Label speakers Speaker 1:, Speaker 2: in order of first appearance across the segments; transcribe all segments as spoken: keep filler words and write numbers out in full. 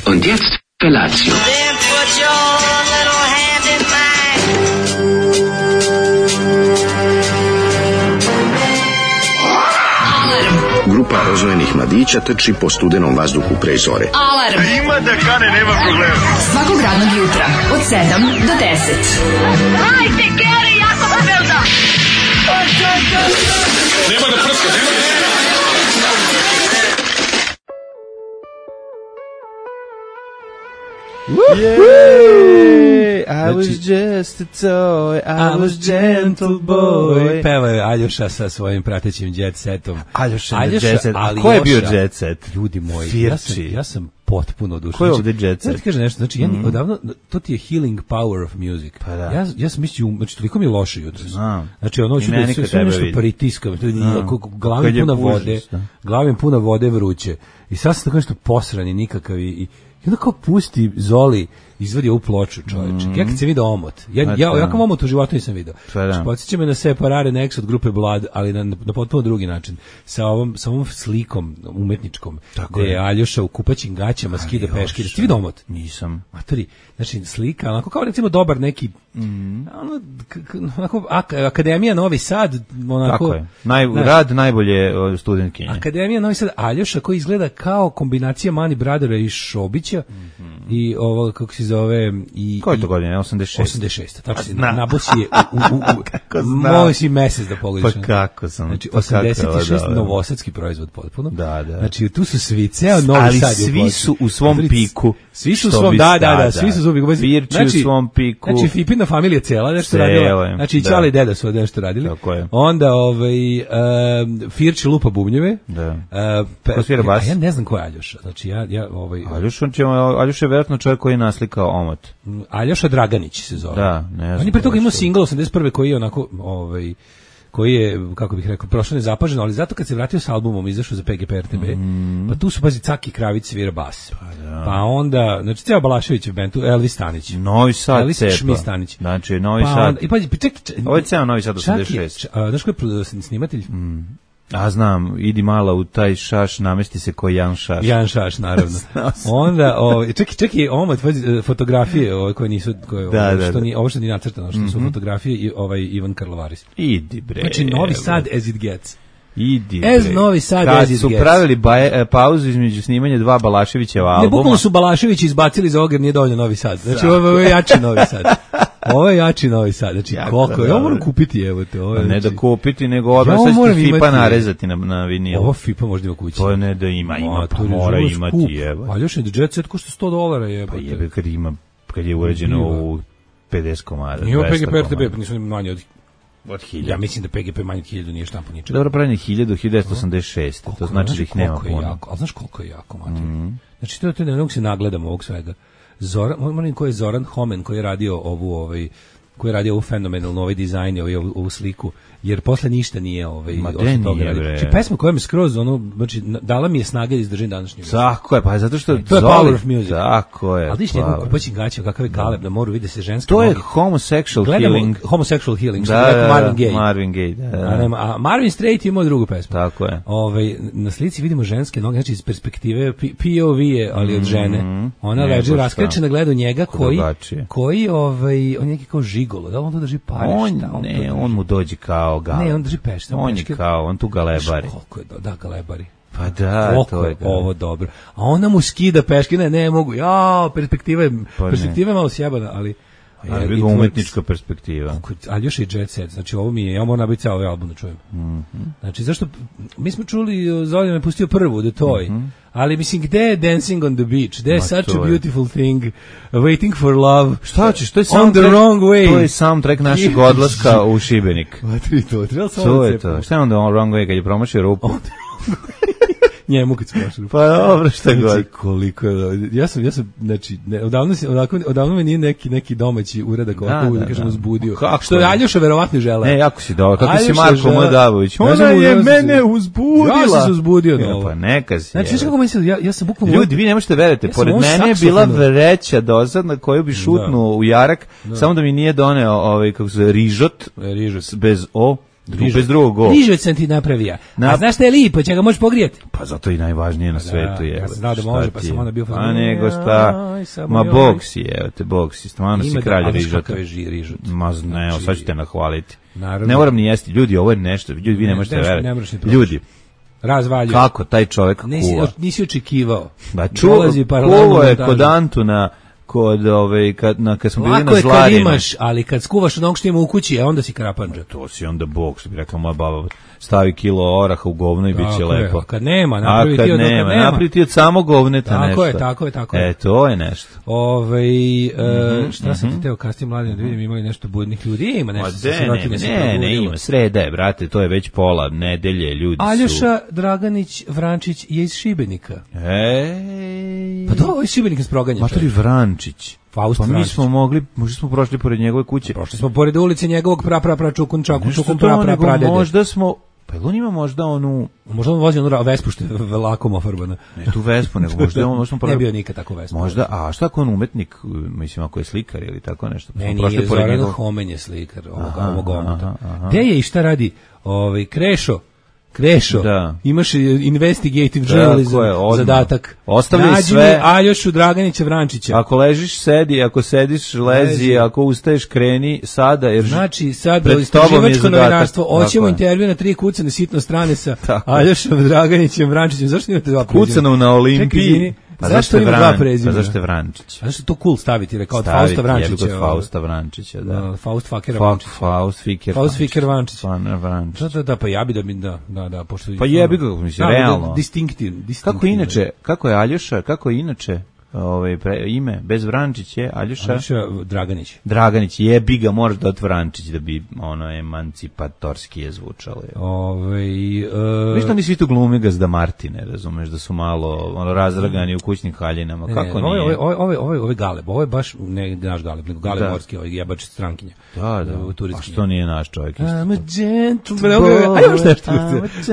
Speaker 1: Und jetzt Felatio.
Speaker 2: Then put your little hand in mine.
Speaker 3: Grupa rozvojenih mladića trči po studenom vazduhu pre zore.
Speaker 4: Alarm.
Speaker 5: Ima da kane, nema problema.
Speaker 4: Svakog radnog jutra od sedam do deset.
Speaker 2: Hajde, Geri, jako se velda.
Speaker 5: Nema da prska, nema da prska.
Speaker 6: Yay! I was just a toy, I was gentle boy.
Speaker 7: Peva je Aljoša sa svojim pratećim jet setom.
Speaker 6: Aljoša,
Speaker 7: Aljoša
Speaker 6: jet set.
Speaker 7: ali
Speaker 6: Ko je bio
Speaker 7: Joša,
Speaker 6: jet set?
Speaker 7: Ljudi moji,
Speaker 6: Firči.
Speaker 7: ja sam, ja sam potpuno oduševljen.
Speaker 6: Ko je ovde jet set?
Speaker 7: Znači, kaže nešto, znači, ja mm. odavno, to ti je healing power of music.
Speaker 6: Pa da.
Speaker 7: Ja, ja sam mislio, znači, toliko mi je loše jutro.
Speaker 6: Znam.
Speaker 7: Znači, ono, ću
Speaker 6: meni
Speaker 7: da
Speaker 6: kad
Speaker 7: sve, sve
Speaker 6: tebe
Speaker 7: nešto
Speaker 6: vidim.
Speaker 7: pritiskam, glava
Speaker 6: Kad
Speaker 7: mi
Speaker 6: je
Speaker 7: puna
Speaker 6: užas,
Speaker 7: vode,
Speaker 6: da.
Speaker 7: glava mi puna vode vruće. I sad sam tako nešto posran i nikakav i, i I onda kao pusti Zoli, izvadi ovu ploču, čovječe. Mm. Ja kad sam vidio omot, ja, ja, ja, ja kao omot u životu nisam vidio.
Speaker 6: Da.
Speaker 7: Podsjeća me na Separare Next od grupe Blood, ali na, na potpuno drugi način. Sa ovom, sa ovom slikom umetničkom,
Speaker 6: tako
Speaker 7: gde je
Speaker 6: je
Speaker 7: Aljoša u kupaćim gaćama skida peške. Da ste vidio omot?
Speaker 6: Nisam.
Speaker 7: Matori, znači slika, onako kao recimo dobar neki,
Speaker 6: Mm.
Speaker 7: ono, k, k, onako, ak, Akademija Novi Sad, onako.
Speaker 6: Tako je. Naj,
Speaker 7: znaš,
Speaker 6: rad najbolje o, studentkinje.
Speaker 7: Akademija Novi Sad, Aljoša koji izgleda kao kombinacija Mani Brothera i Šobića mm-hmm. i ovo, kako se zove, i...
Speaker 6: Koje je to godine? osamdeset šest
Speaker 7: osamdeset šest Tako se
Speaker 6: Zna.
Speaker 7: nabosi je u... u, u, u
Speaker 6: Kako znam?
Speaker 7: Moj si mesec da pogodiš.
Speaker 6: Pa kako sam?
Speaker 7: Znači,
Speaker 6: pa
Speaker 7: osamdeset šest
Speaker 6: kako,
Speaker 7: novosadski proizvod potpuno.
Speaker 6: Da, da.
Speaker 7: Znači, tu su svi, ceo Novi
Speaker 6: ali
Speaker 7: Sad je
Speaker 6: svi
Speaker 7: upločen.
Speaker 6: su u svom piku.
Speaker 7: Svi su u
Speaker 6: Što
Speaker 7: svom,
Speaker 6: bi-
Speaker 7: da, da,
Speaker 6: da,
Speaker 7: da, svi su u svom piku.
Speaker 6: Firči
Speaker 7: Znači,
Speaker 6: u svom piku.
Speaker 7: Znači, Fipina familija cijela nešto
Speaker 6: Cela
Speaker 7: radila.
Speaker 6: je,
Speaker 7: Znači, i
Speaker 6: da.
Speaker 7: Ćale i deda su nešto radili.
Speaker 6: Tako je.
Speaker 7: Onda, ovaj, um, Firči lupa bubnjeve.
Speaker 6: Da.
Speaker 7: Uh, pe,
Speaker 6: Ko svira bas?
Speaker 7: A ja ne znam ko je Aljoša. Znači, ja, ja, ovaj...
Speaker 6: Aljoš, on će, Aljoš je vjerojatno čovjek koji je naslikao omot.
Speaker 7: Aljoša Draganić se zove.
Speaker 6: Da, ne znam.
Speaker 7: On je pre toga
Speaker 6: ko je
Speaker 7: imao
Speaker 6: što.
Speaker 7: singl osamdeset prve koji je onako, ovaj, koji je, kako bih rekao, prošlo nezapaženo, ali zato kad se vratio s albumom, izašao za P G P R T B, mm. pa tu su, pazi, Caki Kravić svira bas. Pa,
Speaker 6: da.
Speaker 7: pa onda, znači, ceo Balašević je band, tu Elvis Stanić.
Speaker 6: Novi Sad
Speaker 7: Elvis
Speaker 6: cepa.
Speaker 7: Šmi Stanić.
Speaker 6: Znači, Novi
Speaker 7: pa
Speaker 6: Sad.
Speaker 7: Onda, I pazi, pa čekaj, čekaj,
Speaker 6: Ovo je ceo Novi Sad
Speaker 7: čak
Speaker 6: osamdeset
Speaker 7: je,
Speaker 6: šest.
Speaker 7: č- a, znaš ko je produ- snimatelj?
Speaker 6: Mm. A znam, idi malo u taj šaš, namesti se ko Jan Šaš.
Speaker 7: Jan Šaš, naravno. Onda, ovaj, čekaj, čekaj, omot, pazi, fotografije, ovaj, koje nisu, koje,
Speaker 6: Da,
Speaker 7: ovo,
Speaker 6: da,
Speaker 7: što
Speaker 6: da.
Speaker 7: nije, ovo što nije nacrtano, što su
Speaker 6: Mhm.
Speaker 7: fotografije i ovaj Ivan Karlovaris.
Speaker 6: Idi bre.
Speaker 7: Znači, Novi
Speaker 6: evo.
Speaker 7: Sad as it gets.
Speaker 6: Idi
Speaker 7: Ez
Speaker 6: bre.
Speaker 7: Novi Sad
Speaker 6: Kad
Speaker 7: as it
Speaker 6: su
Speaker 7: gets.
Speaker 6: pravili baje, e, pauzu između snimanja dva Balaševićeva
Speaker 7: Ne,
Speaker 6: albuma.
Speaker 7: bukvalno su Balašević izbacili za ogar, nije dovoljno Novi Sad. Znači, ovo, ovo je jači Novi Sad. Ovo je jači Novi Sad. Znači,
Speaker 6: Jako
Speaker 7: koliko je, ovo
Speaker 6: dobro.
Speaker 7: moram kupiti, evo te. Ovo, je,
Speaker 6: Ne
Speaker 7: znači,
Speaker 6: da kupiti, nego odmah
Speaker 7: Ja ovo
Speaker 6: sad
Speaker 7: moram
Speaker 6: ćete Fipa
Speaker 7: imati.
Speaker 6: narezati na, na vinil.
Speaker 7: Ovo Fipa možda ima kući.
Speaker 6: To ne da ima, ima,
Speaker 7: Ma,
Speaker 6: pa
Speaker 7: to je
Speaker 6: mora
Speaker 7: živo
Speaker 6: imati,
Speaker 7: skup.
Speaker 6: jeba.
Speaker 7: Ali još je jet set košta sto dolara,
Speaker 6: Pa
Speaker 7: jebote.
Speaker 6: jebe kad ima, kad je uređeno
Speaker 7: Ima.
Speaker 6: u pedeset komada.
Speaker 7: Nije ovo
Speaker 6: dvesta
Speaker 7: P G P R T B,
Speaker 6: komada.
Speaker 7: pa nisu manje od...
Speaker 6: Od hiljadu.
Speaker 7: Ja mislim da P G P manje od hiljadu nije štampo ničega.
Speaker 6: Dobro, pravljeno je hiljadu, hiljadu devetsto osamdeset šest. To
Speaker 7: Koliko,
Speaker 6: znači
Speaker 7: znaš
Speaker 6: da ih nema
Speaker 7: koliko je
Speaker 6: puno.
Speaker 7: jako, ali znaš koliko je jako, mater. Mm. Znači, to, to ne mogu se nagledam ovog svega. Zoran, moram ko je Zoran Homen, koji je radio ovu, ovaj, koji je radio ovu fenomenalnu, ovaj dizajn, ovaj, ovu, ovu sliku, jer posle ništa nije ovaj,
Speaker 6: Ma de
Speaker 7: osim toga
Speaker 6: nije,
Speaker 7: radio.
Speaker 6: bre.
Speaker 7: Znači, pesma koja mi skroz, ono, znači, na- dala mi je snage da izdržim današnji večer.
Speaker 6: Tako je, pa zato što
Speaker 7: To je
Speaker 6: Zoli-
Speaker 7: power of music.
Speaker 6: Tako je.
Speaker 7: Ali vidiš njegov
Speaker 6: power.
Speaker 7: kupaćin gaća, kakav je galeb na moru, vide se ženske
Speaker 6: To je
Speaker 7: noge.
Speaker 6: homosexual
Speaker 7: Gledamo
Speaker 6: healing.
Speaker 7: homosexual healing, što
Speaker 6: Da,
Speaker 7: bi
Speaker 6: da,
Speaker 7: rekao
Speaker 6: da,
Speaker 7: Marvin Gaye.
Speaker 6: Marvin Gaye, da, da.
Speaker 7: A, nema, a Marvin Straight je imao drugu pesmu.
Speaker 6: Tako je.
Speaker 7: Ovaj, na slici vidimo ženske noge, znači iz perspektive P- POV je, ali od žene. Ona
Speaker 6: Nego
Speaker 7: leži
Speaker 6: šta.
Speaker 7: raskrečena, gleda u njega koji,
Speaker 6: drugačije.
Speaker 7: koji ovaj, on je neki kao žigolo, da li on to drži pare?
Speaker 6: On,
Speaker 7: šta to
Speaker 6: ne,
Speaker 7: drži?
Speaker 6: on mu dođe kao galeb.
Speaker 7: Ne, on drži pešta.
Speaker 6: On je
Speaker 7: peške.
Speaker 6: kao, on tu galebari.
Speaker 7: Znaš koliko je, do- da, galebari.
Speaker 6: Pa da,
Speaker 7: Koliko
Speaker 6: to
Speaker 7: je
Speaker 6: je galeb.
Speaker 7: ovo dobro. A ona mu skida peške, ne, ne mogu, ja, perspektiva je,
Speaker 6: Pa ne.
Speaker 7: perspektiva je malo sjebana, ali... ali
Speaker 6: Jebi ga
Speaker 7: influence-
Speaker 6: umetnička perspektiva.
Speaker 7: Koliko- Ali još i Jet Set, znači ovo mi je, ja moram nabiti ceo ovaj album da čujem.
Speaker 6: Mhm.
Speaker 7: Znači, zašto, mi smo čuli, Zoljan me pustio prvu, The Toy, ali mislim, gde je Dancing on the Beach, gde je
Speaker 6: Ma,
Speaker 7: Such
Speaker 6: to
Speaker 7: a
Speaker 6: je.
Speaker 7: Beautiful Thing, Waiting for Love,
Speaker 6: Šta hoćeš, to je
Speaker 7: On the
Speaker 6: soundtrack-
Speaker 7: Wrong Way.
Speaker 6: To je soundtrack našeg odlaska u Šibenik.
Speaker 7: Vatri to, treba samo
Speaker 6: To
Speaker 7: da
Speaker 6: je
Speaker 7: cepamo.
Speaker 6: to. Šta je onda on wrong way kad je promašio rupu?
Speaker 7: Njemu kad smo našli.
Speaker 6: Pa dobro, šta god.
Speaker 7: Znači, koliko je, ja sam, ja sam, znači, ne, odavno, se, odavno, odavno me nije neki, neki domaći uradak ovako,
Speaker 6: Da,
Speaker 7: da,
Speaker 6: da,
Speaker 7: kažem,
Speaker 6: da.
Speaker 7: uzbudio.
Speaker 6: Kako
Speaker 7: Što je
Speaker 6: ne?
Speaker 7: Aljoša verovatno žele.
Speaker 6: Ne, jako si dobro. Kako si
Speaker 7: Aljoša
Speaker 6: Marko
Speaker 7: žele-
Speaker 6: Mladavović?
Speaker 7: Ja
Speaker 6: Ona
Speaker 7: sam mu-
Speaker 6: je
Speaker 7: ja sam
Speaker 6: mene
Speaker 7: se-
Speaker 6: uzbudila.
Speaker 7: Ja sam se uzbudio na
Speaker 6: Ja,
Speaker 7: ovo.
Speaker 6: pa neka si.
Speaker 7: Znači,
Speaker 6: je.
Speaker 7: znaš kako meni se, ja, ja sam bukvalno...
Speaker 6: Ljudi, vi ne možete verujete,
Speaker 7: Ja sam
Speaker 6: pored
Speaker 7: ovo
Speaker 6: mene je bila
Speaker 7: saksofonu-
Speaker 6: vreća dozadna koju bi šutnuo u jarak, samo da mi nije doneo ovaj, kako se zove, rižot,
Speaker 7: E, rižot.
Speaker 6: bez o,
Speaker 1: bez drugog go.
Speaker 7: Rižovac sam ti napravio.
Speaker 1: Na...
Speaker 7: A znaš šta je lipo, će ga možeš pogrijeti?
Speaker 1: Pa zato i najvažnije na svetu je.
Speaker 7: Ja sam znao da može, pa sam onda bio...
Speaker 1: A nego šta, ma boksi, evo te boksi, stvarno si kralj rižota. Ma ne, evo sad ću te nahvaliti. Ne moram ni jesti, ljudi, ovo je nešto, ljudi, vi ne možete verati. Ljudi,
Speaker 7: razvalju.
Speaker 1: Kako taj čovjek kuva?
Speaker 7: Nisi, nisi očekivao.
Speaker 1: Ba čuo, kuvo je kod Antuna, kod ove kad na kad smo bili na Zlarinu.
Speaker 7: Kad imaš, ali kad skuvaš od onog što ima u kući, onda si krapandža.
Speaker 1: To si onda bog, što bi rekla moja baba. Stavi kilo oraha u govno i bit će lepo.
Speaker 7: A kad nema, napravi ti od
Speaker 1: nema, napravi ti od samo govneta
Speaker 7: tako
Speaker 1: nešto.
Speaker 7: Tako je, tako je, tako je.
Speaker 1: E, to je nešto.
Speaker 7: Ove, mm-hmm, e, šta sam mm-hmm. ti teo kasnije mladim da vidim, imali nešto budnih ljudi? Ima nešto
Speaker 1: sa sirotine se probudilo. Ne, ne, ima, sreda je, brate, to je već pola nedelje, ljudi
Speaker 7: Aljoša
Speaker 1: su...
Speaker 7: Aljoša Draganić Vrančić je iz Šibenika.
Speaker 1: Ej...
Speaker 7: Pa to ovo je Šibenik iz Proganja.
Speaker 1: Matori Vrančić.
Speaker 7: Faust
Speaker 1: pa mi
Speaker 7: Vrančić.
Speaker 1: smo mogli, možda smo prošli pored njegove kuće.
Speaker 7: Prošli smo pored ulice njegovog pra pra pra čukun čakun čukun pra pra pradede.
Speaker 1: Možda smo, pa on ima možda onu...
Speaker 7: Možda on vozi onu Vespu što je lakom ofarbana.
Speaker 1: Ne tu Vespu, nego možda on... Možda
Speaker 7: ne bio nikad tako Vespa.
Speaker 1: Možda, a šta ako on umetnik, mislim ako je slikar ili tako nešto?
Speaker 7: Ne, nije, Zoran Homen je slikar ovog omota. Gde je i šta radi? Ovaj Krešo, Krešo,
Speaker 1: da.
Speaker 7: Imaš investigative journalism zadatak.
Speaker 1: Ostavljaj sve.
Speaker 7: Aljošu Draganića Vrančića.
Speaker 1: Ako ležiš, sedi, ako sediš, lezi, lezi. Ako ustaješ, kreni, sada. Jer
Speaker 7: znači, sada istraživačko novinarstvo, hoćemo intervju na tri kucane sitno strane sa Aljošom Draganićem Vrančićem. Zašto imate dva prezimena?
Speaker 1: Kucanom na Olimpiji.
Speaker 7: Pa zašto ima dva prezimena?
Speaker 1: Pa zašto je Vrančić?
Speaker 7: A zašto je to cool staviti, rekao od Fausta Vrančića.
Speaker 1: Staviti, Fausta Vrančića, da.
Speaker 7: Faust Fakera Vrančića.
Speaker 1: Faust Fiker
Speaker 7: Faust Fiker Vrančić.
Speaker 1: Vrančić.
Speaker 7: Da, da, da, pa ja bi da mi, da, da, da, pošto...
Speaker 1: Pa jebi ga, mislim, realno.
Speaker 7: Distinktiv.
Speaker 1: Kako inače, kako je Aljoša, kako je inače ovaj ime bez Vrančić je Aljoša
Speaker 7: Aljoša Draganić.
Speaker 1: Draganić jebi ga, možeš da od Vrančić da bi ono emancipatorski je zvučalo.
Speaker 7: Ovaj e...
Speaker 1: Viš oni svi tu glumi Gazda Martine, razumeš, da su malo ono razdragani u kućnim haljinama. Kako
Speaker 7: ne,
Speaker 1: nije?
Speaker 7: Ovo ovo ovo ovo Galeb, ovo je baš ne naš Galeb, nego Galeb morski, ovaj jebač strankinja.
Speaker 1: Da, da. A što nije naš čovjek isto?
Speaker 7: I'm a gentleman. Ajmo šta što.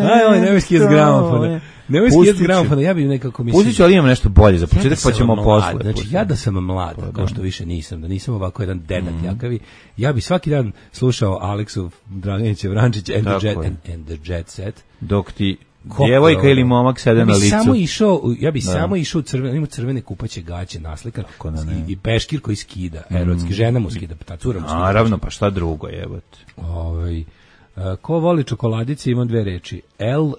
Speaker 7: Aj, ovaj nemeski iz gramofona. Nemoj skijeti gramofona, ja bih nekako mislim...
Speaker 1: Pustit ću, ali imam nešto bolje za početak, pa ćemo posle.
Speaker 7: Znači, ja da sam mlad, kao što više nisam, da nisam ovako jedan dedak mm. jakavi, ja bi svaki dan slušao Aleksu Draganića Vrančić and, and, and the Jet Set.
Speaker 1: Dok ti djevojka ili momak sede ja na licu.
Speaker 7: Samo išao, ja bi da. samo išao u crvene, ima crvene kupaće gaće naslikan i, i peškir koji skida, mm. erotski, žena mu skida, ta cura mu skida.
Speaker 1: Naravno, pa šta drugo jebote.
Speaker 7: Ovaj, uh, ko voli čokoladice, imam dve reči. L.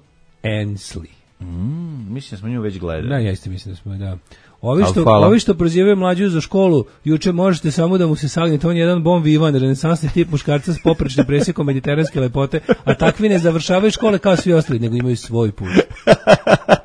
Speaker 7: Ensley.
Speaker 1: Mm, mislim da smo nju već gledali.
Speaker 7: Da, ja isto mislim da smo, da. Ovi što, ovi što prozivaju mlađu za školu, juče možete samo da mu se sagnete, on je jedan bon vivan, renesansni tip muškarca s poprečnim presjekom mediteranske lepote, a takvi ne završavaju škole kao svi ostali, nego imaju svoj put.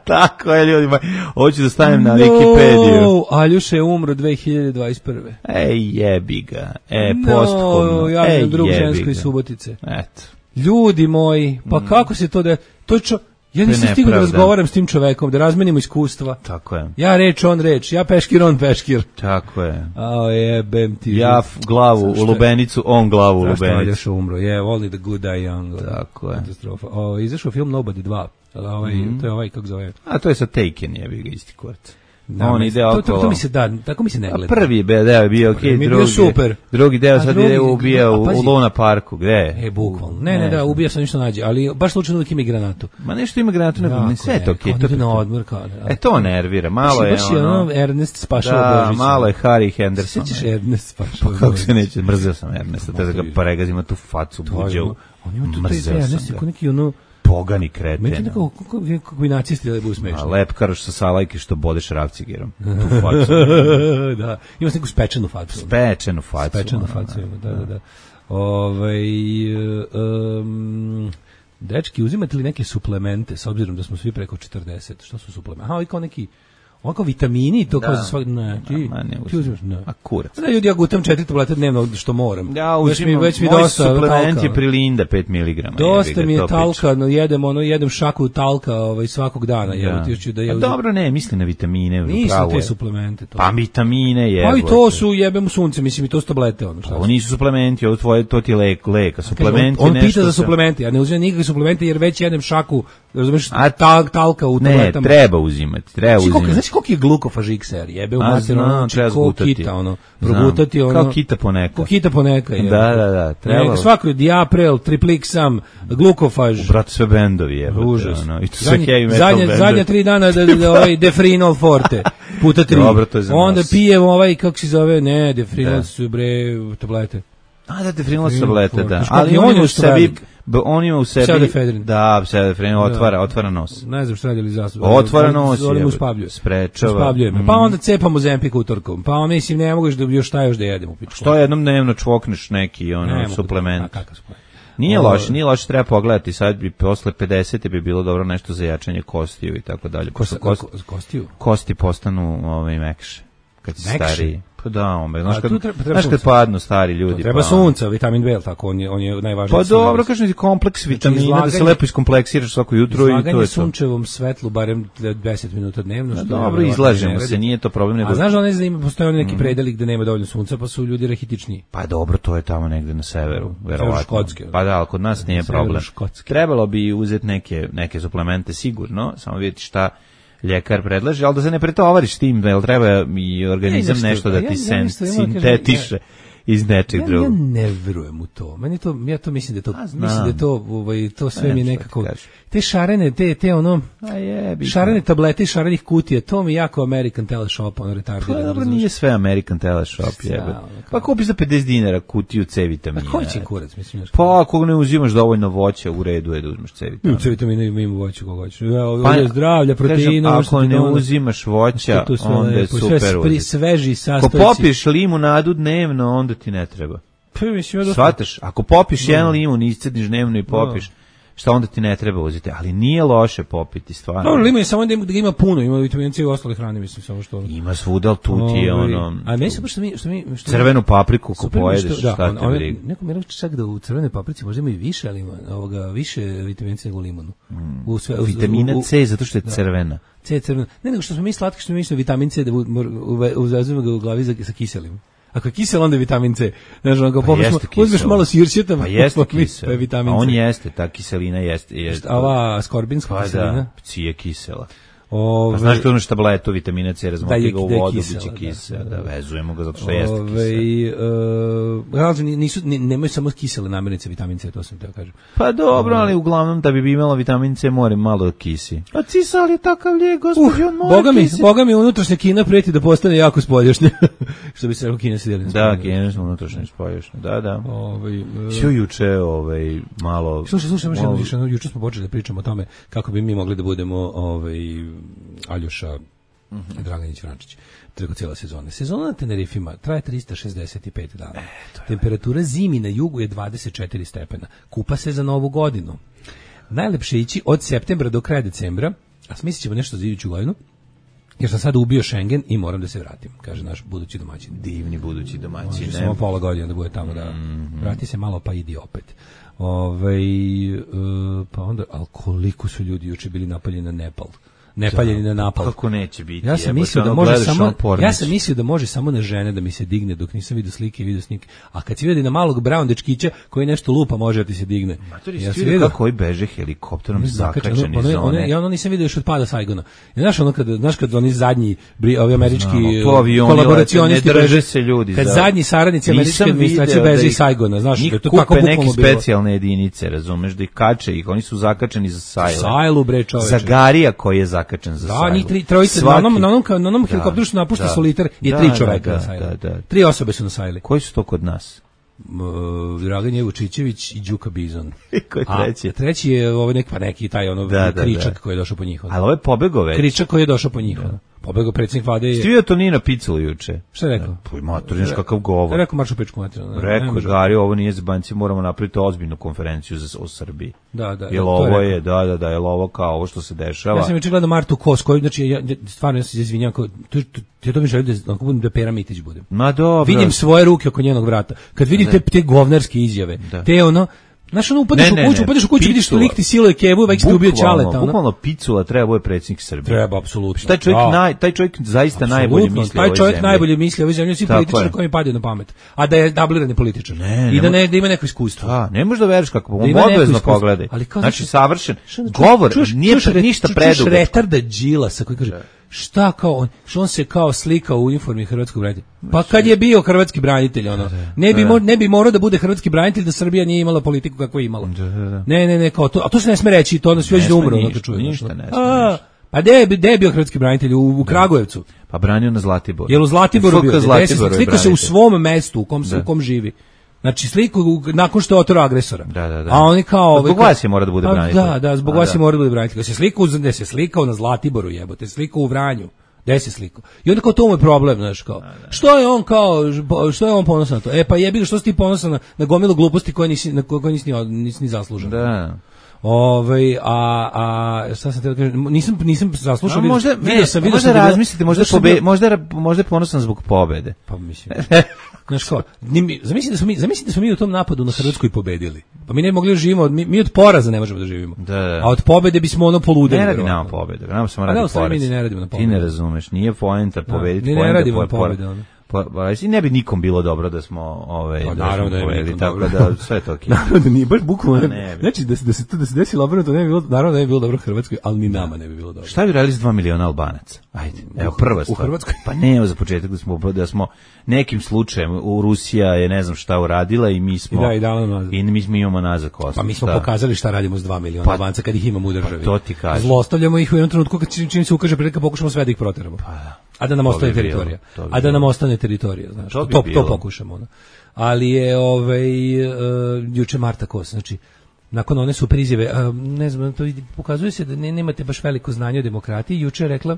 Speaker 1: Tako je, ljudima. Hoću da stavim na no, Wikipediju.
Speaker 7: Aljoša je umro dve hiljade dvadeset prve.
Speaker 1: Ej, jebi ga. E, no, posthumno.
Speaker 7: Ja imam drug žensko iz Subotice.
Speaker 1: Eto.
Speaker 7: Ljudi moji, pa mm. kako se to da... To je čo... Ja nisam stigao da razgovaram s tim čovekom, da razmenimo iskustva.
Speaker 1: Tako je.
Speaker 7: Ja reč, on reč, ja peškir, on peškir.
Speaker 1: Tako je.
Speaker 7: A jebem ti.
Speaker 1: Ja glavu u lubenicu, on glavu u lubenicu.
Speaker 7: Zašto Aljoša umro? Je, yeah, only the good die young.
Speaker 1: Tako je.
Speaker 7: Katastrofa. O, izašao film Nobody dva. Ovaj, mm. To je ovaj, kako zove?
Speaker 1: A to je sa Taken, jebi ga isti kurac.
Speaker 7: Da, on ide okolo. To, to, to mi se da, tako mi se ne gleda.
Speaker 1: A prvi deo je bio okej, okay, drugi,
Speaker 7: super.
Speaker 1: drugi deo sad ide ubija u, u Luna Parku, gde?
Speaker 7: E, bukvalno. Ne, ne, ne, da, ubija sam ništa nađe, ali baš slučajno uvijek ima i granatu.
Speaker 1: Ma nešto ima granatu, nego ne, sve to okej.
Speaker 7: Okay, to na odmor, kao
Speaker 1: e, to nervira, malo je
Speaker 7: baš ono... Baš je Ernest spašao Božić.
Speaker 1: Da, malo je Harry Henderson.
Speaker 7: Sjećaš Ernest spašao Božić?
Speaker 1: Pa kako se neće, mrzeo sam Ernesta, te da ga pregazima tu facu buđavu.
Speaker 7: On ima tu taj Ernest, ko neki ono...
Speaker 1: Pogani kreten.
Speaker 7: Meni nekako, kako, kako bi nacisti da budu smešni.
Speaker 1: A lepkaroš sa salajke što bodeš ravcigerom. Tu facu.
Speaker 7: Da, ima neku spečenu facu.
Speaker 1: Spečenu facu.
Speaker 7: Spečenu facu ima, da, da, da. Ove, um, dečki, uzimate li neke suplemente, s obzirom da smo svi preko četrdeset? Što su suplementi? Aha, ovi kao neki... Ovako vitamini, to da. Kao za svak... Ne, ti,
Speaker 1: ma ne
Speaker 7: ti uzimaš, ne.
Speaker 1: A kurac.
Speaker 7: Da, ljudi, ja gutam četiri tablete dnevno što moram.
Speaker 1: Ja uzimam, već mi, već mi moj dosta suplement talka. Je prilinda pet miligrama.
Speaker 7: Dosta mi je talka, no jedem, ono, jedem šaku talka ovaj, svakog dana. Ja. Evo, ti da je uzim...
Speaker 1: dobro, ne, misli na vitamine.
Speaker 7: Nisu te suplemente. To.
Speaker 1: Pa vitamine je.
Speaker 7: Pa i to su jebem u sunce, mislim, i to su tablete. Ono,
Speaker 1: pa, ovo nisu suplementi, ovo tvoje, to ti je lek, leka. Suplementi
Speaker 7: on, on pita za
Speaker 1: sam...
Speaker 7: suplemente, ja ne uzimam nikakve suplemente jer već jedem šaku razumeš, a ta talka u tabletama.
Speaker 1: Ne, treba uzimati, treba znači, uzimati.
Speaker 7: Znači koliko je glukofažik ser, jebe u materinu,
Speaker 1: treba zgutati.
Speaker 7: Kita, ono, progutati, ono.
Speaker 1: Kao kita poneka.
Speaker 7: Kao kita poneka,
Speaker 1: je. Da, da, da, treba.
Speaker 7: Svako diaprel, triplixam, glukofaž.
Speaker 1: Brate, sve bendovi, jebe.
Speaker 7: Užas.
Speaker 1: Ono, i to
Speaker 7: zadnje,
Speaker 1: sve heavy metal
Speaker 7: zadnje,
Speaker 1: bendovi.
Speaker 7: zadnje tri dana da, da ovaj Defrinol Forte, puta tri.
Speaker 1: Dobro, to je za
Speaker 7: onda
Speaker 1: nas.
Speaker 7: pijem ovaj, kako se zove, ne, Defrinol su bre tablete.
Speaker 1: A da, Defrinol su tablete, da. Ali on je u sebi, on ima u sebi,
Speaker 7: pseudefedrin.
Speaker 1: da, pseudefedrin, otvara, otvara nos.
Speaker 7: Ne znam što radili zastup.
Speaker 1: Otvara nos,
Speaker 7: je,
Speaker 1: sprečava.
Speaker 7: Uspavljuje me. Pa onda cepamo Zempik utorkom. Pa onda mislim, ne moguš da još šta još da jedem u pičku.
Speaker 1: Što jednom dnevno čvokneš neki ono, suplement.
Speaker 7: A kakav suplement?
Speaker 1: Nije loše, nije loše, treba pogledati, sad bi posle pedeset bi bilo dobro nešto za jačanje kostiju i tako dalje.
Speaker 7: Kosti, kosti, kostiju?
Speaker 1: Kosti postanu ovaj, mekše, kad si stariji. Pa da, ombe, znaš kad,
Speaker 7: treba, treba
Speaker 1: znaš kad padnu stari ljudi.
Speaker 7: To treba
Speaker 1: pa,
Speaker 7: sunca, vitamin B, tako, on je, on je najvažniji.
Speaker 1: Pa dobro, kažem ti kompleks vitamina, izlaganje, da se lepo iskompleksiraš svako jutro i to je to.
Speaker 7: Izlaganje sunčevom svetlu, barem deset minuta dnevno. Što
Speaker 1: dobro, izlažemo se, nije to problem. Nego...
Speaker 7: A znaš da ne znam, postoje oni neki predeli gde nema dovoljno sunca, pa su ljudi rahitičniji.
Speaker 1: Pa dobro, to je tamo negde na severu, verovatno.
Speaker 7: Škotske.
Speaker 1: Pa da, ali kod nas nije problem. Trebalo bi uzeti neke, neke suplemente sigurno, samo vidjeti šta ljekar predlaže, ali da se ne pretovariš tim, da treba i organizam ja, nešto da ti ja, sen, ja, sintetiše ja, iz nečeg
Speaker 7: ja,
Speaker 1: drugog.
Speaker 7: Ja ne verujem u to. Meni to, ja to mislim da to, A, mislim da to, ovaj, to sve mi nekako, te šarene, te, te ono,
Speaker 1: A je,
Speaker 7: šarene tablete, šarenih kutija, to mi jako American Teleshop, ono retardirano.
Speaker 1: Pa dobro, nije sve American Teleshop, jebe. Pa kupiš za pedeset dinara kutiju C vitamina.
Speaker 7: A koji će kurac, mislim?
Speaker 1: Pa ako ne uzimaš dovoljno voća, u redu je da uzmeš C vitamina.
Speaker 7: C vitamina ima voće koga hoćeš. Pa, zdravlja, proteina.
Speaker 1: Ako ne uzimaš voća, onda je super.
Speaker 7: Pri sveži sastojci.
Speaker 1: Ako popiješ limunadu dnevno, onda ti ne treba. Shvataš, ako popiš no. jedan limun, iscediš dnevno i popiš, no. šta onda ti ne treba uzeti, ali nije loše popiti, stvarno.
Speaker 7: Dobro, limun je samo da, da ima puno, ima vitamina C i ostale hrane, mislim, samo što...
Speaker 1: Ima svuda, tu ti je ono...
Speaker 7: A meni se što mi... Što mi što
Speaker 1: crvenu papriku ko pojedeš,
Speaker 7: što, da,
Speaker 1: šta te briga.
Speaker 7: Neko mi rekao čak da u crvenoj paprici možda ima i više, ali ima ovoga, više vitamina C nego u limunu.
Speaker 1: Mm. U sve, u, vitamina u, C, zato što je da. crvena.
Speaker 7: C je crvena. Ne, nego što smo mi slatki, što mi mislimo vitamin C, da uvezujemo ga u glavi za, sa kiselim. Ako je kisel, onda je vitamin C. Znaš, ono, pa uzmeš malo sirćeta,
Speaker 1: pa jeste kisel.
Speaker 7: Pa je vitamin
Speaker 1: C. A on
Speaker 7: C.
Speaker 1: jeste, ta kiselina jeste. jeste.
Speaker 7: A ova skorbinska
Speaker 1: pa
Speaker 7: kiselina?
Speaker 1: Da, C je kisela.
Speaker 7: Ove,
Speaker 1: pa znaš kad uzmeš tabletu vitamina C, razmoti ga u vodu,
Speaker 7: kisela,
Speaker 1: biće kisela. Da, da, vezujemo ga zato što
Speaker 7: ove,
Speaker 1: jeste
Speaker 7: kisela. Uh, nisu, nemaju samo kisele namirnice vitamin C, to sam teo kažem.
Speaker 1: Pa dobro, ali uglavnom da bi imalo vitamin C mora malo kisi. A cisal je takav lijek, gospodin, on mora
Speaker 7: boga mi,
Speaker 1: kisi.
Speaker 7: Boga mi unutrašnja kina preti da postane jako spoljašnja. Što bi se rekao kina se deli.
Speaker 1: Da, kina se unutrašnja spoljašnja, da, da.
Speaker 7: Ovaj, uh,
Speaker 1: Sio juče ovaj, malo...
Speaker 7: Slušaj, slušaj, malo... Juče, juče smo počeli da pričamo o tome kako bi mi mogli da budemo ovaj, Aljoša mm-hmm. Draganić Vrančić preko cijela sezona. Sezona na Tenerifima traje trista šezdeset pet dana. E, temperatura zimi na jugu je dvadeset četiri stepena. Kupa se za novu godinu. Najlepše ići od septembra do kraja decembra, a smislit ćemo nešto za iduću godinu, jer sam sada ubio Schengen i moram da se vratim, kaže naš budući domaćin.
Speaker 1: Divni budući domaćin.
Speaker 7: Može samo pola godine da bude tamo da mm-hmm. vrati se malo pa idi opet. Ove, uh, pa onda, ali koliko su ljudi juče bili napaljeni na Nepal. Nepaljeni na napad.
Speaker 1: Kako neće biti?
Speaker 7: Ja sam mislio da može samo Ja sam mislio da može samo na žene da mi se digne dok nisam vidio slike i video snimke. A kad si vidi na malog brown dečkića koji nešto lupa može da ti se digne.
Speaker 1: Matori, ja sam vidio kako koji beže helikopterom zakačeni iz zone.
Speaker 7: Ja ono nisam vidio još od pada Saigona. Ja znaš ono kad znaš kad oni zadnji ovi američki
Speaker 1: kolaboracionisti ne drže se ljudi.
Speaker 7: Kad zadnji saradnici američke administracije beže iz Saigona, znaš,
Speaker 1: da to tako bukvalno bilo. Neke specijalne jedinice, razumeš, da ih kače ih, oni su zakačeni za Sajlu.
Speaker 7: Sajlu bre čoveče.
Speaker 1: Za Garija koji je zakačen za Sajlu.
Speaker 7: Da, njih tri, trojice, na onom, na onom, na onom helikopteru što napušta Solitar je tri čoveka na Sajlu. Tri osobe su na Sajli.
Speaker 1: Koji su to kod nas?
Speaker 7: Uh, Dragan Jevučićević i Đuka Bizon.
Speaker 1: Ko je treći?
Speaker 7: A treći je ovaj neki, pa neki taj ono
Speaker 1: da,
Speaker 7: kričak
Speaker 1: da.
Speaker 7: koji je došao po njih.
Speaker 1: Ali ovo je pobegao već.
Speaker 7: Kričak koji je došao po njih. Da. Pobegao predsjednik vlade je...
Speaker 1: Stivio to nije na Piculu juče.
Speaker 7: Šta je rekao?
Speaker 1: Poj maturniš kakav govor.
Speaker 7: Rekao maršu pečku materinu.
Speaker 1: Rekao, Gari, ovo nije za banci, moramo napraviti ozbiljnu konferenciju za, o Srbiji.
Speaker 7: Da, da.
Speaker 1: Jel ovo je, da, da, da, jel ovo kao ovo što se dešava.
Speaker 7: Ja sam juče gledao Martu Kos, koju, znači, ja, stvarno ja se izvinjam, to, ja to mi želim da, da Pera Mitić budem.
Speaker 1: Ma dobro.
Speaker 7: Vidim svoje ruke oko njenog vrata. Kad vidim te, te govnarske izjave, da. te ono, Znaš, ono, upadeš u kuću, upadeš u kuću, vidiš lik ti siluje kevu, već ti ubio Ćaleta.
Speaker 1: Bukvalno Picula treba bude predsjednik Srbije.
Speaker 7: Treba, apsolutno.
Speaker 1: Taj čovjek, naj, taj čovjek zaista
Speaker 7: Absolutno.
Speaker 1: najbolje misli
Speaker 7: taj
Speaker 1: o ovoj
Speaker 7: čovjek
Speaker 1: zemlji.
Speaker 7: najbolje misli o ovoj zemlji, svi političari koji mi padaju na pamet. A da je dublirani političar.
Speaker 1: Ne,
Speaker 7: I da, ne, da ima neko iskustvo.
Speaker 1: Da, ne možeš da veriš kako,
Speaker 7: Da
Speaker 1: on
Speaker 7: ima neko
Speaker 1: obvezno
Speaker 7: iskustvo.
Speaker 1: pogledaj.
Speaker 7: Ali kao,
Speaker 1: Znači,
Speaker 7: znači,
Speaker 1: savršen.
Speaker 7: Što onda
Speaker 1: Govor,
Speaker 7: čuješ-
Speaker 1: nije
Speaker 7: čuješ
Speaker 1: pre-
Speaker 7: re-
Speaker 1: ništa
Speaker 7: čuješ
Speaker 1: predugačko.
Speaker 7: retarda Đilasa koji kaže, šta kao on, što on se kao slika u uniformi hrvatskog branitelja. Pa kad je bio hrvatski branitelj, ono, ne bi, mo- ne bi morao da bude hrvatski branitelj da Srbija nije imala politiku kakvu je imala. Ne, ne, ne, kao to, a to se ne sme reći, to onda svi već da umru, ono
Speaker 1: ništa,
Speaker 7: to čuješ.
Speaker 1: ništa
Speaker 7: ono.
Speaker 1: ne sme,
Speaker 7: A,
Speaker 1: ništa.
Speaker 7: Pa gde je, gde je bio hrvatski branitelj? U, u Kragujevcu.
Speaker 1: Pa branio na Zlatiboru.
Speaker 7: Jel u Zlatiboru
Speaker 1: F K
Speaker 7: bio? Gde se
Speaker 1: Zlatiboru je
Speaker 7: slika se u
Speaker 1: branitelj.
Speaker 7: svom mestu u kom, se, u kom živi. Znači sliku u- nakon što je otero agresora.
Speaker 1: Da, da, da.
Speaker 7: A oni kao...
Speaker 1: Pa zbog
Speaker 7: ovaj,
Speaker 1: vas je mora da bude
Speaker 7: Pa
Speaker 1: branitelj.
Speaker 7: Da, da, zbog
Speaker 1: A,
Speaker 7: vas
Speaker 1: da.
Speaker 7: je mora da bude branitelj. Kad se slikao, gde se slikao na Zlatiboru, jebote, slikao u Vranju. Gde se slikao? I onda kao to mu je problem, znaš, kao. Što je on kao, što je on ponosan na to? E pa jebi ga, što si ti ponosan na, na gomilu gluposti koje nisi, na koje nisi, ni- nisi ni zaslužen.
Speaker 1: Da.
Speaker 7: Ovaj a a šta sam te da kažem, nisam nisam zaslušao,
Speaker 1: A
Speaker 7: vidio-
Speaker 1: možda,
Speaker 7: vidio
Speaker 1: ne,
Speaker 7: sam, vidio
Speaker 1: možda
Speaker 7: sam da je bila-
Speaker 1: razmislite, možda,
Speaker 7: vidio sam
Speaker 1: pobe,
Speaker 7: da-
Speaker 1: možda, je- možda je ponosan zbog pobede.
Speaker 7: Pa mislim. Znaš ko, ni mi- zamisli da smo mi, zamisli da smo mi u tom napadu na Hrvatsku i pobedili. Pa mi ne bi mogli da živimo, od- mi, mi od poraza ne možemo da živimo.
Speaker 1: Da, da.
Speaker 7: A od pobede bismo ono poludeli.
Speaker 1: Ne radi
Speaker 7: verovatno.
Speaker 1: nama pobede, nama samo
Speaker 7: A da,
Speaker 1: radi
Speaker 7: u stvari mi
Speaker 1: poraz.
Speaker 7: ni ne radimo na
Speaker 1: Ti
Speaker 7: pobedu.
Speaker 1: ne razumeš, nije poenta pobediti,
Speaker 7: mi ne
Speaker 1: poenta
Speaker 7: radimo
Speaker 1: po-
Speaker 7: na pobede, ono.
Speaker 1: Po, pa, i ne bi nikom bilo dobro da smo ovaj
Speaker 7: Pa,
Speaker 1: da
Speaker 7: naravno
Speaker 1: smo
Speaker 7: da ne bi
Speaker 1: pobedili,
Speaker 7: nikom
Speaker 1: tako
Speaker 7: dobro.
Speaker 1: da sve je to okej.
Speaker 7: Naravno da nije, baš bukvalno.
Speaker 1: Ne bi.
Speaker 7: Znači da se da se to da se desilo obrnuto ne bi bilo, naravno da ne bi bilo dobro Hrvatskoj, ali ni nama ne bi bilo dobro.
Speaker 1: Šta bi radili s dva miliona Albanaca? Ajde, evo prva stvar.
Speaker 7: Hrvatskoj?
Speaker 1: Pa ne, evo za početak da smo da smo nekim slučajem u Rusija je ne znam šta uradila i mi smo
Speaker 7: I da, i dala nam nazad.
Speaker 1: i mi smo imamo nazad Kosovo.
Speaker 7: Pa mi smo
Speaker 1: Šta?
Speaker 7: pokazali šta radimo s dva miliona
Speaker 1: Pa-
Speaker 7: Albanca kad ih imamo u državi.
Speaker 1: pa to ti kažem.
Speaker 7: Zlostavljamo ih u jednom trenutku kad čim, čim se ukaže prilika pokušamo sve da ih proteramo. A da nam
Speaker 1: to
Speaker 7: ostane
Speaker 1: bi bilo,
Speaker 7: teritorija.
Speaker 1: to bi
Speaker 7: A da nam
Speaker 1: bilo.
Speaker 7: ostane teritorija, znaš.
Speaker 1: To
Speaker 7: To
Speaker 1: bi
Speaker 7: to,
Speaker 1: bilo.
Speaker 7: pokušamo, ono. Ali je ovaj uh, juče Marta Kos, znači nakon one super izjave, uh, ne znam, to vidi, pokazuje se da ne, nemate baš veliko znanje o demokratiji. Juče je rekla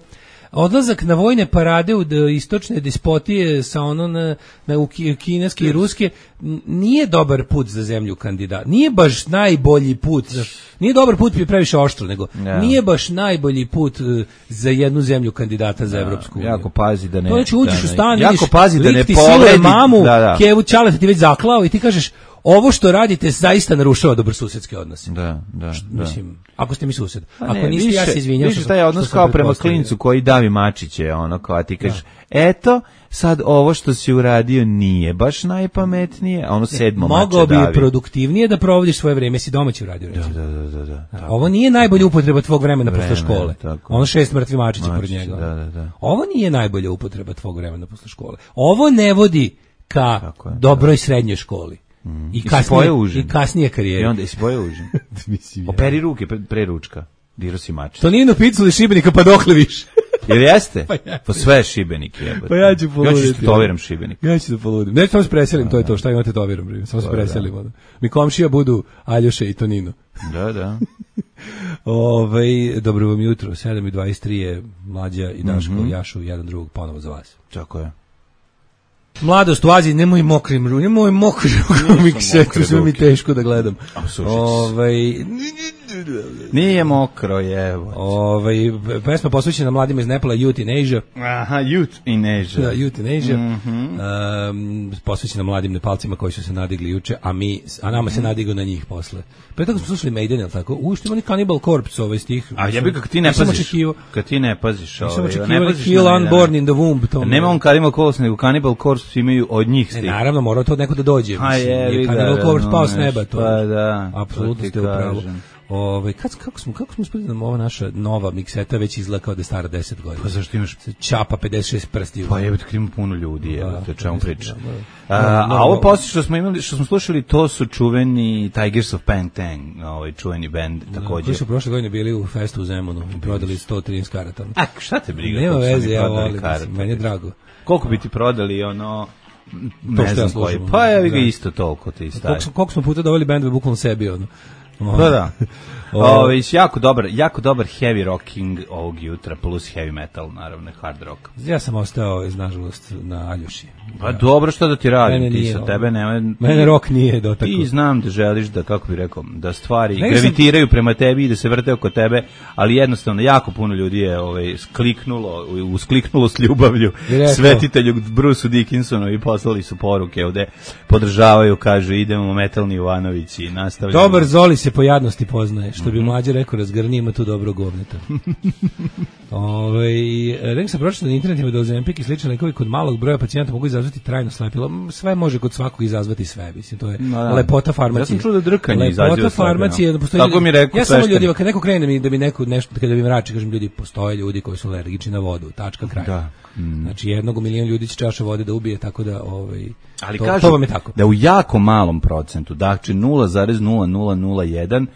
Speaker 7: odlazak na vojne parade u d- istočne despotije sa ono na, na u ki- kineske i ruske n- nije dobar put za zemlju kandidat. Nije baš najbolji put. za- Nije dobar put, je previše oštro, nego
Speaker 1: Ja.
Speaker 7: nije baš najbolji put uh, za jednu zemlju kandidata za Evropsku uniju.
Speaker 1: Jako pazi da ne.
Speaker 7: To znači uđeš
Speaker 1: da
Speaker 7: u
Speaker 1: ne-
Speaker 7: stan,
Speaker 1: jako
Speaker 7: vidiš,
Speaker 1: pazi da
Speaker 7: lik
Speaker 1: ne
Speaker 7: ti siluje
Speaker 1: povredi
Speaker 7: mamu,
Speaker 1: da, da.
Speaker 7: Kevu Ćaleta ti već zaklao i ti kažeš ovo što radite zaista narušava dobrosusedske odnose.
Speaker 1: Da, da, da.
Speaker 7: Mislim, ako ste mi sused.
Speaker 1: Pa
Speaker 7: Ako
Speaker 1: ne,
Speaker 7: niste, ja se izvinjam.
Speaker 1: Više
Speaker 7: što-
Speaker 1: taj odnos
Speaker 7: što sam
Speaker 1: kao prema
Speaker 7: pretpostavio.
Speaker 1: klincu koji davi mačiće, ono kao a ti kažeš, eto, sad ovo što si uradio nije baš najpametnije, a ono sedmo mače
Speaker 7: Mogao bi
Speaker 1: davi.
Speaker 7: produktivnije da provodiš svoje vreme, si domaći uradio, recimo.
Speaker 1: Da, da, da, da. tako.
Speaker 7: Ovo nije najbolja upotreba tvog vremena posle
Speaker 1: Vreme,
Speaker 7: škole.
Speaker 1: tako.
Speaker 7: Ono šest mrtvi mačića pored
Speaker 1: Mačići,
Speaker 7: njega.
Speaker 1: da, da, da.
Speaker 7: Ovo nije najbolja upotreba tvog vremena posle škole. Ovo ne vodi ka
Speaker 1: Tako je,
Speaker 7: dobroj srednjoj školi. I,
Speaker 1: si
Speaker 7: kasnije,
Speaker 1: pojeo užin?
Speaker 7: I kasnije karijere.
Speaker 1: I onda jesi pojeo užin. Operi ruke pre, pre ručka. Diro si mačić.
Speaker 7: Tonino Picula iz Šibenika, pa dokle više?
Speaker 1: Jel jeste?
Speaker 7: Pa jeste.
Speaker 1: Pa sve je Šibenik jebote.
Speaker 7: Pa ja ću
Speaker 1: Ja ću
Speaker 7: poluditi.
Speaker 1: tetoviram Šibenik.
Speaker 7: Ja ću da poludim. Ne, samo se preselim, to je to. Šta imate to vjerom, bre? Samo se preselim. ono. Mi komšija budu Aljoša i Tonino.
Speaker 1: Da, da.
Speaker 7: Ovaj dobro vam jutro, sedam i dvadeset tri je Mlađa i Daško jašu jedan drugog ponovo za vas.
Speaker 1: Tako je.
Speaker 7: Mladost u Aziji, nemoj mokrim rukom, nemoj mokrim rukom mi ksetu, sve mi teško da gledam.
Speaker 1: sušić.
Speaker 7: Ovaj,
Speaker 1: Nije mokro, jevo.
Speaker 7: ovaj, pesma posvećena mladima iz Nepala, Youth in Asia.
Speaker 1: Aha, youth in Asia.
Speaker 7: Da, Youth in Asia. Um, posvećena mladim Nepalcima koji su se nadigli juče, a mi, a nama se nadigao na njih posle. Pre toga smo slušali Maiden, jel tako? U, što ima ni Cannibal Corpse ovaj stih.
Speaker 1: A jebi kako ti ne
Speaker 7: Nisam
Speaker 1: paziš.
Speaker 7: očekivao-
Speaker 1: Kad ti ne paziš,
Speaker 7: Nisam
Speaker 1: ovaj,
Speaker 7: očekivao
Speaker 1: ne
Speaker 7: da
Speaker 1: paziš
Speaker 7: Kill
Speaker 1: na-
Speaker 7: Unborn in the Womb. To
Speaker 1: Nema on Cannibal Corpse, nego Cannibal Corpse imaju od njih
Speaker 7: Ne,
Speaker 1: stih.
Speaker 7: naravno, mora to neko da dođe.
Speaker 1: A
Speaker 7: mislim,
Speaker 1: jebi
Speaker 7: nije
Speaker 1: ga,
Speaker 7: Cannibal Corpse pao s
Speaker 1: razumeš,
Speaker 7: neba. To,
Speaker 1: pa da, to
Speaker 7: apsolutno
Speaker 1: ti
Speaker 7: ste u pravu.
Speaker 1: kažem.
Speaker 7: Ove, kad, kako smo, kako smo uspeli da nam ova naša nova mikseta već izgleda kao da je stara deset godina?
Speaker 1: Pa zašto imaš...
Speaker 7: Čapa pedeset šest prsti.
Speaker 1: Pa jebate, kad ima puno ljudi, evo,
Speaker 7: Da,
Speaker 1: te o čemu
Speaker 7: mislim,
Speaker 1: priča.
Speaker 7: da, da.
Speaker 1: A,
Speaker 7: Da,
Speaker 1: a
Speaker 7: da,
Speaker 1: ovo
Speaker 7: da.
Speaker 1: poslije što smo imali, što smo slušali, to su čuveni Tigers of Pantang, ovaj čuveni bend
Speaker 7: Koji
Speaker 1: također.
Speaker 7: su prošle godine bili u festu u Zemunu i prodali sto trinaest karata.
Speaker 1: A, šta te briga?
Speaker 7: Nema
Speaker 1: koliko su
Speaker 7: veze,
Speaker 1: oni
Speaker 7: ja
Speaker 1: prodali
Speaker 7: volim,
Speaker 1: karata?
Speaker 7: mislim, meni je drago.
Speaker 1: Koliko bi ti prodali, ono,
Speaker 7: To
Speaker 1: ne
Speaker 7: što
Speaker 1: znam
Speaker 7: ja
Speaker 1: koji,
Speaker 7: slušam,
Speaker 1: pa evi ga
Speaker 7: da.
Speaker 1: isto toliko ti staje.
Speaker 7: Koliko smo, koliko smo puta doveli bendove bukvalno sebi, ono.
Speaker 1: Da, da. Ovo, jako dobar, jako dobar heavy rocking ovog jutra, plus heavy metal, naravno, hard rock.
Speaker 7: Ja sam ostao, nažalost, na Aljoši.
Speaker 1: Pa dobro, što da ti radim,
Speaker 7: mene
Speaker 1: ti
Speaker 7: nije,
Speaker 1: sa tebe nema...
Speaker 7: Mene rock nije dotakao.
Speaker 1: Ti znam da želiš da, kako bih rekao, da stvari
Speaker 7: Nego
Speaker 1: gravitiraju sam... prema tebi i da se vrte oko tebe, ali jednostavno jako puno ljudi je ovaj, skliknulo, uskliknulo s ljubavlju svetitelju Bruceu Dickinsonu i poslali su poruke ovde, podržavaju, kažu, idemo metalni Jovanović i nastavljamo.
Speaker 7: Dobar Zoli se po jadnosti poznaje, što bi mlađe rekao, razgrni, ima tu dobro govneta. Ove, rekao sam pročito na internetima da Ozempik i slični lekovi kod malog broja pacijenta mogu izazvati trajno slepilo. Sve može kod svakog izazvati sve, mislim, to je no, da. lepota farmacije. Ja
Speaker 1: sam čuo da drkanje izađe
Speaker 7: lepota farmacije, da postoji.
Speaker 1: Tako mi rekao.
Speaker 7: Ja samo ljudima kad neko krene da mi da mi neko nešto kada bi mrači, kažem ljudi, postoje ljudi koji su alergični na vodu, tačka kraj. Da. Mm. Znači jednog milion ljudi će čaša vode da ubije, tako da ovaj
Speaker 1: ali
Speaker 7: to,
Speaker 1: kažu
Speaker 7: to vam je tako.
Speaker 1: Da u jako malom procentu, dakle nula zarez nula nula nula jedan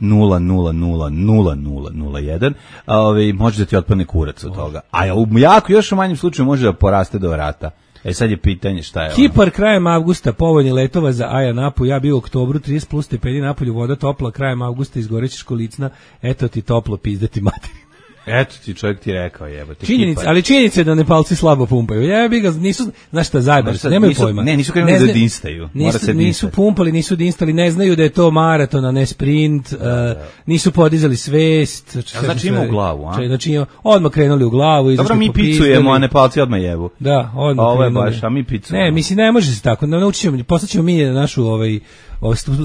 Speaker 1: nula nula nula nula nula nula jedan, ovaj može da ti otpadne kurac od toga. A u jako još u manjem slučaju može da poraste do vrata. E sad je pitanje šta je.
Speaker 7: Kipar ono? Krajem avgusta povoljni letova za Aja Napu, ja bio u oktobru trideset plus stepeni napolju, voda topla, krajem avgusta izgorećeš kolicna, eto ti toplo pizdati materi.
Speaker 1: Eto ti čovjek ti rekao, jebote.
Speaker 7: Činjenica, ali činjenica je da Nepalci slabo pumpaju. Jebi ga, nisu, znaš šta, zajebali se, nemaju
Speaker 1: nisu,
Speaker 7: pojma.
Speaker 1: Ne, nisu krenuli ne da dinstaju.
Speaker 7: Nisu,
Speaker 1: se
Speaker 7: nisu pumpali, nisu dinstali, ne znaju da je to maraton, a ne sprint, da, da. Uh, nisu podizali svest.
Speaker 1: Znači, znači ima u glavu, a?
Speaker 7: Znači ima, odmah krenuli u glavu.
Speaker 1: Dobro, mi picujemo, a Nepalci odmah jebu.
Speaker 7: Da, odmah
Speaker 1: ovo je baš, a mi picujemo.
Speaker 7: Ne, mislim, ne može se tako. Naučit ćemo, poslaćemo mi na našu ovaj,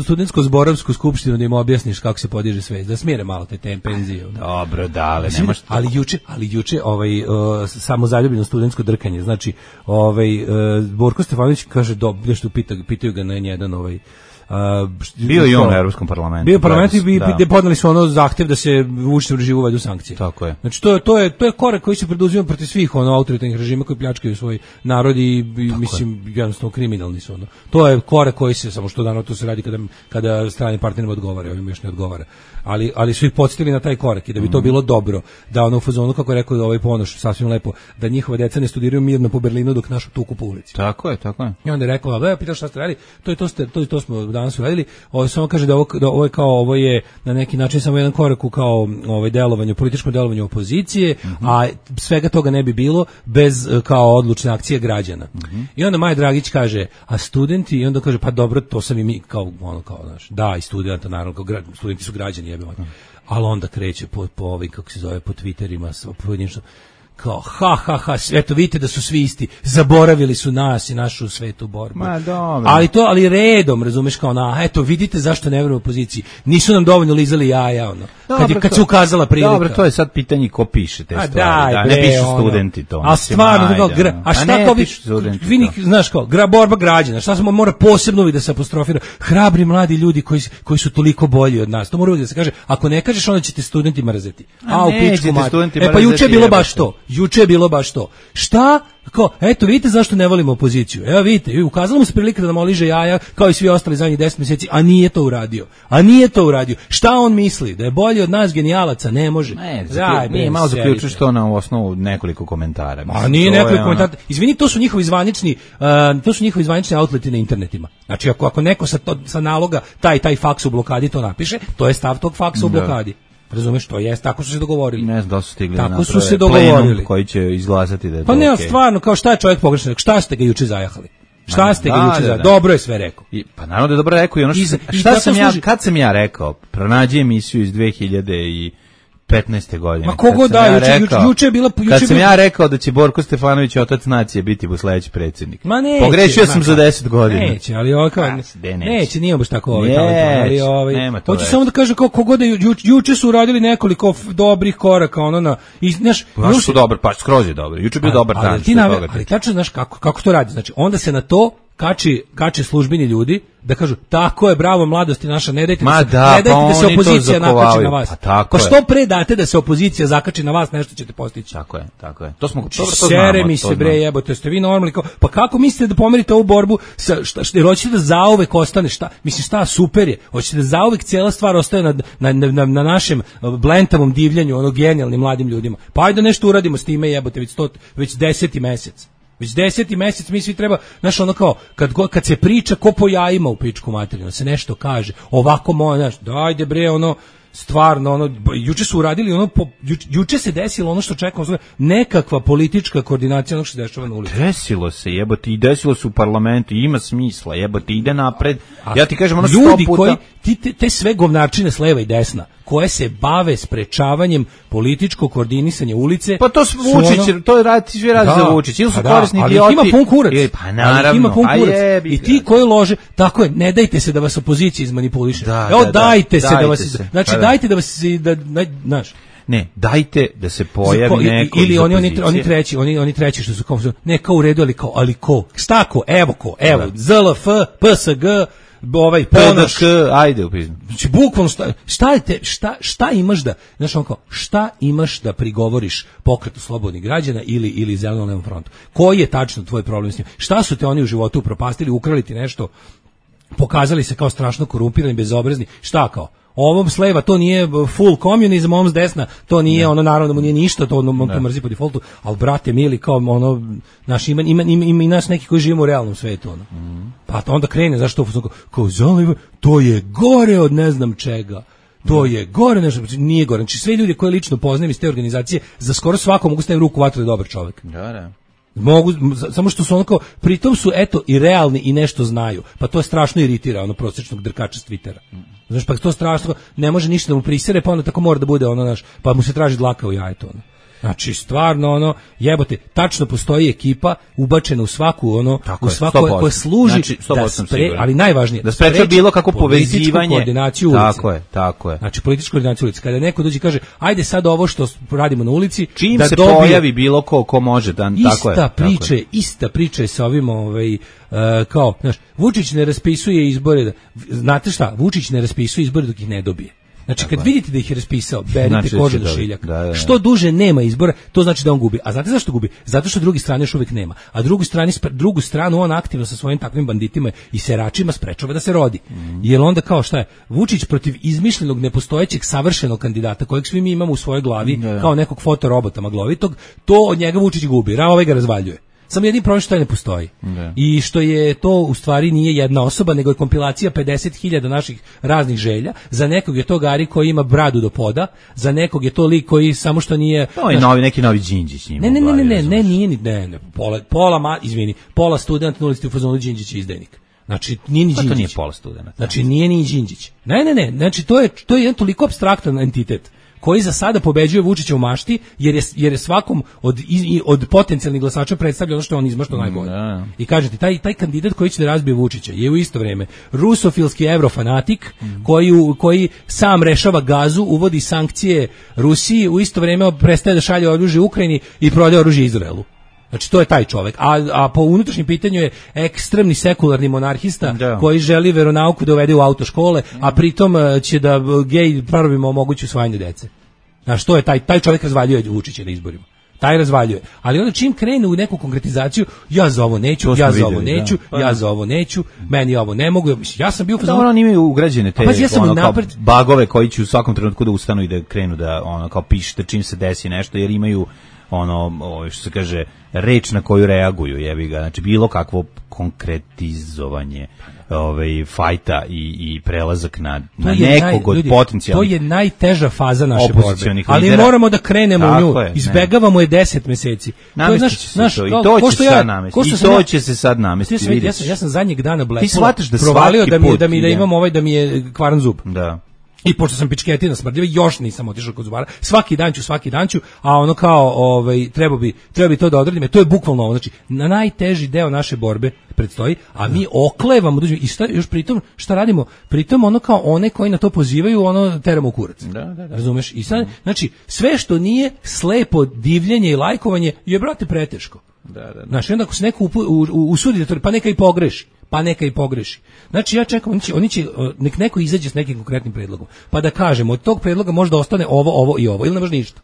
Speaker 7: studentsko-zborovsku skupštinu da im objasniš kako se podiže svest, da smire malo te tenzije.
Speaker 1: Dobro, dale, nemaš to.
Speaker 7: Ali juče, ali juče ovaj uh, samo zaljubljeno studentsko drkanje. Znači, ovaj uh, Borko Stefanović kaže do nešto pita, pitaju ga na jedan ovaj Uh,
Speaker 1: bio i on u Evropskom parlamentu.
Speaker 7: Bio u parlamentu i gde podneli su ono zahtev da se Vučićev režim uvedu sankcije.
Speaker 1: Tako je.
Speaker 7: Znači to je to je to je korak koji se preduzima protiv svih ono autoritarnih režima koji pljačkaju svoj narod i, i mislim jednostavno kriminalni su ono. To je korak koji se samo što dano to se radi kada kada strani partnerima odgovara, ovim još ne odgovara. Ali ali su ih podsjetili na taj korak i da bi to bilo dobro da ono u fazonu kako je rekao ovaj Ponoš sasvim lepo da njihova deca ne studiraju mirno po Berlinu dok našu tuku po ulici.
Speaker 1: Tako je, tako je.
Speaker 7: I onda je rekao, da pitao šta ste radili, to je to ste to, to smo danas uradili. Ovo samo kaže da ovo, da ovo je kao ovo je na neki način samo jedan korak u kao ovaj delovanju, političkom delovanju opozicije, mm-hmm. a svega toga ne bi bilo bez kao odlučne akcije građana. Mm-hmm. I onda Maja Dragić kaže, a studenti, i onda kaže, pa dobro, to sam i mi kao ono kao znaš, da, i studenta naravno, kao gra, studenti su građani, jebe mm-hmm. ali onda kreće po po ovim kako se zove po Twitterima, pojedinačno kao ha ha ha, eto vidite da su svi isti, zaboravili su nas i našu svetu borbu.
Speaker 1: Ma dobro.
Speaker 7: Ali to, ali redom, razumeš, kao na, eto vidite zašto ne verujemo opoziciji. Nisu nam dovoljno lizali jaja, ono. Dobro, kad je, kad se ukazala prilika.
Speaker 1: Dobro, to je sad pitanje ko piše te
Speaker 7: a
Speaker 1: stvari. Daj,
Speaker 7: da,
Speaker 1: bre, ne pišu studenti to.
Speaker 7: A stvarno, ajde, kao, gra, a šta kao vi, vi nik, znaš kao, gra, borba građana, šta smo mora posebno da se apostrofira, hrabri mladi ljudi koji, koji su toliko bolji od nas. To mora uvijek da se kaže, ako ne kažeš, onda ćete studenti mrzeti. A, a u pičku mati. E pa juče je bilo baš to. Juče je bilo baš to. Šta? Kao, eto, vidite zašto ne volimo opoziciju. Evo vidite, ukazala mu se prilika da nam oliže jaja kao i svi ostali zadnjih deset mjeseci, a nije to uradio. A nije to uradio. Šta on misli? Da je bolji od nas genijalaca? Ne može.
Speaker 1: Ne, Zaj, nije malo zaključuješ to na osnovu nekoliko komentara.
Speaker 7: A nije nekoliko komentara. Izvini, to su njihovi zvanični, uh, to su njihovi zvanični outleti na internetima. Znači, ako, ako neko sa, to, sa naloga taj, taj faks u blokadi to napiše, to je stav tog faksa u blokadi. Razumeš, to jest, tako su se dogovorili.
Speaker 1: Ne znam da su stigli
Speaker 7: tako
Speaker 1: na
Speaker 7: su se dogovorili
Speaker 1: koji će izglasati da je to.
Speaker 7: Pa ne,
Speaker 1: okay.
Speaker 7: Stvarno, kao šta je čovjek pogrešno, šta ste ga juče zajahali? Šta ste ga da, juče da, zajahali? Da. Dobro je sve rekao.
Speaker 1: I, pa naravno da je dobro rekao i ono što, I, šta i sam ja, služi... kad sam ja rekao, pronađi emisiju iz dve hiljade petnaeste godine.
Speaker 7: Ma kogo da, ja juče, rekao, juče je bila... Juče
Speaker 1: kad sam bila... ja rekao da će Borko Stefanović, otac nacije, biti sledeći predsjednik.
Speaker 7: Ma neće.
Speaker 1: Pogrešio sam ma, za deset godina.
Speaker 7: Neće, ali ovo kao... Neće, neće, nije baš tako ovaj.
Speaker 1: Ali ovaj... Nema to.
Speaker 7: Hoću samo da kažem kao kogo da ju, juče su uradili nekoliko dobrih koraka, ono na... I, znaš,
Speaker 1: pa su dobar, pa skroz je dobro. Juče je bio dobar dan.
Speaker 7: Ali ti nave, ali tačno znaš kako, kako to radi. Znači, onda se na to kači, kače službeni ljudi da kažu tako je, bravo mladosti naša, ne dajte da se,
Speaker 1: da,
Speaker 7: ne dajte
Speaker 1: pa
Speaker 7: da se opozicija nakači na vas.
Speaker 1: Pa, tako
Speaker 7: pa što pre date da se opozicija zakači na vas, nešto ćete postići.
Speaker 1: Tako je, tako je. To smo
Speaker 7: to, to Sere mi se bre jebote, ste vi normalni kao, pa kako mislite da pomerite ovu borbu sa šta, šta hoćete da zauvek ostane šta? Mislim šta super je. Hoćete da zauvek cijela stvar ostaje na na, na, na našem blentavom divljanju, ono genijalnim mladim ljudima. Pa ajde nešto uradimo s time jebote, već sto, već deseti mesec. Već deseti mesec mi svi treba, znaš, ono kao, kad, kad se priča ko po jajima u pičku materinu, se nešto kaže, ovako moja, znaš, dajde bre, ono, stvarno, ono, juče su uradili, ono, po, juče, juče se desilo ono što čekamo, nekakva politička koordinacija ono što se dešava na ulici.
Speaker 1: Desilo se, jebote, i desilo se u parlamentu, ima smisla, jebote, ide napred.
Speaker 7: A
Speaker 1: ja ti kažem, ono
Speaker 7: ljudi
Speaker 1: sto puta...
Speaker 7: koji, ti, te, te sve govnarčine s leva i desna, koje se bave sprečavanjem političkog koordinisanja ulice.
Speaker 1: Pa to su Vučić, ono, to radi svi radi
Speaker 7: da,
Speaker 1: za Vučić. Ili su
Speaker 7: da,
Speaker 1: korisni
Speaker 7: ali
Speaker 1: idioti.
Speaker 7: Ima pun kurac.
Speaker 1: Je, pa naravno.
Speaker 7: Ima pun kurac.
Speaker 1: Jebi,
Speaker 7: I ti koji lože, tako je, ne dajte se da vas opozicija izmanipuliše.
Speaker 1: Da,
Speaker 7: Evo
Speaker 1: da,
Speaker 7: dajte
Speaker 1: da,
Speaker 7: se
Speaker 1: dajte
Speaker 7: da vas,
Speaker 1: se.
Speaker 7: znači
Speaker 1: pa da.
Speaker 7: dajte da vas da, da znaš.
Speaker 1: Ne, dajte da se pojavi
Speaker 7: Ko,
Speaker 1: neko
Speaker 7: ili
Speaker 1: iz
Speaker 7: oni oni
Speaker 1: opozicije.
Speaker 7: oni treći, oni oni treći što su kao ne kao u redu, ali kao ali ko? Šta ko? Evo ko? Evo Z L F, P S G, ovaj Ponoš,
Speaker 1: ajde upizno.
Speaker 7: Znači bukvalno šta šta je te, šta šta imaš da, znači on kao šta imaš da prigovoriš Pokretu slobodnih građana ili ili Zelenom frontu? Koji je tačno tvoj problem s njim? Šta su te oni u životu upropastili, ukrali ti nešto? Pokazali se kao strašno korumpirani, bezobrazni. Šta kao? Ovom s leva to nije full komunizam, ovom s desna to nije, ne. Ono naravno da mu nije ništa, to ono to mrzi po defaultu, ali brate mili kao ono naš ima ima ima, ima i nas neki koji živimo u realnom svetu ono. Mm. Pa to onda krene zašto kao, kao zaliva, to je gore od ne znam čega. To je gore, nešto nije gore. Znači sve ljudi koje lično poznajem iz te organizacije za skoro svako mogu staviti ruku u vatru da je dobar čovjek.
Speaker 1: Da, da.
Speaker 7: Mogu, samo što su onako, pritom su eto i realni i nešto znaju, pa to je strašno iritira ono prosječnog drkača s Twittera. Znaš, pa to strašno, ne može ništa da mu prisere, pa onda tako mora da bude ono, naš, pa mu se traži dlaka u jajetu ono. Znači, stvarno, ono, jebote, tačno postoji ekipa ubačena u svaku, ono,
Speaker 1: tako
Speaker 7: u svako koja služi
Speaker 1: znači,
Speaker 7: da spre, ali najvažnije,
Speaker 1: da spreča bilo kako povezivanje,
Speaker 7: koordinaciju ulice.
Speaker 1: Tako je, tako je.
Speaker 7: Znači, političku koordinaciju ulice. Kada neko dođe i kaže, ajde sad ovo što radimo na ulici,
Speaker 1: čim
Speaker 7: da
Speaker 1: se
Speaker 7: dobije,
Speaker 1: pojavi bilo ko, ko može, da, tako je.
Speaker 7: Ista priča,
Speaker 1: je.
Speaker 7: ista priča je sa ovim, ovaj, uh, kao, znaš, Vučić ne raspisuje izbore, da, znate šta, Vučić ne raspisuje izbore dok ih ne dobije. Znači, kad vidite da ih je raspisao, berite znači, kožu do šiljaka. Da, da, da. Što duže nema izbora, to znači da on gubi. A znate zašto gubi? Zato što drugi strane još uvijek nema. A drugu stranu, drugu stranu on aktivno sa svojim takvim banditima i seračima sprečava da se rodi. Mm. Jer onda kao šta je? Vučić protiv izmišljenog, nepostojećeg, savršenog kandidata, kojeg svi mi imamo u svojoj glavi, da, da. Kao nekog fotorobota maglovitog, to od njega Vučić gubi. Ra ovaj ga razvaljuje. Samo jedini problem što ne postoji. Da. I što je to u stvari nije jedna osoba, nego je kompilacija pedeset hiljada naših raznih želja. Za nekog je to Gari koji ima bradu do poda, za nekog je to lik koji samo što nije...
Speaker 1: To je novi, neki novi Đinđić njima.
Speaker 7: Ne, ne, ne, ne, ne, ne, nije ni, ne, ne, pola, pola, ma, izvini, pola student na ulici u fazonu Đinđić je izdajnik. Znači, nije ni Đinđić.
Speaker 1: Pa to nije pola studenta.
Speaker 7: Znači, nije ni Đinđić. Ne, ne, ne, znači, to je, to je jedan toliko apstraktan entitet koji za sada pobeđuje Vučića u mašti, jer je, jer je svakom od, od potencijalnih glasača predstavlja ono što on izmašto najbolje.
Speaker 1: Da.
Speaker 7: I kažete, taj, taj kandidat koji će da razbije Vučića je u isto vrijeme rusofilski evrofanatik, mm. koji, koji sam rešava gazu, uvodi sankcije Rusiji, u isto vrijeme prestaje da šalje oružje Ukrajini i prodaje oružje Izraelu. Znači, to je taj čovjek. A, a po unutrašnjem pitanju je ekstremni sekularni monarhista da. Koji želi veronauku da uvede u autoškole, a pritom će da gej prvima omogući usvajanje dece. Znači, to je taj, taj čovjek razvaljuje Vučića na izborima. Taj razvaljuje. Ali onda čim krene u neku konkretizaciju, ja za ovo neću, ja za ovo neću, da. Ja za ovo neću, meni ovo ne mogu. Ja sam bio...
Speaker 1: Da, ono imaju ugrađene te pa, ja ono, napred... kao bagove koji će u svakom trenutku da ustanu i da krenu da ono, kao pišete čim se desi nešto, jer imaju ono, ovo što se kaže, reč na koju reaguju, jebi ga, znači bilo kakvo konkretizovanje ovaj fajta i i prelazak na na nekog od potencijalnih.
Speaker 7: To je najteža faza naše borbe. Ali lidera. Moramo da krenemo u nju. Izbegavamo je deset meseci.
Speaker 1: To je naš naš i to će se sad namestiti. I to će se sad namestiti.
Speaker 7: Ja sam ja sam zadnjeg dana Blackpool provalio da mi da mi da imam ovaj da mi je kvaran zub.
Speaker 1: Da.
Speaker 7: I pošto sam pičketina smrdljiva, još nisam otišao kod zubara. Svaki dan ću, svaki dan ću, a ono kao, ovaj, treba bi, treba bi to da odradim. To je bukvalno ovo. Znači, na najteži deo naše borbe predstoji, a mi oklevamo. I šta, još pritom, šta radimo? Pritom ono kao one koji na to pozivaju, ono teramo u kurac.
Speaker 1: Da, da, da.
Speaker 7: Razumeš? I sad, znači, sve što nije slepo divljenje i lajkovanje je, brate, preteško.
Speaker 1: Da, da, da.
Speaker 7: Znači, onda ako se neko usudi, pa neka i pogreši. Pa neka i pogreši. Znači ja čekam, oni će, oni će, nek neko izađe s nekim konkretnim predlogom, pa da kažemo, od tog predloga možda ostane ovo, ovo i ovo, ili ne može ništa.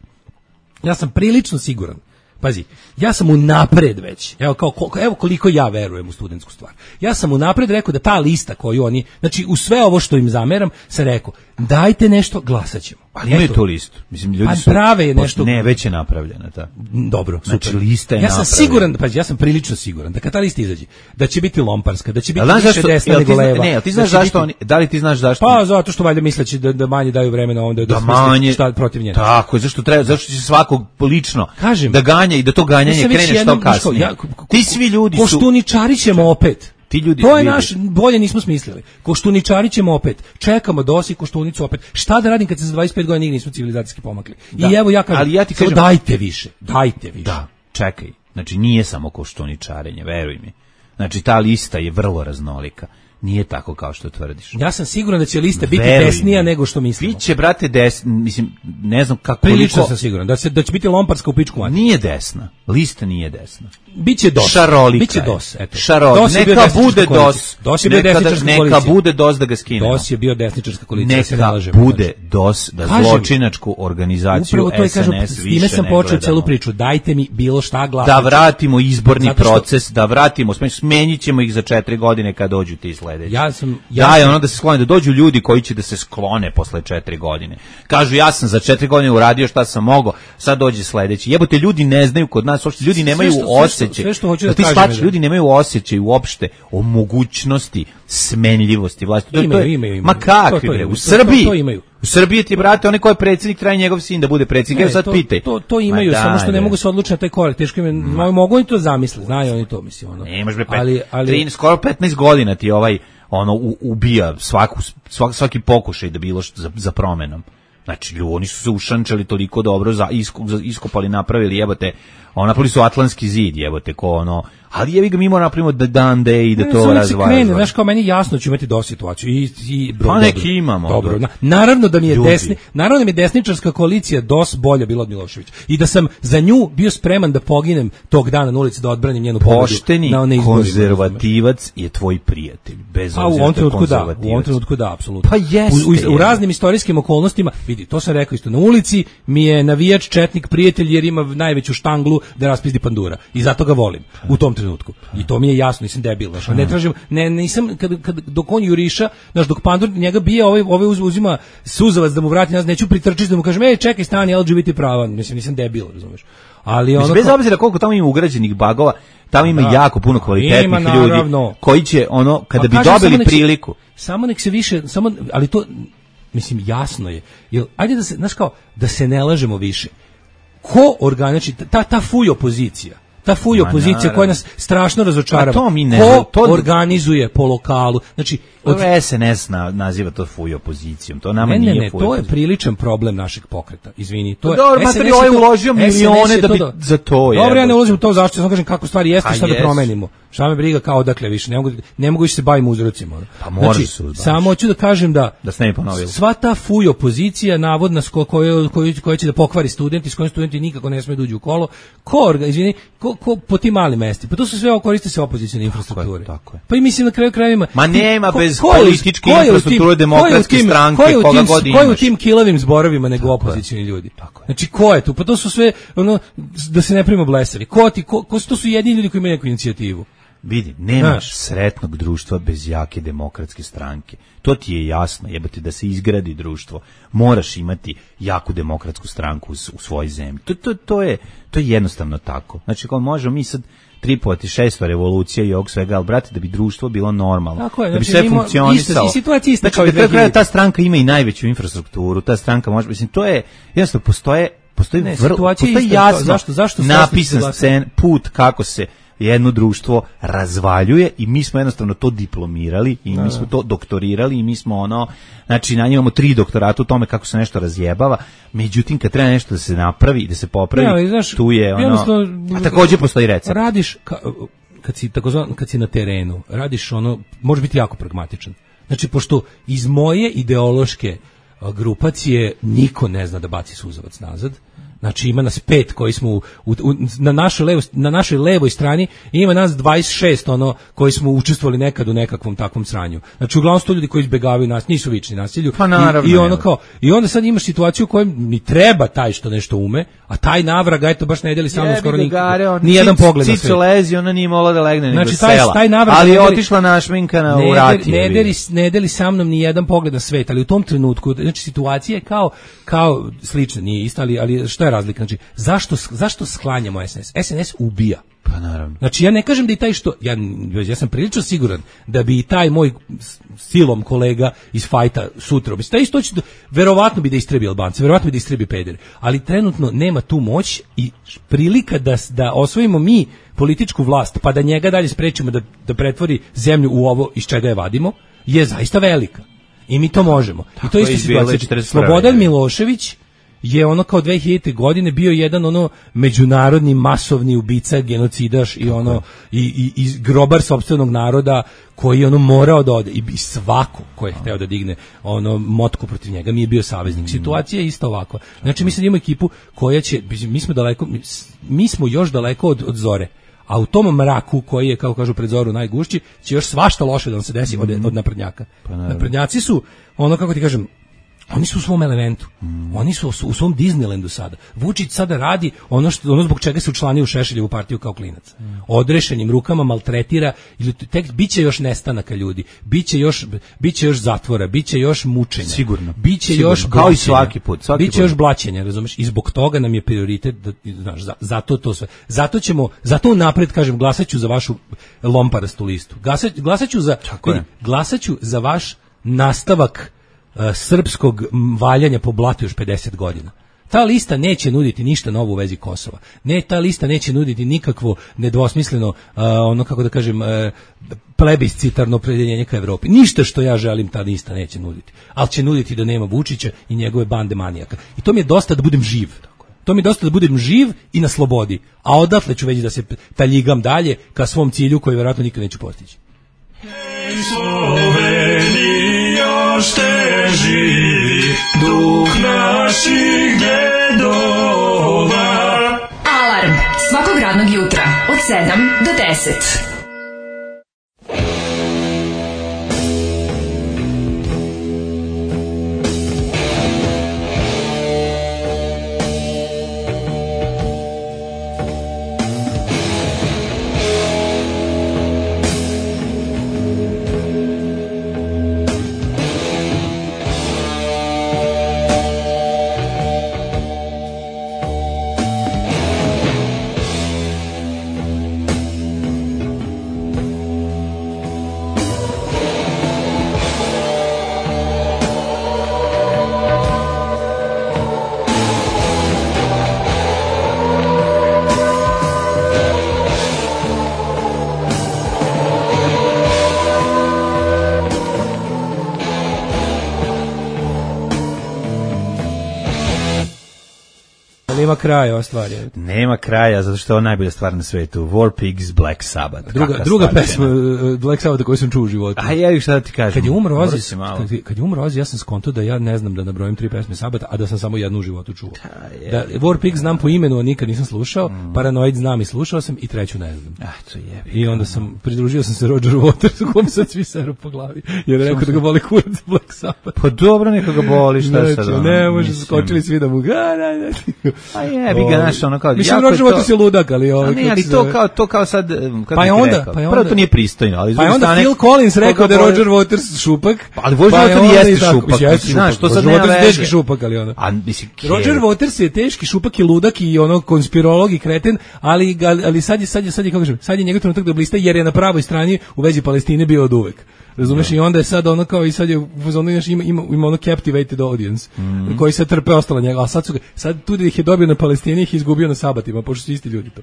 Speaker 7: Ja sam prilično siguran. Pazi, ja sam unapred već, evo, kao, evo koliko ja verujem u studentsku stvar. Ja sam unapred rekao da ta lista koju oni, znači u sve ovo što im zameram, sam rekao, dajte nešto, glasat ćemo.
Speaker 1: Ali imaju tu listu. Mislim, ljudi
Speaker 7: pa
Speaker 1: su...
Speaker 7: prave je nešto...
Speaker 1: Ne, već je napravljena ta.
Speaker 7: Dobro, super.
Speaker 1: Znači, lista je
Speaker 7: ja sam
Speaker 1: napravljena.
Speaker 7: siguran, pa ja sam prilično siguran da kad ta lista izađe, da će biti lomparska, da će biti
Speaker 1: više
Speaker 7: zašto, desna nego leva.
Speaker 1: Ne, ti znaš
Speaker 7: da
Speaker 1: zašto
Speaker 7: biti,
Speaker 1: oni, da li ti znaš zašto?
Speaker 7: Pa zato što valjda misleći da, da manje daju vremena onda da,
Speaker 1: da manje
Speaker 7: šta protiv nje.
Speaker 1: Tako je, zašto treba, zašto će svakog lično
Speaker 7: kažem,
Speaker 1: da ganja i da to ganjanje krene što kasnije. Ja, ti svi ljudi su...
Speaker 7: Koštuničari ćemo opet.
Speaker 1: Ti ljudi,
Speaker 7: to je
Speaker 1: vidi.
Speaker 7: naš, bolje nismo smislili. Koštuničari ćemo opet. Čekamo dosi koštunicu opet. Šta da radim kad se za dvadeset pet godina nigdje nismo civilizacijski pomakli? Da. I evo ja kažem,
Speaker 1: ali ja ti kažem,
Speaker 7: dajte više, dajte više.
Speaker 1: Da, čekaj. Znači nije samo koštuničarenje, veruj mi. Znači ta lista je vrlo raznolika. Nije tako kao što tvrdiš.
Speaker 7: Ja sam siguran da će lista biti
Speaker 1: Veruj
Speaker 7: desnija
Speaker 1: mi.
Speaker 7: nego što mislimo.
Speaker 1: Biće, brate, des, mislim, ne znam kako...
Speaker 7: Prilično
Speaker 1: koliko...
Speaker 7: sam siguran da, se, da će biti lomparska u pičku mati.
Speaker 1: Nije desna. Lista nije desna.
Speaker 7: Biće dos.
Speaker 1: Šarolika.
Speaker 7: Biće dos, eto.
Speaker 1: Šarolika.
Speaker 7: Dos
Speaker 1: neka bude dos.
Speaker 7: Dos je bio desničarska
Speaker 1: neka
Speaker 7: koalicija.
Speaker 1: Neka bude dos da ga skinemo.
Speaker 7: Dos je bio desničarska koalicija.
Speaker 1: Neka
Speaker 7: se
Speaker 1: bude dos da kažem, zločinačku organizaciju
Speaker 7: to
Speaker 1: S N S
Speaker 7: kažem,
Speaker 1: više
Speaker 7: time sam
Speaker 1: ne
Speaker 7: počeo
Speaker 1: gledamo.
Speaker 7: celu priču. Dajte mi bilo šta glasati.
Speaker 1: Da vratimo izborni
Speaker 7: što,
Speaker 1: proces, da vratimo, smenjit ćemo ih za četiri godine kad dođu ti sledeći.
Speaker 7: Ja sam... Ja
Speaker 1: da je
Speaker 7: sam,
Speaker 1: ono da se sklone, da dođu ljudi koji će da se sklone posle četiri godine. Kažu ja sam za četiri godine uradio šta sam mogao, sad dođe sledeći. Jebote, ljudi ne znaju kod nas, uopšte ljudi nemaju osjećaj.
Speaker 7: Sve što hoću da
Speaker 1: ti
Speaker 7: kažem.
Speaker 1: Shvač, ljudi nemaju osjećaj uopšte o mogućnosti smenljivosti vlasti. To,
Speaker 7: imaju,
Speaker 1: to je,
Speaker 7: imaju, imaju.
Speaker 1: Ma kakvi
Speaker 7: to, to
Speaker 1: bre,
Speaker 7: imaju,
Speaker 1: u Srbiji.
Speaker 7: To, to imaju.
Speaker 1: U Srbiji ti, brate, onaj ko je predsjednik, traje njegov sin da bude predsjednik. Evo sad
Speaker 7: to,
Speaker 1: pitaj.
Speaker 7: To, to imaju,
Speaker 1: Ma
Speaker 7: samo što
Speaker 1: daj,
Speaker 7: ne mogu se odlučiti na taj korak. Teško im, Ma. mogu oni to zamisli, znaju oni to, mislim. Ono.
Speaker 1: Ne, može bre,
Speaker 7: ali, ali,
Speaker 1: tri, skoro petnaest godina ti ovaj ono u, ubija svaku, svak, svaki pokušaj da bilo što za, za promenom. Znači, ljudi, oni su se ušančali toliko dobro, za, isko, za, iskopali, napravili, jebote, ono, napravili su Atlantski zid, jebote, ko ono, ali jevi ga mi moramo napravimo da dan de i da
Speaker 7: ne,
Speaker 1: to razvara.
Speaker 7: Znaš, kao meni jasno ću imati do situaciju. I, i, bro,
Speaker 1: pa neki imamo.
Speaker 7: Dobro, na, naravno da mi je desni, naravno da mi je desničarska koalicija dos bolja bila od Miloševića. I da sam za nju bio spreman da poginem tog dana na ulici da odbranim njenu pobedu.
Speaker 1: Pošteni
Speaker 7: na
Speaker 1: konzervativac je tvoj prijatelj, bez
Speaker 7: obzira. A u ovom trenutku da, u ovom trenutku da, apsolutno.
Speaker 1: Pa jeste.
Speaker 7: U, u, u raznim istorijskim okolnostima, vidi, to sam rekao isto, na ulici mi je navijač četnik prijatelj jer ima najveću štanglu da raspizdi pandura. I zato ga volim u tom trenutku. I to mi je jasno, nisam debil, znači ne tražim, ne nisam kad, kad dok on juriša, znači dok pandur njega bije, ovaj ovaj uzima suzavac da mu vrati, ja neću pritrčiti da mu kažem ej čekaj stani L G B T prava, mislim nisam debil, razumeš. Ali ono
Speaker 1: bez obzira koliko tamo ima ugrađenih bagova, tamo ima da, jako puno kvalitetnih ljudi koji će ono kada pa bi dobili samo priliku.
Speaker 7: Se, samo nek se više, samo ali to mislim jasno je. Jel ajde da se, znaš kao da se ne lažemo više. Ko organiči ta ta fuj opozicija? Ta fuj opozicija koja nas strašno razočarava.
Speaker 1: To mi ne,
Speaker 7: ko
Speaker 1: to
Speaker 7: organizuje po lokalu? Znači,
Speaker 1: od S N S na, naziva to fuj opozicijom. To nama
Speaker 7: ne,
Speaker 1: nije
Speaker 7: ne, ne,
Speaker 1: fuj.
Speaker 7: To je priličan problem našeg pokreta. Izvini, to je.
Speaker 1: Dobro, materi ovaj uložio milione da bi za to je.
Speaker 7: Dobro, ja ne ulazim u to zašto, samo kažem kako stvari jeste, šta da promenimo. Šta me briga kao odakle više, ne mogu ne mogu više se bavim uzrocima.
Speaker 1: Pa možeš
Speaker 7: znači,
Speaker 1: se uzbaviš.
Speaker 7: Samo hoću da kažem da
Speaker 1: da se ne ponovilo.
Speaker 7: Sva ta fuj opozicija navodna s kojoj koji koji će da pokvari studenti, s kojim studenti nikako ne smeju da uđu u kolo. Ko, izvini, ko, ko po tim malim mestima. Pa to su sve koriste se opozicione infrastrukture.
Speaker 1: Tako je, tako je.
Speaker 7: Pa i mislim na kraju krajeva.
Speaker 1: Ma nema
Speaker 7: ko,
Speaker 1: bez
Speaker 7: ko,
Speaker 1: političke infrastrukture demokratske
Speaker 7: tim,
Speaker 1: stranke
Speaker 7: ko
Speaker 1: koga
Speaker 7: tim,
Speaker 1: god imaš.
Speaker 7: Ko je u tim kilavim zborovima nego opozicioni ljudi?
Speaker 1: Tako je.
Speaker 7: Znači ko je tu? Pa to su sve ono da se ne primimo blesavi. Ko ti ko, ko to su jedini ljudi koji imaju neku inicijativu?
Speaker 1: Vidi, nemaš sretnog društva bez jake demokratske stranke. To ti je jasno, jebate, da se izgradi društvo. Moraš imati jaku demokratsku stranku u, u svojoj zemlji. To, to, to, je, to je jednostavno tako. Znači, kao možemo mi sad tripovati šesto revolucija i ovog svega, ali brate, da bi društvo bilo normalno,
Speaker 7: tako je,
Speaker 1: da bi
Speaker 7: znači,
Speaker 1: sve funkcionisalo.
Speaker 7: I situacija ista
Speaker 1: znači,
Speaker 7: kao i
Speaker 1: da kraja ta stranka ima i najveću infrastrukturu, ta stranka može, mislim, to je, jednostavno, postoje, postoji,
Speaker 7: ne,
Speaker 1: vrlo, postoji jasno
Speaker 7: zašto, zašto
Speaker 1: napisan scen, put kako se jedno društvo razvaljuje i mi smo jednostavno to diplomirali i mi smo to doktorirali i mi smo ono, znači na imamo tri doktorata u tome kako se nešto razjebava, međutim kad treba nešto da se napravi i da se popravi, ne, ali, znaš, tu je ono, a također postoji recept.
Speaker 7: Radiš, ka, kad, si, takozvan, kad si na terenu, radiš ono, može biti jako pragmatičan. Znači, pošto iz moje ideološke grupacije niko ne zna da baci suzavac nazad, Znači ima nas pet koji smo u, u, na našoj levo, na našoj levoj strani ima nas dvadeset šest ono koji smo učestvovali nekad u nekakvom takvom sranju. Znači uglavnom su to ljudi koji izbegavaju nas, nisu vični nasilju.
Speaker 1: Pa naravno,
Speaker 7: I, i ono kao i onda sad imaš situaciju u kojoj ni treba taj što nešto ume, a taj navraga eto baš ne deli sa mnom skoro nikako. Ni jedan pogled na sve.
Speaker 1: Cico lezi, ona nije mogla da legne nego
Speaker 7: znači, taj,
Speaker 1: sela.
Speaker 7: Taj navraga,
Speaker 1: ali je otišla našminkana u rati.
Speaker 7: Ne deli, ne deli sa mnom ni jedan pogled na svet, ali u tom trenutku znači situacija je kao kao slična, nije ista, ali ali šta je razlika? Znači zašto zašto sklanjamo S N S? S N S ubija.
Speaker 1: Pa naravno.
Speaker 7: Znači ja ne kažem da i taj što ja ja sam prilično siguran da bi i taj moj silom kolega iz fajta sutra, bi taj isto će verovatno bi da istrebi Albance, verovatno bi da istrebi pedere, ali trenutno nema tu moć i prilika da da osvojimo mi političku vlast, pa da njega dalje sprečimo da da pretvori zemlju u ovo iz čega je vadimo, je zaista velika. I mi to možemo. Tako I to je ista situacija. Slobodan Milošević je ono kao dve hiljadite godine bio jedan ono međunarodni masovni ubica, genocidaš i ono i, i, i grobar sopstvenog naroda koji je ono morao da ode i, i svako ko je hteo da digne ono motku protiv njega mi je bio saveznik. Mm. Situacija je isto ovako. Znači mi sad imamo ekipu koja će, mi smo daleko, mi, mi smo još daleko od, od zore. A u tom mraku koji je, kao kažu, pred zoru najgušći, će još svašta loše da nam se desi mm. od, od naprednjaka. Pa naprednjaci su, ono kako ti kažem, oni su u svom elementu. Mm. Oni su u svom Disneylandu sada. Vučić sada radi ono što ono zbog čega se učlanio u Šešeljevu partiju kao klinac. Mm. Odrešenim rukama maltretira ili tek biće još nestanaka ljudi. Biće još biće još zatvora, biće još mučenja.
Speaker 1: Sigurno.
Speaker 7: Biće
Speaker 1: Sigurno.
Speaker 7: još
Speaker 1: kao i svaki put, svaki
Speaker 7: biće
Speaker 1: put.
Speaker 7: još blaćenja, razumeš? I zbog toga nam je prioritet da znaš, za, zato to sve. Zato ćemo, zato napred kažem glasaću za vašu lomparastu listu. Glasaću, glasaću za vidi, glasaću za vaš nastavak srpskog valjanja po blatu još pedeset godina. Ta lista neće nuditi ništa novo u vezi Kosova. Ne, ta lista neće nuditi nikakvo nedvosmisleno, uh, ono kako da kažem, uh, plebiscitarno opredeljenje ka Evropi. Ništa što ja želim ta lista neće nuditi. Ali će nuditi da nema Vučića i njegove bande manijaka. I to mi je dosta da budem živ. To mi je dosta da budem živ i na slobodi. A odatle ću već da se taljigam dalje ka svom cilju koji vjerojatno nikad neću postići.
Speaker 8: Hej Slovenija, još te živi duh naših dedova.
Speaker 4: Alarm svakog radnog jutra od sedam do deset.
Speaker 7: Nema kraja ova stvar. Je.
Speaker 1: Nema kraja, zato što je ovo najbolja stvar na svetu. War Pigs, Black Sabbath.
Speaker 7: Druga, druga pesma Black Sabbath koju sam čuo u životu.
Speaker 1: A ja šta da ti kažem.
Speaker 7: Kad je umro Ozzy, kad, kad je umro Ozzy, ja sam skonto da ja ne znam da nabrojim tri pesme Sabata, a da sam samo jednu u životu čuo. Da, War Pigs znam po imenu, a nikad nisam slušao. Mm. Paranoid znam i slušao sam i treću ne znam.
Speaker 1: Ah, to je.
Speaker 7: I onda sam pridružio sam se Rogeru Watersu, kom sad svi seru po glavi. Jer rekao da ga boli kurac Black Sabbath.
Speaker 1: Pa dobro, neka ga boli, šta
Speaker 7: ne,
Speaker 1: sad.
Speaker 7: Ne, može skočili svi da mu ga.
Speaker 1: A je, bi ga našao ono kao.
Speaker 7: Mislim Roger Waters je ludak, ali ovaj.
Speaker 1: Ne, ali to kao to kao sad kako
Speaker 7: pa je onda, pa je onda.
Speaker 1: Prvo to nije pristojno, ali
Speaker 7: pa je onda Phil Collins rekao da je Roger Waters šupak.
Speaker 1: Ali Roger Waters jeste šupak,
Speaker 7: znaš, to sad nema veze. Teški šupak, ali ono. A mislim Roger Waters je teški šupak i ludak i ono konspirolog i kreten, ali ali sad je sad je sad je kako kažem, sad je njegov trenutak da blista jer je na pravoj strani u vezi Palestine bio oduvek. Razumeš, i onda je sad ono kao i sad je u fazonu ima ima ima ono captivated audience mm. koji se trpe ostala njega, a sad su sad tu da ih je dobio na Palestini, ih izgubio na Sabatima, pošto su isti ljudi to.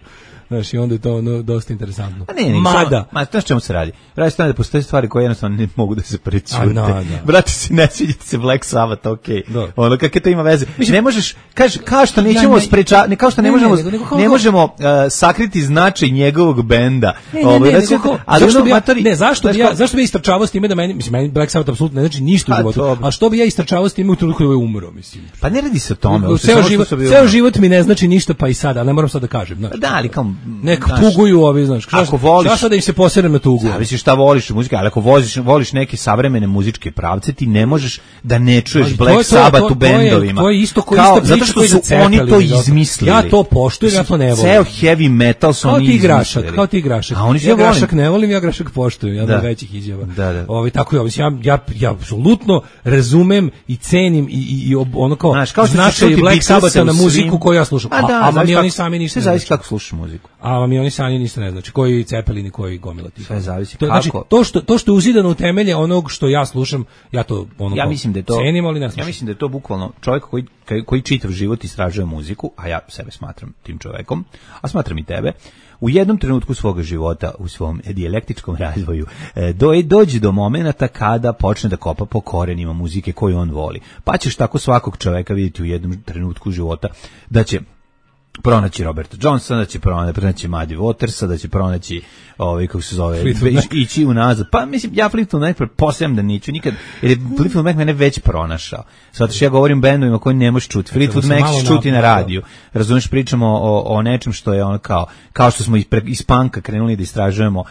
Speaker 7: Znaš, i onda je to ono dosta interesantno.
Speaker 1: A ne, ne, mada, ma znaš čemu se radi? Radi se da postoje stvari koje jednostavno ne mogu da se prećute.
Speaker 7: No,
Speaker 1: brate, si ne sviđate se Black Sabbath, okej. Okay. Ono kakve to ima veze. Mislim, ne možeš kaže kao što nećemo ja, ne, spreča, ne kao što ne, ne možemo ne, ne, ne, ne možemo uh, sakriti značaj njegovog benda.
Speaker 7: Ovaj ne, zašto bi ja, ne, zašto bi ja, zašto bi istrčavao s time da meni, mislim, meni Black Sabbath apsolutno ne znači ništa u životu. A što bi ja istrčavao s time u trenutku da je umro, mislim.
Speaker 1: Pa ne radi se o tome.
Speaker 7: Ceo život, ceo život život mi ne znači ništa, pa i sada, ne moram sad da kažem. Znaš,
Speaker 1: da, ali kao...
Speaker 7: Nek tuguju ovi, znaš.
Speaker 1: Ako voliš...
Speaker 7: Šta sad da im se poserem na tugu?
Speaker 1: Zavisi šta voliš u muziki, ali ako voziš, voliš neke savremene muzičke pravce, ti ne možeš da ne čuješ ali Black Sabbath u bendovima.
Speaker 7: To je isto koji
Speaker 1: kao,
Speaker 7: isto
Speaker 1: zato što su oni to izmislili.
Speaker 7: Ja to poštujem, ja to ne volim.
Speaker 1: Ceo heavy metal su oni izmislili.
Speaker 7: Grašak, kao ti grašak.
Speaker 1: A oni
Speaker 7: ja grašak ne volim, ja grašak poštujem, ja da većih izjava.
Speaker 1: Da, da.
Speaker 7: Ovi tako ja, ja ja ja apsolutno razumem i cenim i i, i ono kao,
Speaker 1: znaš, kao
Speaker 7: značaj Black Sabbatha na muziku koju ja slušam.
Speaker 1: A, da,
Speaker 7: a vam i oni sami ništa
Speaker 1: ne zavisi kako slušaš muziku.
Speaker 7: A vam i oni sami ništa ne znači. Koji Cepelini, koji gomila tih.
Speaker 1: Sve zavisi
Speaker 7: to,
Speaker 1: kako.
Speaker 7: Znači, to što to što je uzidano u temelje onog što ja slušam, ja to ono
Speaker 1: ja mislim da je to
Speaker 7: cenim, ali ne slušam.
Speaker 1: Ja mislim da je to bukvalno čovjek koji koji čitav život istražuje muziku, a ja sebe smatram tim čovjekom, a smatram i tebe. U jednom trenutku svoga života, u svom dijalektičkom razvoju, do, dođe do momenata kada počne da kopa po korenima muzike koju on voli. Pa ćeš tako svakog čoveka vidjeti u jednom trenutku života da će pronaći Roberta Johnsona, da će pronaći Muddy Watersa, da će pronaći ovaj kako se zove ići unazad. Pa mislim ja Fleetwood Mac pretpostavljam da neću nikad, jer je Fleetwood Mac mene već pronašao. Zato što ja govorim bendovima koji ne možeš čuti. Fleetwood Mac ćeš čuti na radiju. Razumeš, pričamo o, o nečem što je ono kao kao što smo iz, iz punka krenuli da istražujemo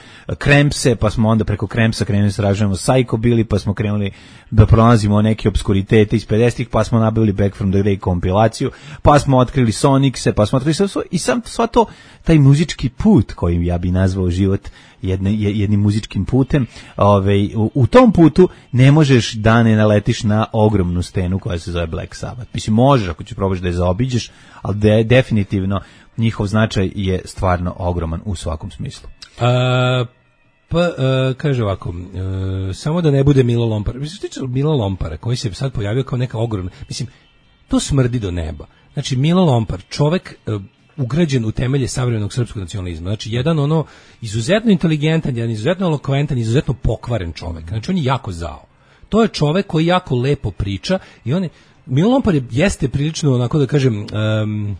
Speaker 1: Crampse, pa smo onda preko Crampsa krenuli da istražujemo Psychobilly, pa smo krenuli da pronalazimo neke obskuritete iz pedesetih, pa smo nabavili Back from the Grave kompilaciju, pa smo otkrili Sonicse, pa smo otkrili sve i sam sva to, taj muzički put kojim ja bi nazvao život jedne, jednim muzičkim putem, ovaj, u, u tom putu ne možeš da ne naletiš na ogromnu stenu koja se zove Black Sabbath. Mislim, možeš ako ćeš probaš da je zaobiđeš, ali de, definitivno njihov značaj je stvarno ogroman u svakom smislu.
Speaker 7: A, pa, a, kaže ovako, a, samo da ne bude Milo Lompara. Mislim, što tiče Milo Lompara, koji se sad pojavio kao neka ogromna, mislim, to smrdi do neba. Znači, Milo Lompar, čovek uh, ugrađen u temelje savremenog srpskog nacionalizma. Znači, jedan ono izuzetno inteligentan, jedan izuzetno elokventan, izuzetno pokvaren čovek. Znači, on je jako zao. To je čovek koji jako lepo priča i on je, Milo Lompar je, jeste prilično, onako da kažem, um,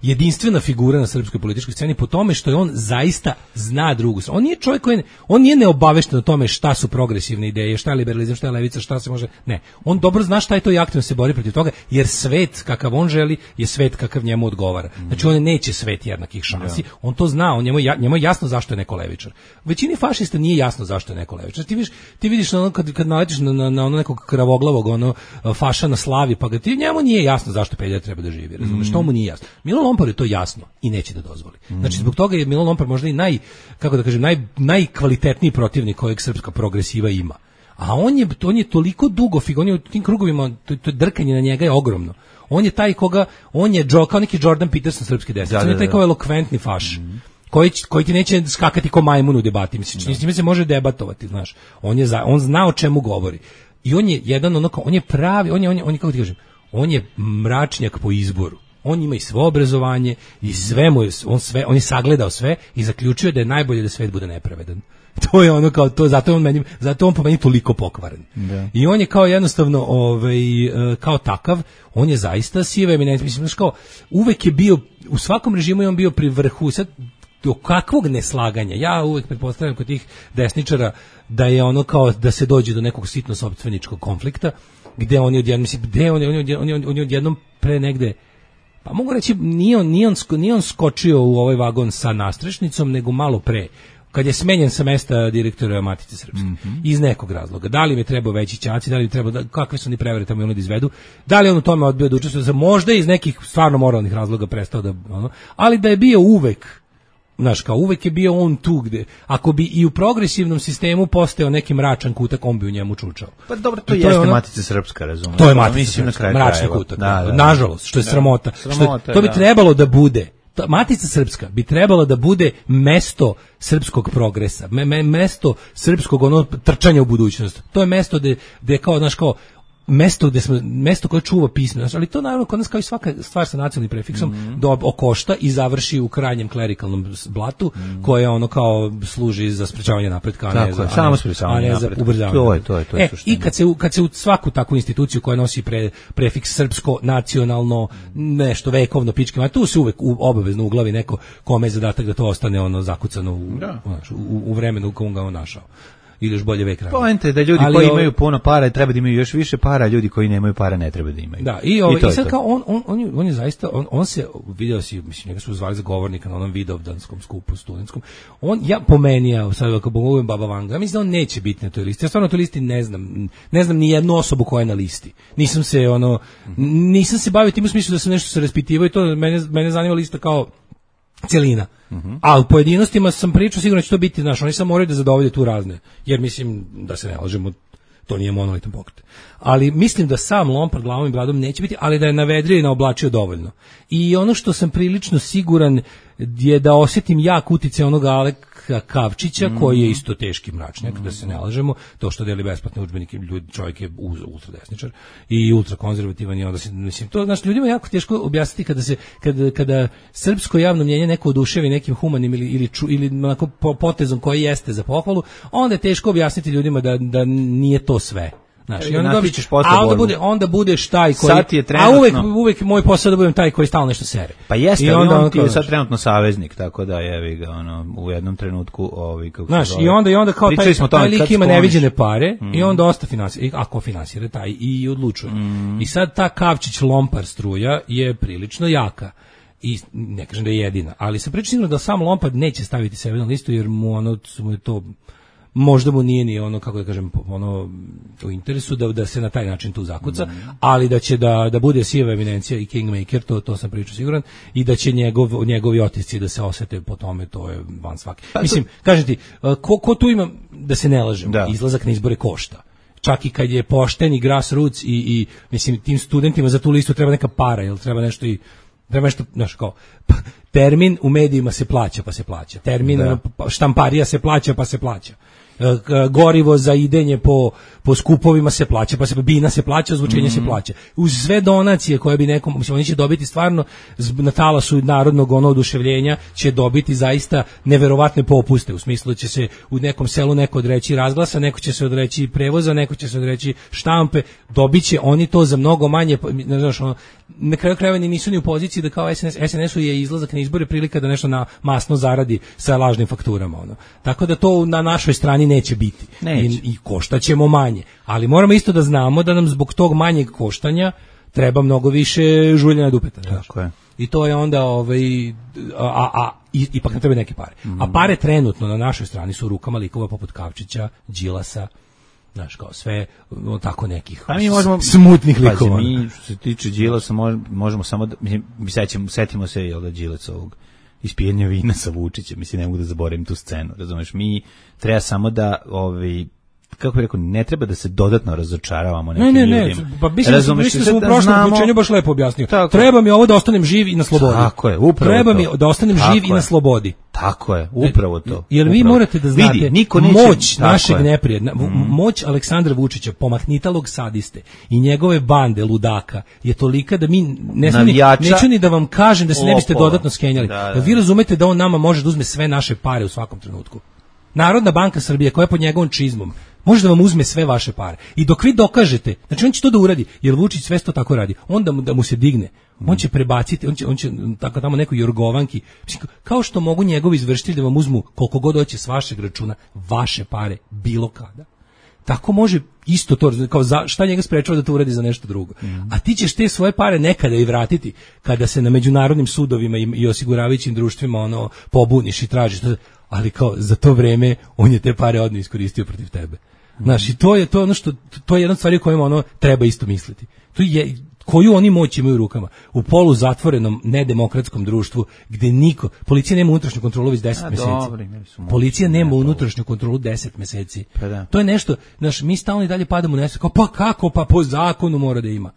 Speaker 7: jedinstvena figura na srpskoj političkoj sceni po tome što je on zaista zna drugu. On nije čovjek koji, on nije neobavešten o tome šta su progresivne ideje, šta je liberalizam, šta je levica, šta se može, ne. On dobro zna šta je to i aktivno se bori protiv toga, jer svet kakav on želi je svet kakav njemu odgovara. Znači on neće svet jednakih šansi, on to zna, on njemu, njemu je jasno zašto je neko levičar. Većini fašista nije jasno zašto je neko levičar. Ti vidiš, ti vidiš ono kad, kad naletiš na, na, na ono nekog kravoglavog ono, faša na slavi, pa ga ti, njemu nije jasno zašto pedija treba da živi, razumeš, mm. to mu nije jasno. Milo Lompar je to jasno i neće da dozvoli. Znači zbog toga je Milo Lompar možda i naj, kako da kažem, naj, najkvalitetniji protivnik kojeg srpska progresiva ima. A on je, on je toliko dugo, on je u tim krugovima, to, to drkanje na njega je ogromno. On je taj koga, on je Joe, kao neki Jordan Peterson srpski desnice, da, da, da. On je taj kao elokventni faš. Mm. Koji, koji ti neće skakati ko majmun u debati, mislim, s njime se može debatovati, znaš. On je za, on zna o čemu govori. I on je jedan ono kao, on je pravi, on je, on je, on je kako ti kažem, on je mračnjak po izboru. On ima i svo obrazovanje i sve mu je, on sve, on je sagledao sve i zaključio da je najbolje da svet bude nepravedan. To je ono kao to, zato je on meni, zato on po meni toliko pokvaren. Da. I on je kao jednostavno ovaj kao takav, on je zaista siva eminencija, mislim kao uvek je bio u svakom režimu je on bio pri vrhu. Sad do kakvog neslaganja, ja uvek pretpostavljam kod tih desničara da je ono kao da se dođe do nekog sitno sopstveničkog konflikta, gde oni odjednom, mislim, gde oni, oni, oni, oni odjednom pre negde, pa mogu reći, nije on, nije on, nije on skočio u ovaj vagon sa nastrešnicom, nego malo pre, kad je smenjen sa mesta direktora Matice Srpske, mm-hmm. iz nekog razloga. Da li mi treba veći ćaci, da li mi treba, da, kakve su ni prevere tamo ono da izvedu, da li on u tome odbio da učestvuje, možda iz nekih stvarno moralnih razloga prestao da, ono, ali da je bio uvek, znaš, kao uvek je bio on tu gde, ako bi i u progresivnom sistemu postao neki mračan kutak, on bi u njemu čučao.
Speaker 1: Pa dobro, to, to jeste ono, Matica Srpska, razumiješ.
Speaker 7: To je Matica Srpska, mračni kutak, da, da, nažalost, što je da, sramota. sramota što je, to bi da. trebalo da bude, to, Matica Srpska bi trebalo da bude mesto srpskog progresa, me, me, mesto srpskog ono trčanja u budućnost. To je mesto gde, gde kao, znaš, kao, mesto gde smo, mesto koje čuva pismo, ali to naravno kod nas kao i svaka stvar sa nacionalnim prefiksom mm-hmm. do okošta i završi u krajnjem klerikalnom blatu mm-hmm. koje ono kao služi za sprečavanje napretka, a ne za,
Speaker 1: je, samo sprečavanje napretka.
Speaker 7: To
Speaker 1: je, to je, to je
Speaker 7: e, i kad se kad se u svaku takvu instituciju koja nosi pre, prefiks srpsko, nacionalno, nešto vekovno, pičke, a tu se uvek u, obavezno uglavi neko kome je zadatak da to ostane ono zakucano u, da. u, u vremenu u kom ga on našao. ili još bolje vek ranije.
Speaker 1: Poenta je da ljudi
Speaker 7: ali
Speaker 1: koji
Speaker 7: ovo,
Speaker 1: imaju puno para treba da imaju još više para, a ljudi koji nemaju para ne treba da imaju.
Speaker 7: Da, i, ovo,
Speaker 1: I, to
Speaker 7: i sad
Speaker 1: to.
Speaker 7: kao on, on, on, je, on je zaista, on, on se, video si, mislim, njega su zvali za govornika na onom vidovdanskom skupu studentskom. On, ja po meni, ja sad ako pogledam Baba Vanga, ja mislim da on neće biti na toj listi. Ja stvarno na toj listi ne znam, ne znam ni jednu osobu koja je na listi. Nisam se, ono, nisam se bavio tim u smislu da sam nešto se raspitivao i to mene, mene zanima lista kao celina. Uh-huh. A u pojedinostima sam pričao, sigurno će to biti, znaš, oni samo moraju da zadovolje tu razne. Jer mislim, da se ne lažemo, to nije monolitan pokret. Ali mislim da sam Lompard glavom i bradom neće biti, ali da je navedrio i naoblačio dovoljno. I ono što sam prilično siguran je da osjetim jak uticaj onog Aleka Kavčića, mm. koji je isto teški mračnjak, mm. da se ne lažemo, to što deli besplatne udžbenike, ljudi, čovjek je ultradesničar i ultrakonzervativan i onda se, mislim, to, znači, ljudima je jako teško objasniti kada se, kada, kada srpsko javno mnjenje neko oduševi nekim humanim ili, ili, ču, ili onako potezom koji jeste za pohvalu, onda je teško objasniti ljudima da, da nije to sve. Znači, onda dobićeš posle a onda bude, onda budeš taj koji, a uvek, uvek moj posao da budem taj koji stalno nešto sere.
Speaker 1: Pa jeste, i onda on, on ti je sad trenutno saveznik, tako da jevi ga, ono, u jednom trenutku, ovi, kako
Speaker 7: znaš, i onda, i onda kao taj, taj lik ima neviđene pare, mm. i onda osta finansira, ako finansira taj i odlučuje. Mm. I sad ta Kavčić Lompar struja je prilično jaka. I ne kažem da je jedina, ali sam pričao da sam Lompard neće staviti sebe na listu, jer mu ono, mu je to, možda mu nije ni ono, kako da kažem, ono u interesu da, da se na taj način tu zakuca, mm. ali da će da, da bude siva eminencija i kingmaker, to, to sam pričao siguran, i da će njegov, njegovi otisci da se osete po tome, to je van svake. Pa, mislim, kažem ti, ko, ko tu ima, da se ne lažemo, da. Izlazak na izbore košta. Čak i kad je pošten i grassroots i, i mislim, tim studentima za tu listu treba neka para, jel treba nešto i treba nešto, znaš, kao, termin u medijima se plaća, pa se plaća. Termin da. Štamparija se plaća, pa se plaća. Gorivo za idenje po, po skupovima se plaća, pa se bina se plaća, ozvučenje mm-hmm. se plaća. Uz sve donacije koje bi nekom, mislim, oni će dobiti stvarno na talasu narodnog ono oduševljenja, će dobiti zaista neverovatne popuste, u smislu da će se u nekom selu neko odreći razglasa, neko će se odreći prevoza, neko će se odreći štampe, dobiće oni to za mnogo manje, ne znaš, ono, na kraju krajeva nisu ni u poziciji da kao S N S, S N S-u je izlazak na izbore prilika da nešto na masno zaradi sa lažnim fakturama, ono. Tako da to na našoj strani neće biti. Neće. I, i koštaćemo manje. Ali moramo isto da znamo da nam zbog tog manjeg koštanja treba mnogo više žuljena dupeta.
Speaker 1: Tako je.
Speaker 7: I to je onda ovaj, a, a, a i, ipak nam treba neke pare. Mm. A pare trenutno na našoj strani su u rukama likova poput Kavčića, Đilasa, znaš, kao sve no, tako nekih
Speaker 1: pa mi možemo,
Speaker 7: smutnih likova.
Speaker 1: Pazi, mi što se tiče Đilasa možemo samo da, mi sećamo, setimo se jel da Đilac ovog ispijenja vina sa Vučićem, mislim, ne mogu da zaboravim tu scenu, razumeš, mi treba samo da, ovaj, kako bih rekao, ne treba da se dodatno razočaravamo nekim
Speaker 7: ljudima. Ne, ne,
Speaker 1: ljudima.
Speaker 7: ne, pa mislim, razumeš, mislim da sam u prošlom znamo... uključenju baš lepo objasnio. Tako treba mi ovo da ostanem živ i na slobodi.
Speaker 1: Tako je, upravo
Speaker 7: treba
Speaker 1: to.
Speaker 7: mi da ostanem tako živ je. I na slobodi.
Speaker 1: Tako je, upravo to.
Speaker 7: Jer
Speaker 1: upravo.
Speaker 7: Vi morate da znate,
Speaker 1: vidi, niko neće,
Speaker 7: moć našeg neprijatelja, mm. moć Aleksandra Vučića, pomahnitalog sadiste i njegove bande ludaka je tolika da mi ne znam, neću ni da vam kažem da se ne biste dodatno skenjali. Da, da. Vi razumete da on nama može da uzme sve naše pare u svakom trenutku. Narodna banka Srbije, koja je pod njegovom čizmom, može da vam uzme sve vaše pare. I dok vi dokažete, znači on će to da uradi, jer Vučić sve to tako radi, onda mu, da mu se digne, on će prebaciti, on će, on će tako tamo nekoj jorgovanki, kao što mogu njegovi izvršitelji da vam uzmu koliko god hoće s vašeg računa, vaše pare, bilo kada. Tako može isto to, kao za, šta njega sprečava da to uradi za nešto drugo. Mm. A ti ćeš te svoje pare nekada i vratiti, kada se na međunarodnim sudovima i, i osiguravajućim društvima ono pobuniš i tražiš, ali kao za to vreme on je te pare odne iskoristio protiv tebe. Mm. Znaš, i to je to ono što, to je jedna stvar o kojima ono treba isto misliti. To je, koju oni moć imaju u rukama u polu zatvorenom nedemokratskom društvu gde niko, policija nema unutrašnju kontrolu već deset meseci. Dobri, policija nema unutrašnju kontrolu deset meseci. Pa da. To je nešto, znaš, mi stalno i dalje padamo u nesvest, kao pa kako, pa po zakonu mora da ima.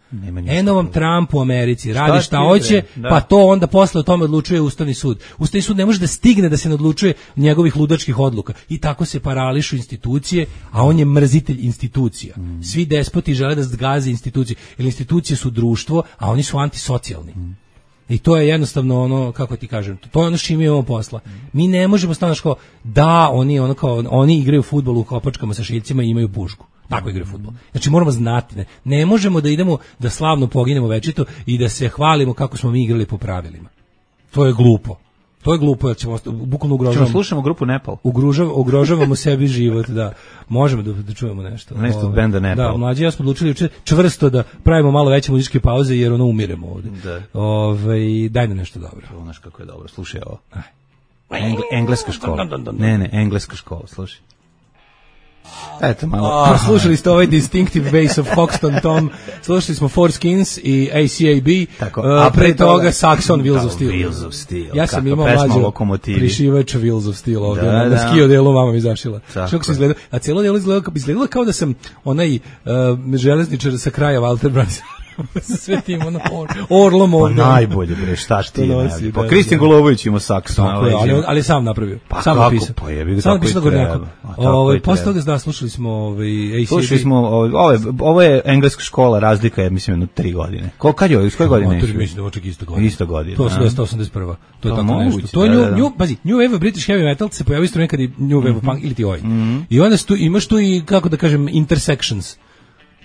Speaker 7: Eno vam Trump u Americi, radi šta, šta hoće, pa to onda posle o tome odlučuje Ustavni sud. Ustavni sud ne može da stigne da se ne odlučuje njegovih ludačkih odluka. I tako se parališu institucije, a on je mrzitelj institucija. Mm. Svi despoti žele da zgaze institucije, jer institucije su društvo, a oni su antisocijalni. Mm. I to je jednostavno ono, kako ti kažem, to je ono što imamo posla. Mm. Mi ne možemo stano kao, da, oni, ono kao, oni igraju fudbal u kopačkama sa šiljcima i imaju pušku. Tako igraju fudbal. Znači moramo znati, ne, ne možemo da idemo da slavno poginemo večito i da se hvalimo kako smo mi igrali po pravilima. To je glupo. To je glupo, jer ćemo bukvalno ugrožavamo.
Speaker 1: Čemo slušamo grupu Nepal.
Speaker 7: Ugrožav, ugrožavamo sebi život, da. Možemo da, da čujemo nešto.
Speaker 1: Nešto od benda Nepal.
Speaker 7: Da, mlađi ja smo odlučili juče čvrsto da pravimo malo veće muzičke pauze jer ono umiremo ovde.
Speaker 1: Da.
Speaker 7: Ove, daj nam nešto dobro.
Speaker 1: Ovo znaš kako je dobro, slušaj ovo. Engle, engleska škola. Ne, ne, engleska škola, slušaj. Eto malo.
Speaker 7: A, slušali ste ovaj Distinctive Bass of Hoxton Tom, slušali smo Four Skins i A C A B,
Speaker 1: tako,
Speaker 7: a pre, pre toga Saxon Wheels
Speaker 1: da,
Speaker 7: of Steel.
Speaker 1: Wheels of Steel.
Speaker 7: Ja sam
Speaker 1: kako,
Speaker 7: imao mlađu prišivač Wheels of Steel ovdje, da, na, na skio delu mama mi zašila. Što se izgleda, a cijelo delo izgledalo, izgledalo kao da sam onaj uh, železničar sa kraja Walter Brans. sa sve tim ono, or, orlom ovdje.
Speaker 1: Pa najbolje, bre, šta ti nosi. Pa Kristijan Golobović ima Saxon.
Speaker 7: Ali, ali sam napravio.
Speaker 1: Pa
Speaker 7: sam
Speaker 1: kako,
Speaker 7: napisao.
Speaker 1: pa jebi ga
Speaker 7: sam
Speaker 1: tako i treba.
Speaker 7: Ovaj posle toga da slušali smo ovaj A C A B.
Speaker 1: Slušali smo ovo je ovo je engleska škola, razlika je mislim jedno tri godine. Ko kad je, iz koje godine?
Speaker 7: To mislim da oček isto godine.
Speaker 1: Isto godine.
Speaker 7: To je sto osamdeset prva. To je tako nešto. To je new, new, pazi, new wave British heavy metal se pojavio isto nekad i new wave punk ili ti oj. I onda tu imaš tu i kako da kažem intersections.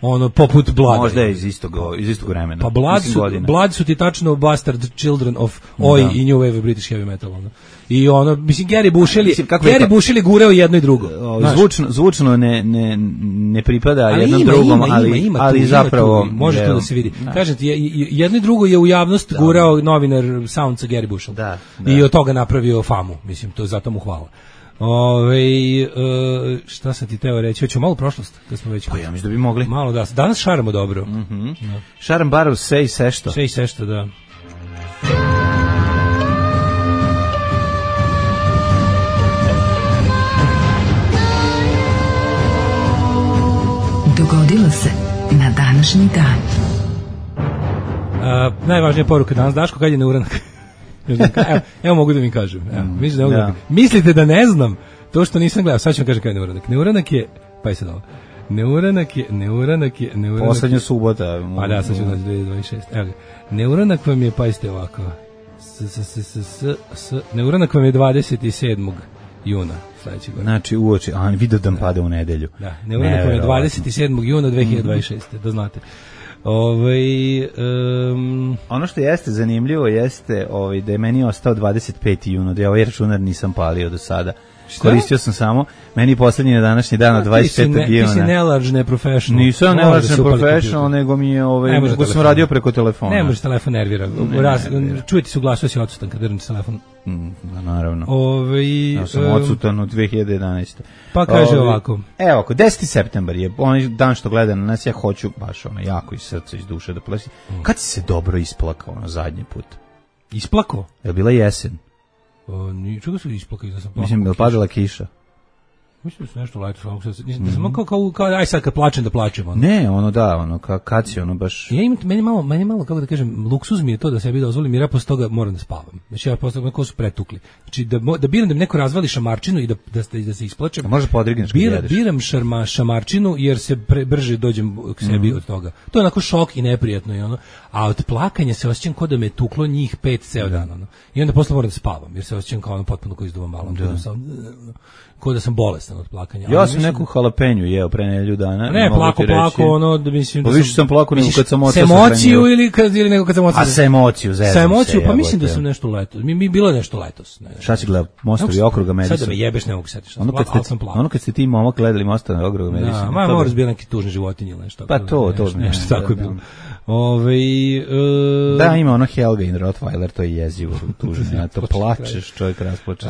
Speaker 7: Ono poput Blood.
Speaker 1: Možda je iz istog iz istog vremena.
Speaker 7: Pa Blood su, Blood su ti tačno Bastard Children of Oi da. I New Wave British Heavy Metal. Ono. I ono, mislim, Gary Bushel je, Gary Bushel je gureo jedno i drugo.
Speaker 1: O, zvučno, zvučno ne, ne, ne pripada
Speaker 7: ali
Speaker 1: jednom
Speaker 7: ima,
Speaker 1: drugom,
Speaker 7: ima,
Speaker 1: ali,
Speaker 7: ima, ima
Speaker 1: ali
Speaker 7: tu,
Speaker 1: zapravo...
Speaker 7: Ima tu, može to da se vidi. Da. Kažem ti, jedno i drugo je u javnost da. Gurao novinar Soundsa Gary Bushel.
Speaker 1: Da, da.
Speaker 7: I od toga napravio famu. Mislim, to zato mu hvala. Ove, uh, šta sam ti teo reći? Hoćemo malo prošlost, kad smo već...
Speaker 1: Pa ja mislim da bi mogli.
Speaker 7: Malo da, danas šaramo dobro.
Speaker 1: Mm-hmm. Da. Šaram barov sve i sešto.
Speaker 7: Sve i sešto, da.
Speaker 4: Dogodilo se na današnji dan.
Speaker 7: Uh, najvažnija poruka danas, Daško, kad je neuranak? evo, evo mogu da mi kažem. Evo, mm, da da. Mislite da ne znam to što nisam gledao, sad ću vam kažem kada je neuranak. Neuranak je, pa je sad ovo, neuranak je, neuranak je, neuranak
Speaker 1: poslednja subota.
Speaker 7: Pa da, sad ću doći dvije hiljade dvadeset šeste. Evo ga, neuranak vam je, pazite ovako, s, s, s, s, s, s, neuranak vam je dvadeset sedmog juna sledeće godine.
Speaker 1: Znači uoči, a vidio da pada u nedelju.
Speaker 7: Da, neuranak vam je dvadeset sedmog juna dve hiljade dvadeset šeste. Da znate. Ovaj um,
Speaker 1: ono što jeste zanimljivo jeste ovaj da je meni ostao dvadeset peti juna, da ja ovaj računar nisam palio do sada. Šta? Koristio sam samo, meni poslednji na današnji dan, dvadeset petog juna.
Speaker 7: Ti si nelarge, neprofessional.
Speaker 1: Nisam nelarge, neprofessional, nego mi je, ovaj, nego sam radio preko telefona.
Speaker 7: Ne može telefon nervira. Raz, čujete se u glasu, si odsutan kad drneš telefon.
Speaker 1: Mm, naravno.
Speaker 7: Ove,
Speaker 1: ja sam um, odsutan u dve hiljade jedanaeste.
Speaker 7: Pa kaže
Speaker 1: Ove,
Speaker 7: ovako.
Speaker 1: Evo, ako deseti septembar je onaj dan što gleda na nas, ja hoću baš ono, jako iz srca, iz duše da plesim. Mm. Kad si se dobro isplakao ono zadnji put?
Speaker 7: Isplakao?
Speaker 1: Je bila jesen?
Speaker 7: O, ni, čega su isplakali da sam plakao?
Speaker 1: Mislim da je padala kiša.
Speaker 7: Mislim da su nešto leto, mislim da sam kao, kao, kao, aj sad kad plačem da plačem. Ono.
Speaker 1: Ne, ono da, ono, ka, kad si ono baš...
Speaker 7: Ja imam, meni malo, meni malo, kako da kažem, luksuz mi je to da sebi dozvolim, jer ja posle toga moram da spavam. Znači ja posle toga su pretukli. Znači da, da biram da mi neko razvali šamarčinu i da, da, da, da se isplačem.
Speaker 1: A može podrigneš kad jedeš.
Speaker 7: Biram šarma, šamarčinu jer se pre, brže dođem k sebi mm. od toga. To je onako šok i neprijatno i ono. A od plakanja se osjećam kao da me tuklo njih pet ceo dan. Ono. I onda posle moram da spavam jer se osjećam kao ono potpuno kao izduvam malo. Kao da sam bolestan od plakanja.
Speaker 1: Ja sam neku halapenju jeo pre nedelju dana.
Speaker 7: Ne, plako, plako, ono, da mislim...
Speaker 1: Pa više sam plako nego kad sam
Speaker 7: ocao. S emociju ili, kad, ili nego kad sam ocao?
Speaker 1: A sa emociju, zezam se.
Speaker 7: Sa emociju, pa mislim da sam nešto letos. Mi, mi bilo nešto letos. Ne,
Speaker 1: šta si gledao? Mostovi okruga Madison?
Speaker 7: Sad da me jebeš, ne mogu setiš.
Speaker 1: Ono kad ste, ono kad ste ti momak gledali Mostovi okruga Madison.
Speaker 7: Da, ma moraš biti neki tužni životinji ili nešto.
Speaker 1: Pa to, to.
Speaker 7: Nešto tako je bilo. Ove, uh,
Speaker 1: da, ima ono Helga in Rottweiler, to je jezivo, tužno, ja to plačeš, čovjek rasplače,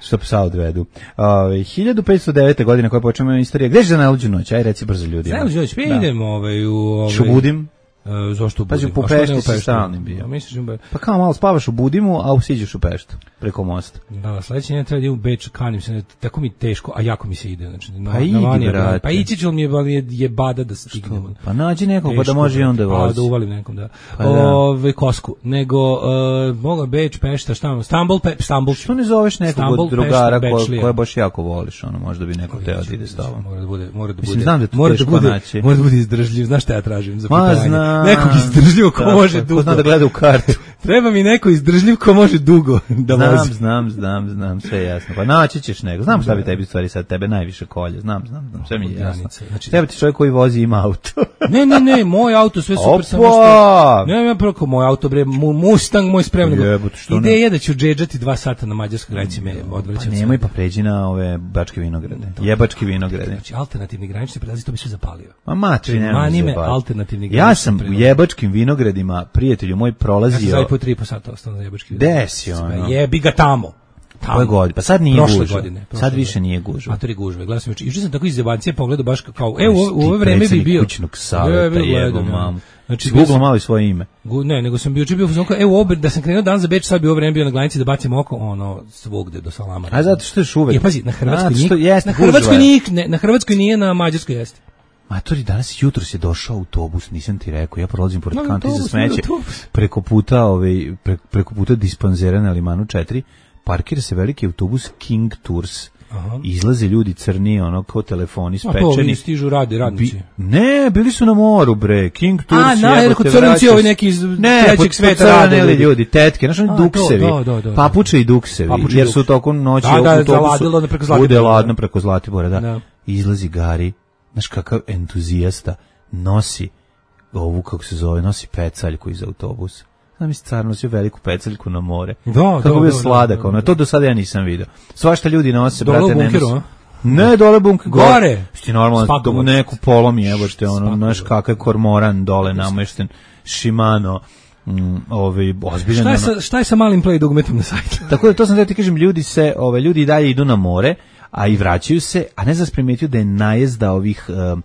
Speaker 1: što psa odvedu. Ove, hiljadu petsto devete. godine koja počnemo istorija, gdje će za najluđu noć, aj reci brzo ljudima.
Speaker 7: Najluđu noć, pa idemo ovaj, u... Ovaj,
Speaker 1: Šubudim.
Speaker 7: Uh, zašto u Budimu?
Speaker 1: Pa u Pešti si stalnim bio.
Speaker 7: Ja,
Speaker 1: pa kao malo spavaš u Budimu, a usiđeš u Peštu, preko mosta.
Speaker 7: Da, sledeći ne treba da idem u Beč, kanim se, tako mi teško, a jako mi se ide. Znači,
Speaker 1: pa
Speaker 7: na,
Speaker 1: idi,
Speaker 7: na
Speaker 1: brate.
Speaker 7: Pa ići ću, mi je, je bada da stignemo.
Speaker 1: Pa nađi nekog, teško, pa da može i onda vozi.
Speaker 7: Pa da uvalim nekom, da. Pa Ove, kosku. Nego, uh, moga Beč, Pešta, šta vam? Stambul, pe, Stambul.
Speaker 1: Što ne zoveš nekog Stambul, od drugara koje ko baš jako voliš, ono, možda bi neko teo da ide s tobom.
Speaker 7: Mora da bude, mora da bude.
Speaker 1: Mislim, znam da
Speaker 7: mora da bude, mora da bude izdržljiv, znaš šta ja tražim za putovanje. nekog izdržljivog ko može dugo.
Speaker 1: Ko zna da gleda u kartu.
Speaker 7: Treba mi neko izdržljiv ko može dugo da
Speaker 1: znam,
Speaker 7: vozi.
Speaker 1: Znam, znam, znam, sve je jasno. Pa naći ćeš nego. Znam šta bi tebi stvari sad tebe najviše kolje. Znam, znam, znam, sve mi je jasno. Znači, treba ti čovjek koji vozi ima auto.
Speaker 7: ne, ne, ne, moj auto sve super samo što. Ne, ja preko moj auto bre, Mustang moj spremno.
Speaker 1: Jebote, što ne?
Speaker 7: Ideja da ću džedžati dva sata na mađarskoj granici me odvraća.
Speaker 1: Pa nemoj pa pređi na ove bačke vinograde. Jebački vinograde.
Speaker 7: Znači alternativni granični prelazi to bi sve zapalio.
Speaker 1: Ma matri nema.
Speaker 7: Manime alternativni granični.
Speaker 1: Ja sam u jebačkim vinogradima, prijatelju moj, prolazio.
Speaker 7: Ja sam po tri po sata ostao na jebačkim.
Speaker 1: Desi ono.
Speaker 7: Jebi ga tamo.
Speaker 1: Koje godine? Pa sad nije
Speaker 7: prošle
Speaker 1: gužva.
Speaker 7: Godine, prošle
Speaker 1: sad više
Speaker 7: godine.
Speaker 1: nije gužva.
Speaker 7: A to je gužve. Gledao sam juče. Juče sam tako iz zebancije pogledao baš kao, evo u ovo vreme bi bio
Speaker 1: kućnog saveta, jebo mamu.
Speaker 7: Znači
Speaker 1: Google malo svoje ime.
Speaker 7: Gu, ne, nego sam bio juče bio fuzon kao, evo ovo da sam krenuo dan za Beč, sad bi ovo vreme bio na granici da bacim oko, ono svugde do Salama.
Speaker 1: A zato što je uvek.
Speaker 7: Je pazi, na Hrvatskoj
Speaker 1: što
Speaker 7: nije,
Speaker 1: jeste
Speaker 7: na Hrvatskoj nije, ne, na Hrvatskoj nije, na Mađarskoj jeste.
Speaker 1: Matori, danas jutros je došao autobus, nisam ti rekao, ja prolazim pored
Speaker 7: no,
Speaker 1: kanti za smeće,
Speaker 7: autobus.
Speaker 1: preko puta, ovaj, pre, preko puta dispanzera na Limanu četiri, parkira se veliki autobus King Tours. Aha. Izlaze ljudi crni, ono, kao telefoni spečeni.
Speaker 7: A to vi stižu radi, radnici.
Speaker 1: Bi, ne, bili su na moru, bre, King Tours.
Speaker 7: A, na, jer kod crnici ovi neki iz
Speaker 1: ne,
Speaker 7: trećeg sveta
Speaker 1: rade. Ne, ljudi, tetke, znaš, oni duksevi,
Speaker 7: do, do, do,
Speaker 1: papuče i duksevi,
Speaker 7: papuče
Speaker 1: jer su tokom noći
Speaker 7: da, da,
Speaker 1: u autobusu,
Speaker 7: preko Zlatibora.
Speaker 1: bude ladno preko Zlatibora, da.
Speaker 7: da.
Speaker 1: Izlazi Gari, znaš kakav entuzijasta, nosi ovu, kako se zove, nosi pecaljku iz autobusa. Znam mi se car nosio veliku pecaljku na more.
Speaker 7: Da,
Speaker 1: kako bio
Speaker 7: da,
Speaker 1: sladak,
Speaker 7: da, da,
Speaker 1: ono, to do sada ja nisam vidio. Svašta ljudi nose,
Speaker 7: dole
Speaker 1: brate,
Speaker 7: u bunkeru,
Speaker 1: ne nosi. Ne, dole bunker.
Speaker 7: Gore.
Speaker 1: Sti normalno, do neku polomi, evo što je ono, znaš kakav kormoran dole namešten, Shimano, mm, ovaj, ozbiljan.
Speaker 7: Šta je sa, šta je sa malim play dugmetom na sajtu?
Speaker 1: Tako da, to sam da ti kažem, ljudi se, ove, ljudi i dalje idu na more, a i vraćaju se, a ne znam primetio da je najezda ovih uh,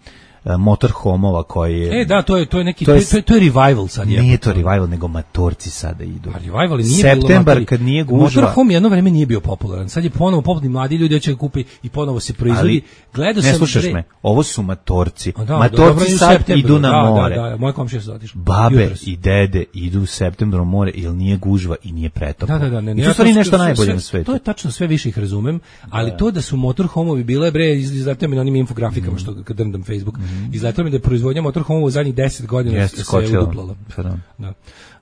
Speaker 1: motorhomova koji je...
Speaker 7: E, da, to je, to je neki, to je, to je, to je revival sad.
Speaker 1: Nije je to revival, nego matorci sada idu.
Speaker 7: A revival nije
Speaker 1: Septembar,
Speaker 7: bilo
Speaker 1: kad nije gužva.
Speaker 7: Motorhome jedno vreme nije bio popularan. Sad je ponovo popularan, mladi ljudi hoće ga kupi i ponovo se proizvodi. Gledao sam...
Speaker 1: Ne slušaš pre... me, ovo su matorci.
Speaker 7: Da,
Speaker 1: matorci
Speaker 7: da,
Speaker 1: sad idu na
Speaker 7: da,
Speaker 1: more.
Speaker 7: Da, da, moje komšije su otišli.
Speaker 1: Babe jutros. I dede idu u septembru na more, jer nije gužva i nije pretoplo.
Speaker 7: Da, da, da. Ne,
Speaker 1: I to stvari nešto najbolje na svetu.
Speaker 7: To je tačno, sve više ih razumem, ali da. To da su motorhomovi bile, bre, izletao mi na onim infografikama, mm. što kad drndam Facebook, mm. izletao mi da proizvodnja motorhomova u zadnjih deset godina yes, se skočila. Uduplala. Da.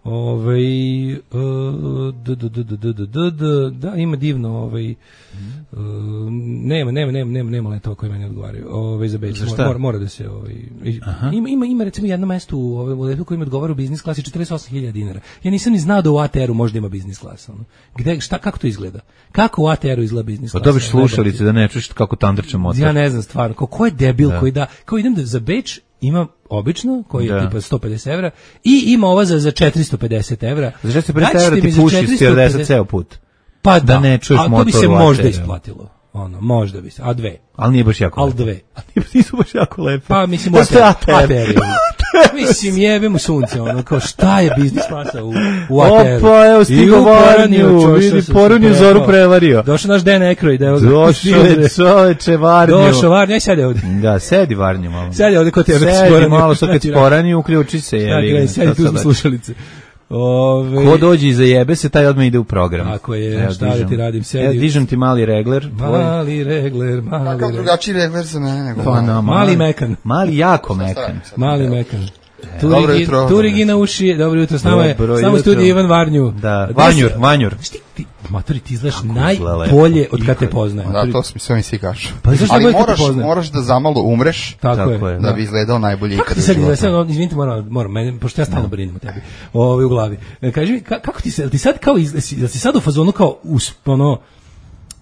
Speaker 7: Ovaj da da da da da da da ima divno ovaj nema nema nema nema nema letova koji meni odgovaraju. Ovaj za Beč mora mora da se ovaj ima ima ima recimo jedno mesto u ovaj letu koji mi odgovara u biznis klasi četrdeset osam hiljada dinara. Ja nisam ni znao da u A T R-u možda ima biznis klasa, ono. Gde šta kako to izgleda? Kako u A T R-u izgleda biznis klasa?
Speaker 1: Pa dobiš slušalice da ne čuješ kako tandrče motor.
Speaker 7: Ja ne znam stvarno, ko je debil da. Koji da kao idem da za Beč ima obično, koji je da. Tipa sto pedeset evra, i ima ova za, za četiristo pedeset evra.
Speaker 1: Za četiristo pedeset evra ti puši stewardesa ceo put.
Speaker 7: Pa da,
Speaker 1: da ne čuješ motor.
Speaker 7: A to bi se možda isplatilo. Ono, možda bi se, a dve.
Speaker 1: Ali nije baš jako
Speaker 7: lepo. Ali dve.
Speaker 1: Ali nisu baš jako lepe.
Speaker 7: Pa mislim, A T R. Mislim, jebe mu sunce, ono, kao šta je biznis klasa u, u A T R-u.
Speaker 1: Opa, evo stigo Varnju, vidi, Porunju Zoru prevario.
Speaker 7: Došao naš Dan Aykroyd, evo ga.
Speaker 1: Došao je čoveče Varnju.
Speaker 7: Došao Varnju, aj sedi ovde.
Speaker 1: Da, sedi Varnju malo.
Speaker 7: Sedi ovde kod tebe.
Speaker 1: Sedi malo, sad kad Poranju, uključi se.
Speaker 7: Da, sedi tu za slušalice.
Speaker 1: Ove... Ko dođe i zajebe se, taj odmah ide u program.
Speaker 7: Tako je, evo, šta da ti radim, sedi.
Speaker 1: Evo, dižem ti mali regler.
Speaker 7: Mali regler, mali regler.
Speaker 9: Kakav drugačiji regler za mene nego
Speaker 1: pa, no, mali,
Speaker 7: mali mekan.
Speaker 1: Mali jako mekan.
Speaker 7: Mali mekan.
Speaker 9: E, dobro jutro.
Speaker 7: Turigi na uši, dobro jutro, s nama je samo studij Ivan Varnju.
Speaker 1: Da, Vanjur, Vanjur.
Speaker 7: Ti, matori, ti izgledaš najbolje od kad te poznajem.
Speaker 9: Da, to mi sve mi svi kažu.
Speaker 7: Pa,
Speaker 9: ali moraš, moraš da zamalo umreš,
Speaker 7: tako je,
Speaker 9: da bi izgledao najbolje ikad u
Speaker 7: životu. Sad, izvinite, moram, moram, mene, pošto ja stalno brinem o tebi, ovaj u glavi. Kaži mi, kako ti se, ti sad kao, da ti sad u fazonu kao, ono,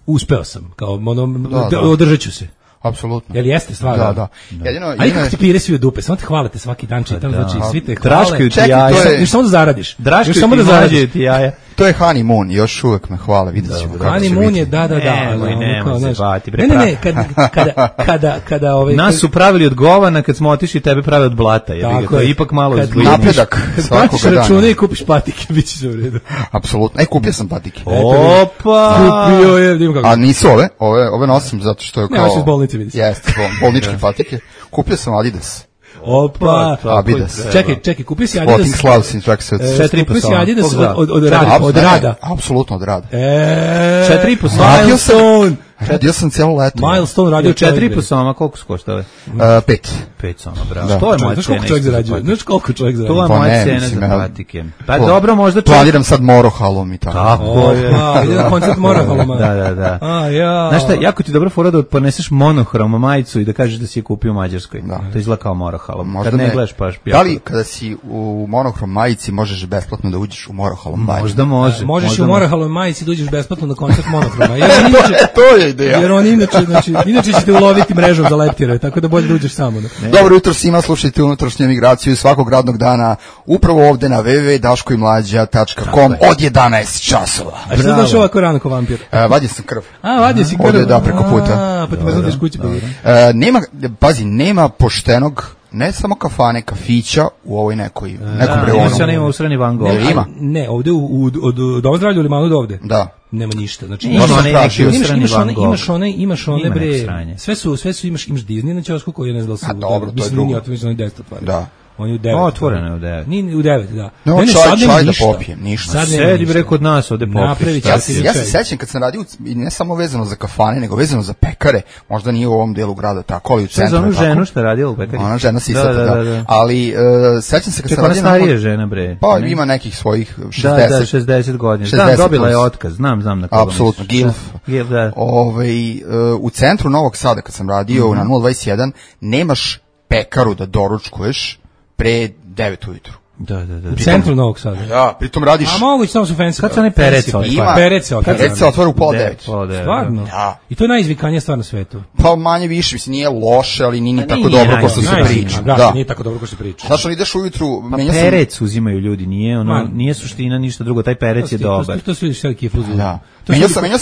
Speaker 7: uspeo sam, kao, ono, održat ću se.
Speaker 9: Apsolutno.
Speaker 7: Jel jeste stvarno?
Speaker 9: Da, da. Jedino,
Speaker 7: ali kako ti pire svi u dupe, samo te hvalate svaki dan, čitam, da. Znači svi te hvale.
Speaker 1: Draškaju ti jaja.
Speaker 7: Čekaj, još samo da zaradiš.
Speaker 1: Draškaju samo da zaradiš ti jaja.
Speaker 9: To je honeymoon, još uvek me hvale, vidjet ćemo kako će biti.
Speaker 7: Honeymoon je, da, da, da.
Speaker 1: Nemoj, nemoj se bati.
Speaker 7: Ne, ne, ne, kada, kada, kada, kada ove...
Speaker 1: Nas su pravili od govana, kad smo otišli, tebe pravi od blata. To je ipak malo izgledno.
Speaker 9: Napredak svakoga dana.
Speaker 7: Kad račune i kupiš patike, bit će se u redu.
Speaker 9: Apsolutno. E, kupio sam patike.
Speaker 1: Opa!
Speaker 7: Kupio je, dim kako.
Speaker 9: A nisu ove, ove, ove nosim zato što je kao...
Speaker 7: Ne, ovo iz bolnice vidi se.
Speaker 9: Jeste, bolničke patike. Kupio sam Adidas.
Speaker 7: Opa,
Speaker 9: Adidas.
Speaker 7: Čekaj, čekaj, kupi si Adidas.
Speaker 9: Sporting Slavsin, čak se
Speaker 7: četiri kupi si Adidas od, od, od, rada, od rada.
Speaker 9: Apsolutno od rada.
Speaker 7: E,
Speaker 1: četiri i po Slavsin.
Speaker 9: Radio sam cijelo leto.
Speaker 7: Milestone radio
Speaker 1: četiri i po soma, koliko su koštale?
Speaker 9: Uh, pet.
Speaker 1: Pet soma, bravo. Da. To je moja
Speaker 7: cena. Znaš koliko čovjek zarađuje? Znaš koliko čovjek zarađuje?
Speaker 1: To je moja cena za patike. Pa dobro, možda
Speaker 9: čovjek... Planiram sad Morohalom i tako.
Speaker 1: Tako je.
Speaker 7: Pa, ide na koncert Morohaloma.
Speaker 1: Da, da, da.
Speaker 7: A, ja.
Speaker 1: Znaš šta, jako ti dobro fora da poneseš monohrom majicu i da kažeš da si je kupio u Mađarskoj. Da. To izgleda kao Morohalom.
Speaker 9: Možda
Speaker 1: kad ne,
Speaker 9: ne
Speaker 1: gledaš paš
Speaker 9: Da li kada si u monohrom majici možeš besplatno da uđeš u Morohalom banju?
Speaker 1: Možda može.
Speaker 7: Možeš
Speaker 1: možda
Speaker 7: u Morohalom majici da uđeš besplatno na koncert monohroma. Jer
Speaker 9: inače, to je ideja.
Speaker 7: Jer on inače, znači, inače ćete uloviti mrežom za leptire, tako da bolje da uđeš samo. Ne?
Speaker 9: Dobro jutro svima, slušajte unutrašnju emigraciju svakog radnog dana upravo ovde na w w w tačka daško i mlađa tačka com od jedanaest časova.
Speaker 7: A što znaš ovako rano ko vampir?
Speaker 9: E, vadio sam krv.
Speaker 7: A, vadio si krv.
Speaker 9: Ovde, da, preko puta.
Speaker 7: A, pa ti me zadiš kući.
Speaker 9: E, nema, pazi, nema poštenog ne samo kafane, kafića u ovoj nekoj, nekom
Speaker 1: da,
Speaker 9: reonu.
Speaker 1: Da, nema u Sreni Van Gogh.
Speaker 9: Ne, ima.
Speaker 7: Ne, ovde u, u, od, od Doma zdravlja u Limanu do ovde.
Speaker 9: Da.
Speaker 7: Nema ništa. Znači,
Speaker 1: imaš,
Speaker 7: imaš,
Speaker 1: one neki
Speaker 7: imaš, imaš, one, imaš one, imaš one,
Speaker 1: ima
Speaker 7: bre, sve su, sve su, imaš, imaš Disney na ćosku koji je ne znam da su.
Speaker 9: A dobro, to je drugo. Mislim,
Speaker 7: mislim, oni deset otvaraju.
Speaker 9: Da.
Speaker 7: On je u devet.
Speaker 1: Otvoreno je u devet.
Speaker 7: Ni u devet, da.
Speaker 9: No,
Speaker 7: ne, ne,
Speaker 9: čaj,
Speaker 7: sad
Speaker 9: čaj da
Speaker 7: ništa.
Speaker 9: popijem, ništa.
Speaker 7: Sad
Speaker 1: sedi bre kod nas ovde popiš.
Speaker 9: Ja, ja se sećam kad sam radio, ne samo vezano za kafane, nego vezano za pekare, možda nije u ovom delu grada tako, ali u centru.
Speaker 1: Za onu ženu što je radila u pekari.
Speaker 9: Ona žena sisata, da, da, da, da. Ali uh, sećam se kad
Speaker 1: Ček,
Speaker 9: sam radio...
Speaker 1: Čekaj, ona starija žena, bre.
Speaker 9: Pa ne? Ima nekih svojih šezdeset.
Speaker 1: Da, da, šezdeset godina. Da, dobila je otkaz, znam, znam na koga.
Speaker 9: Apsolutno, Gilf.
Speaker 1: Gilf, da.
Speaker 9: Ove, uh, u centru Novog Sada, kad sam radio mm-hmm. na nula dvadeset jedan, nemaš pekaru da doručkuješ pre devet ujutru.
Speaker 1: Da, da, da.
Speaker 7: U centru Novog Sada.
Speaker 9: Da, pritom radiš...
Speaker 7: A moguće, samo su fancy.
Speaker 1: Kad se one perece otvara?
Speaker 7: Perece otvara.
Speaker 9: Perece otvara u pola devet.
Speaker 7: Stvarno?
Speaker 9: Da.
Speaker 7: I to je najizvikanija stvar na svetu.
Speaker 9: Pa manje više, mislim, nije loše, ali nije ni tako
Speaker 7: nije,
Speaker 9: dobro kao što se priča.
Speaker 7: Da, nije tako dobro kao što se priča.
Speaker 9: Znaš, on ideš ujutru...
Speaker 1: Pa perec uzimaju ljudi, nije ono, nije suština ništa drugo, taj perec je dobar.
Speaker 7: To su ljudi sve kifuzu.
Speaker 9: Da.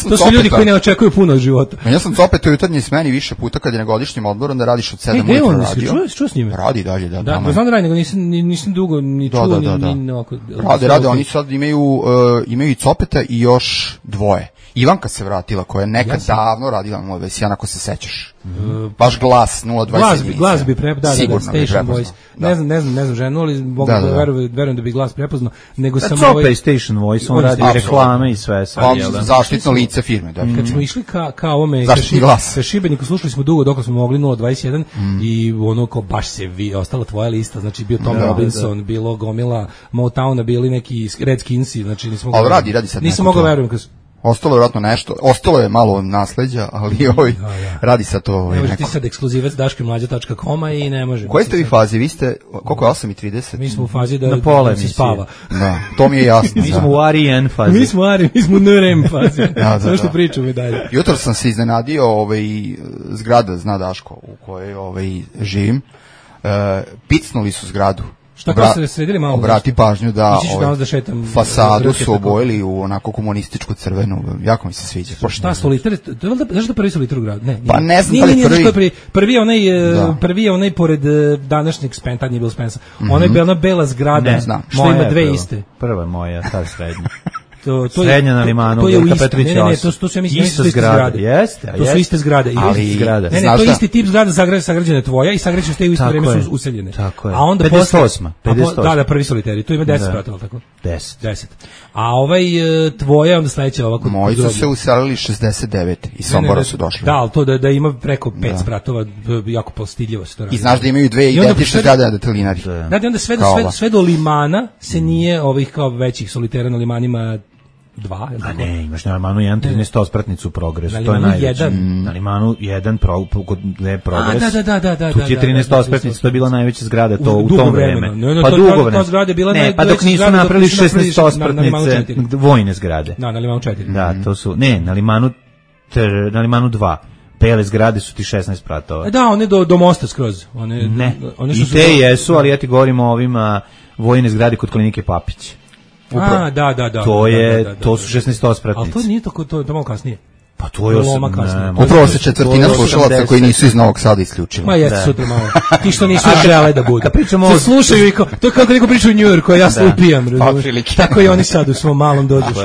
Speaker 7: To su ljudi koji ne očekuju puno od života.
Speaker 9: Menja sam Copeta u jutarnjoj smeni više puta kad je na godišnjem odmoru da radiš od sedam ujutru radio.
Speaker 7: Čuo s njime?
Speaker 9: Radi dalje, da.
Speaker 7: Da, znam da radi, nego nisam, nisam dugo ni čuo,
Speaker 9: da, da, da.
Speaker 7: ni... Oko,
Speaker 9: rade, rade, oni sad imaju, uh, imaju i Copeta i još dvoje. Ivanka se vratila, koja je nekad ja sam... davno radila nula dvadeset jedan, ako se sećaš. Mm. Baš glas nula dvadeset jedan.
Speaker 7: Glas bi prepoznao, da,
Speaker 9: sigurno
Speaker 7: da, da, Station Voice.
Speaker 9: Da.
Speaker 7: Ne znam, ne znam, ne znam ženu, ali mogu da, da, da. Verujem, verujem da bi glas prepoznao. Nego
Speaker 1: da,
Speaker 7: sam
Speaker 1: Copa
Speaker 7: ovaj...
Speaker 1: i Station Voice, on, on radi absolutno reklame i sve. Sad,
Speaker 9: on zaštitno lice firme. Da.
Speaker 7: Kad smo išli ka, ka ovome,
Speaker 9: zaštitni glas.
Speaker 7: Ka Šibeniku, slušali smo dugo dok smo mogli nula dvadeset jedan mm. i ono ko baš se vi, ostala tvoja lista, znači bio Tom da, Robinson, da. Bilo gomila Motowna, bili neki Redskinsi, znači nismo mogli.
Speaker 9: Ali radi, radi sad.
Speaker 7: Nisam mogao verujem kad
Speaker 9: ostalo je vjerojatno nešto, ostalo je malo nasleđa, ali ovaj, ja, ja. radi sad to ovaj,
Speaker 7: neko.
Speaker 9: Ti
Speaker 7: sad ekskluzivac daško i mlađa tačka com i ne može.
Speaker 9: U kojoj ste vi fazi? Vi ste, koliko je osam i trideset?
Speaker 7: Mi smo u fazi da,
Speaker 1: na pola
Speaker 7: da se spava.
Speaker 9: Da, to mi je jasno.
Speaker 1: Mi smo u R E N fazi.
Speaker 7: Mi smo u R E N, mi smo u N R M fazi. da, da, što da. Pričamo i dalje.
Speaker 9: Jutro sam se iznenadio ovaj, zgrada, zna Daško, u kojoj ovaj, živim. Uh, picnuli su zgradu.
Speaker 7: Šta kao se sredili malo?
Speaker 9: Obrati pažnju da,
Speaker 7: ovaj, da šetam,
Speaker 9: fasadu su obojili u onako komunističku crvenu, jako mi se sviđa.
Speaker 7: Pa šta, solitar, to je valjda, znaš da prvi solitar u gradu? Ne,
Speaker 9: pa ne znam
Speaker 7: nije,
Speaker 9: da li
Speaker 7: nije,
Speaker 9: prvi.
Speaker 7: prvi. Prvi je onaj, da. prvi je onaj pored današnjeg Spensa, tad nije bilo Spensa, mm-hmm. ona je bila ona bela zgrada,
Speaker 1: ne znam,
Speaker 7: što ima dve prva. Iste.
Speaker 1: Prva je moja, ta srednja.
Speaker 7: To, to
Speaker 1: Srednja
Speaker 7: je,
Speaker 1: na Limanu,
Speaker 7: to je
Speaker 1: Velika Petrovića.
Speaker 7: Ne, ne, ne, to, to su ja mislim
Speaker 1: ista zgrada. Jeste,
Speaker 7: to su iste zgrade.
Speaker 1: Ali zgrada.
Speaker 7: Ne, ne, to je isti tip zgrada sagrađena tvoja i sagrađene ste u isto vrijeme su useljene.
Speaker 1: Tako je.
Speaker 7: A onda
Speaker 1: pedeset osma. pedeset osma.
Speaker 7: Da, da, prvi soliteri. Tu ima deset spratova, tako?
Speaker 1: deset.
Speaker 7: deset. A ovaj tvoja onda sledeća ovako.
Speaker 9: Moji su se uselili šezdeset devet i Sombora su došli.
Speaker 7: Da, al to da da ima preko pet spratova, jako postidljivo se to radi.
Speaker 9: I znaš da imaju dve identične zgrade na detelinari.
Speaker 7: Da, onda sve do sve sve do Limana se nije ovih kao većih solitera na Limanima dva, je
Speaker 1: a ne, imaš na Limanu jedan trinaestospratnicu progres, to je najveći. Na Limanu jedan pro, kod ne progres.
Speaker 7: A, da, da, da, da,
Speaker 1: tu ti je trinaestospratnica, to je bila najveća zgrada to u,
Speaker 7: u
Speaker 1: tom vreme.
Speaker 7: Ne, ne,
Speaker 1: pa
Speaker 7: to,
Speaker 1: dugo vreme.
Speaker 7: Zgrada bila
Speaker 1: ne, pa dok nisu napravili šesnaestospratnice vojne zgrade.
Speaker 7: Da, na Limanu četiri.
Speaker 1: Da, to su, ne, na Limanu na Limanu dva. Bele zgrade su ti šesnaest spratova.
Speaker 7: Da, one do, do mosta skroz. One,
Speaker 1: ne,
Speaker 7: one
Speaker 1: i te jesu, ali ja ti govorim o ovima vojne zgrade kod Klinike Papić.
Speaker 7: Upravo. A, da, da, da.
Speaker 1: To je,
Speaker 7: da, da, da,
Speaker 1: to su šesnaestospratnice.
Speaker 7: Ali to nije tako, to je malo kasnije.
Speaker 1: Pa to je osam,
Speaker 9: upravo se četvrtina slušalaca koji nisu iz Novog Sada isključili.
Speaker 7: Ma jeste sutra malo. Ti što nisu žele da budu. Kad pričamo o slušaju i kao, to je kako neko priča u Njujorku, ja se upijam, razumiješ. Tako i oni sad u svom malom dođeš.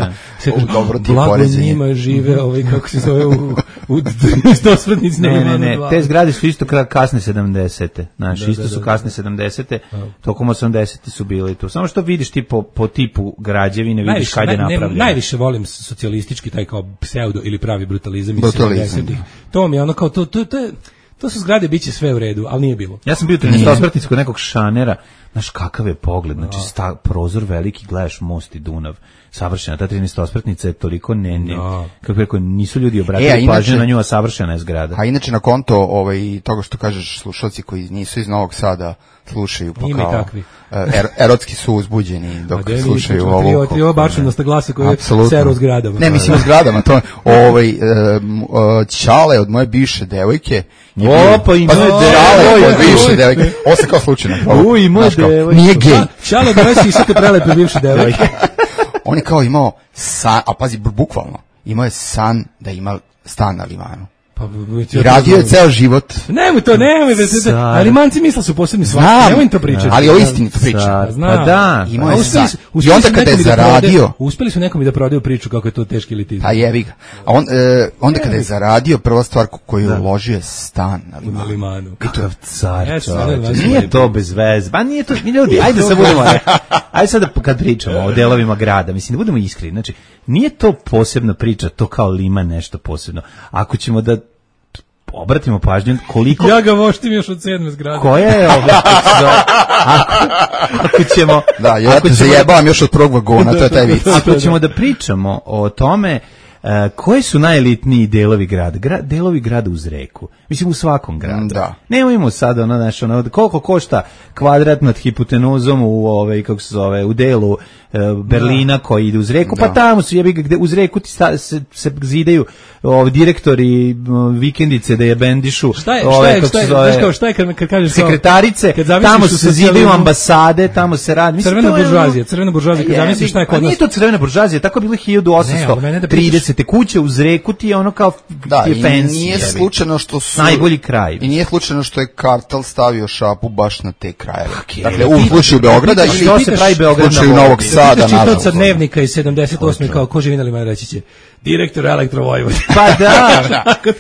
Speaker 9: Dobro ti
Speaker 7: blago njima žive, ovaj kako se zove u u trinaestospratnici.
Speaker 1: Ne, ne, ne, te zgrade su isto kasne sedamdesete. Znači, isto su kasne sedamdesete. Tokom osamdesetih su bili tu. Samo što vidiš ti po po tipu građevine, vidiš kad je napravljeno.
Speaker 7: Najviše volim socijalistički taj kao pseudo ili pravi brutalizam iz
Speaker 9: Brutalizam.
Speaker 7: sedamdesetih. To mi je ono kao, to, to, to, je, to su zgrade, bit će sve u redu, ali nije bilo.
Speaker 1: Ja sam bio trinaestosprtnic kod nekog šanera, znaš kakav je pogled, znači sta, prozor veliki, gledaš most i Dunav, savršena, ta trinaestosprtnica je toliko ne, ne,
Speaker 7: no.
Speaker 1: kako rekao, nisu ljudi obratili
Speaker 9: e,
Speaker 1: pažnju na nju, a savršena je zgrada.
Speaker 9: A inače na konto ovaj, toga što kažeš slušalci koji nisu iz Novog Sada slušaju, pa
Speaker 7: Ima
Speaker 9: kao er, erotski su uzbuđeni dok
Speaker 7: a
Speaker 9: slušaju
Speaker 7: ovo.
Speaker 9: ovo.
Speaker 7: Tri ova bačenost na glase koje seru u zgradama.
Speaker 9: Ne, mislim u zgradama, to ovaj, um, uh, Ćale od moje bivše devojke.
Speaker 1: O, pa ima
Speaker 9: Ćale od bivše devojke. Ovo se kao slučajno.
Speaker 1: U, ima devojke.
Speaker 9: Nije gej.
Speaker 7: Ćale od moje sisate prelepe bivše devojke.
Speaker 9: On je kao imao san, a pazi, bukvalno, imao je san da ima stan na Limanu.
Speaker 7: Pa,
Speaker 9: I radio je ceo život.
Speaker 7: Nemoj to, nemoj, ali manci misle su posebni svaki, nemoj im to pričati.
Speaker 9: Ali o istini to priča.
Speaker 7: Pa
Speaker 1: da.
Speaker 9: Imao je san. I onda kada je zaradio...
Speaker 7: Uspeli su nekom i da prodaju priču kako je to teški elitizam.
Speaker 9: Pa jevi ga. A on, e, onda kada je zaradio, prva stvar koju je uložio je stan na Limanu.
Speaker 7: Na Limanu.
Speaker 1: Kakav car, čovječe. Nije to bez veze. Pa nije to, mi ljudi, ajde sad budemo, ajde sad kad pričamo o delovima grada, mislim da budemo iskreni, znači, nije to posebna priča, to kao Liman nešto posebno. Ako ćemo da obratimo pažnju koliko...
Speaker 7: Ja ga voštim još od sedme zgrade.
Speaker 1: Koja je ovo? Ako, ako ćemo...
Speaker 9: Da, ja te zajebavam još od prvog vagona, to je taj vic.
Speaker 1: Ako ćemo da pričamo o tome uh, koji su najelitniji delovi grada, Gra, delovi grada uz reku, mislim u svakom gradu.
Speaker 9: Da.
Speaker 1: Nemojmo sad ono, znaš, ono, koliko košta kvadrat nad hipotenuzom u, ovaj, kako se zove, u delu uh, Berlina da. Koji ide uz reku, da. Pa tamo su jebi gde uz reku ti sta, se, se zidaju ovi direktori vikendice da je bendišu.
Speaker 7: Šta je,
Speaker 1: ove,
Speaker 7: šta je, šta je,
Speaker 1: zove,
Speaker 7: znaš kao, šta je kad, kad kažeš
Speaker 1: sekretarice,
Speaker 7: kad
Speaker 1: tamo se zidaju ambasade, tamo se radi.
Speaker 7: Crvena buržuazija, crvena buržuazija, kad zamisliš šta je kod nas.
Speaker 1: Nije to crvena buržuazija, tako je bilo hiljadu osamsto tridesete kuće uz reku ti je ono kao
Speaker 9: da,
Speaker 1: ti je fancy.
Speaker 9: Nije slučajno što su...
Speaker 1: Najbolji kraj.
Speaker 9: I nije slučajno što je kartel stavio šapu baš na te krajeve. Okay, dakle, u slučaju Beograda ili
Speaker 1: što se pravi Beograd
Speaker 9: u slučaju Novog Sada,
Speaker 7: nažalost. Sa dnevnika iz sedamdeset osme kao ko živi na Limanu reći će direktor Elektro Vojvodine.
Speaker 1: Pa da,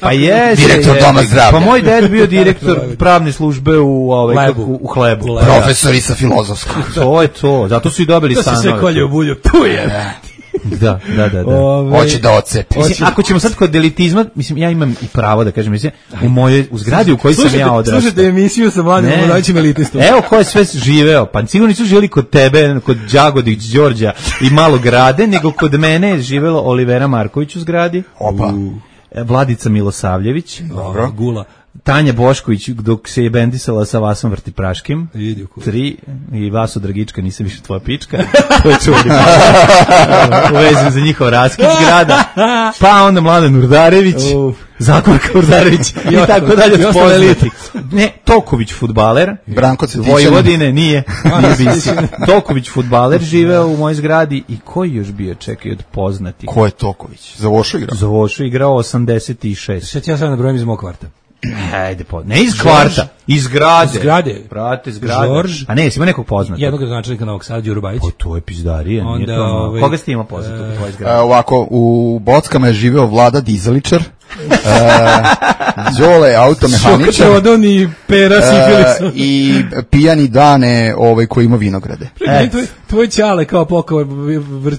Speaker 1: pa jeste.
Speaker 9: Direktor Doma zdravlja.
Speaker 1: Pa moj ded bio direktor pravne službe u, ovaj,
Speaker 7: Lebu.
Speaker 1: u, u Hlebu.
Speaker 9: U profesori sa filozofskog.
Speaker 1: To je to, zato su i dobili stanove.
Speaker 7: To se sve kolje u bulju, tu je.
Speaker 1: Da, da, da, da.
Speaker 9: Ove, hoće da ocepi.
Speaker 1: Mislim, ako ćemo sad kod elitizma, mislim, ja imam i pravo da kažem, mislim, u mojoj, u zgradi u kojoj sam ja odrastao.
Speaker 7: Slušajte emisiju sa mladim mlađim elitistom.
Speaker 1: Evo ko je sve živeo, pa sigurno nisu živjeli kod tebe, kod Đagodić, Đorđa i Malog Grade, nego kod mene je živelo Olivera Marković u zgradi.
Speaker 9: Opa.
Speaker 1: Vladica Milosavljević.
Speaker 7: Dobro. Gula.
Speaker 1: Tanja Bošković dok se je bendisala sa Vasom Vrtipraškim. Tri. I Vaso Dragička, nisam više tvoja pička. To je čuli. Uvezim za njihov raskid zgrada. Pa onda Mladen Urdarević. Zakorka Urdarević. I tako dalje. Ne, Toković fudbaler.
Speaker 9: Branko Cvetićanin.
Speaker 1: Vojvodine, nije. Nije bisi. Toković fudbaler živeo u mojoj zgradi. I koji još bio, čekaj, od poznati?
Speaker 9: Ko je Toković? Za Vošu igrao?
Speaker 1: Za Vošu igrao osamdeset šest.
Speaker 7: Šta ti ja sad nabrojim iz mog kvarta?
Speaker 1: Ajde, po, ne iz kvarta, iz zgrade.
Speaker 7: Iz zgrade.
Speaker 1: Brate, zgrade.
Speaker 7: Žorž.
Speaker 1: A ne, jesi ima nekog poznatog?
Speaker 7: Jednog gradonačelnika Novog Sada, Đuru Bajić.
Speaker 1: O, to je pizdarija.
Speaker 7: Onda,
Speaker 1: nije to,
Speaker 7: ovaj,
Speaker 1: koga ste ima poznatog u tvojoj zgradi?
Speaker 9: E, ovako, u Bockama je živeo Vlada Dizaličar. Đole automehaničar.
Speaker 7: Šokotrodon i Pera Sifilisom.
Speaker 9: I pijani Dane ovaj, koji ima vinograde.
Speaker 7: E. Tvoj, tvoj Ćale kao pokoj,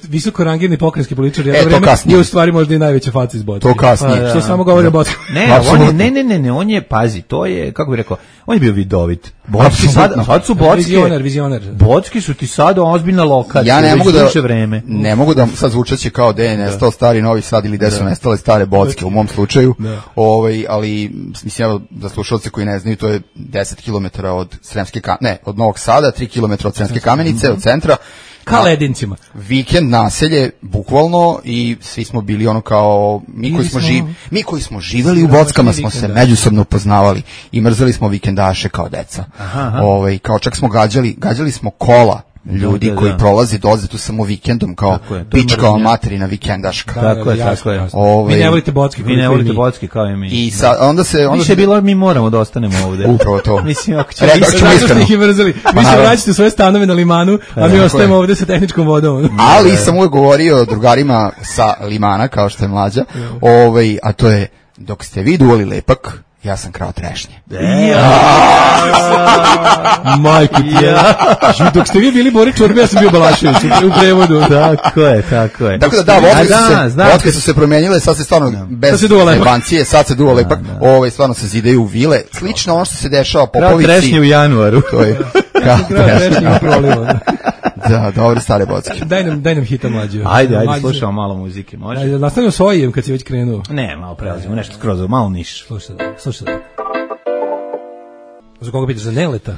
Speaker 7: visoko rangirni pokrenjski političar jedno
Speaker 9: e,
Speaker 7: vreme je u stvari možda i najveća faca iz Bocke.
Speaker 9: To kasnije.
Speaker 7: Pa, što samo govori o Bocku.
Speaker 1: Ne, on je, ne, ne, ne, ne, on je, pazi, to je, kako bih rekao, on je bio vidovit. Bocki sad, sad su Bocke.
Speaker 7: Vizioner, vizioner.
Speaker 1: Bocki su ti sad ozbiljna lokacija.
Speaker 9: Ja ne mogu da,
Speaker 1: vreme.
Speaker 9: ne mogu da sad zvučaće kao da je nestao stari Novi Sad ili da su nestale stare Bocke u mom slučaju. Ovaj, ali mislim ja za slušalce koji ne znaju, to je deset kilometara od Sremske Kamenice, ne, od Novog Sada, tri kilometra od Sremske Kamenice, od centra.
Speaker 7: Ka Ledincima.
Speaker 9: Vikend naselje, bukvalno, i svi smo bili ono kao, mi koji smo, živ, mi koji smo živeli u Bockama smo se međusobno upoznavali i mrzeli smo vikendaše kao deca.
Speaker 1: Aha, aha.
Speaker 9: Ovaj, kao čak smo gađali, gađali smo kola ljudi da, da, koji da. prolaze doze tu samo vikendom kao pička materina vikendaška.
Speaker 1: Da, tako je, tako je.
Speaker 7: Ove, vi ne volite Bocki,
Speaker 1: vi ne volite Bocki kao i mi.
Speaker 9: I sa, onda se onda
Speaker 1: više je bilo mi moramo da ostanemo ovde.
Speaker 9: Upravo to.
Speaker 1: Mislim ako ćemo
Speaker 7: iskreno ih mrzeli. Vi se vraćate u svoje stanove na Limanu, a mi ostajemo ovde sa tehničkom vodom.
Speaker 9: Ali sam uvek govorio drugarima sa Limana kao što je Mlađa, ovaj, a to je dok ste vi duvali lepak, ja sam krao trešnje.
Speaker 7: Majko ti ja. Dok ste vi bili Bori Čorbe, ja sam bio Balašević u prevodu.
Speaker 1: Tako je, tako je.
Speaker 9: Tako da da, vodke su, se, vodke su se promenile, sad se stvarno da. bez zebancije, sad se duva lepak, da, da. Ovaj, stvarno se zidaju vile. Slično ono što se dešava po Popovici.
Speaker 1: Krao trešnje u januaru.
Speaker 9: To je.
Speaker 7: Krao trešnje u prolivu.
Speaker 9: Da, dobre stare bocke.
Speaker 7: Daj nam, daj nam hita mlađe.
Speaker 1: Ajde, ajde, slušamo malo muzike, može?
Speaker 7: Ajde, nastavljamo s Ojijem kad si već krenuo.
Speaker 1: Ne, malo prelazimo, nešto skroz, malo niš.
Speaker 7: Slušaj da, slušaj da. Za koga pitaš, za Neleta?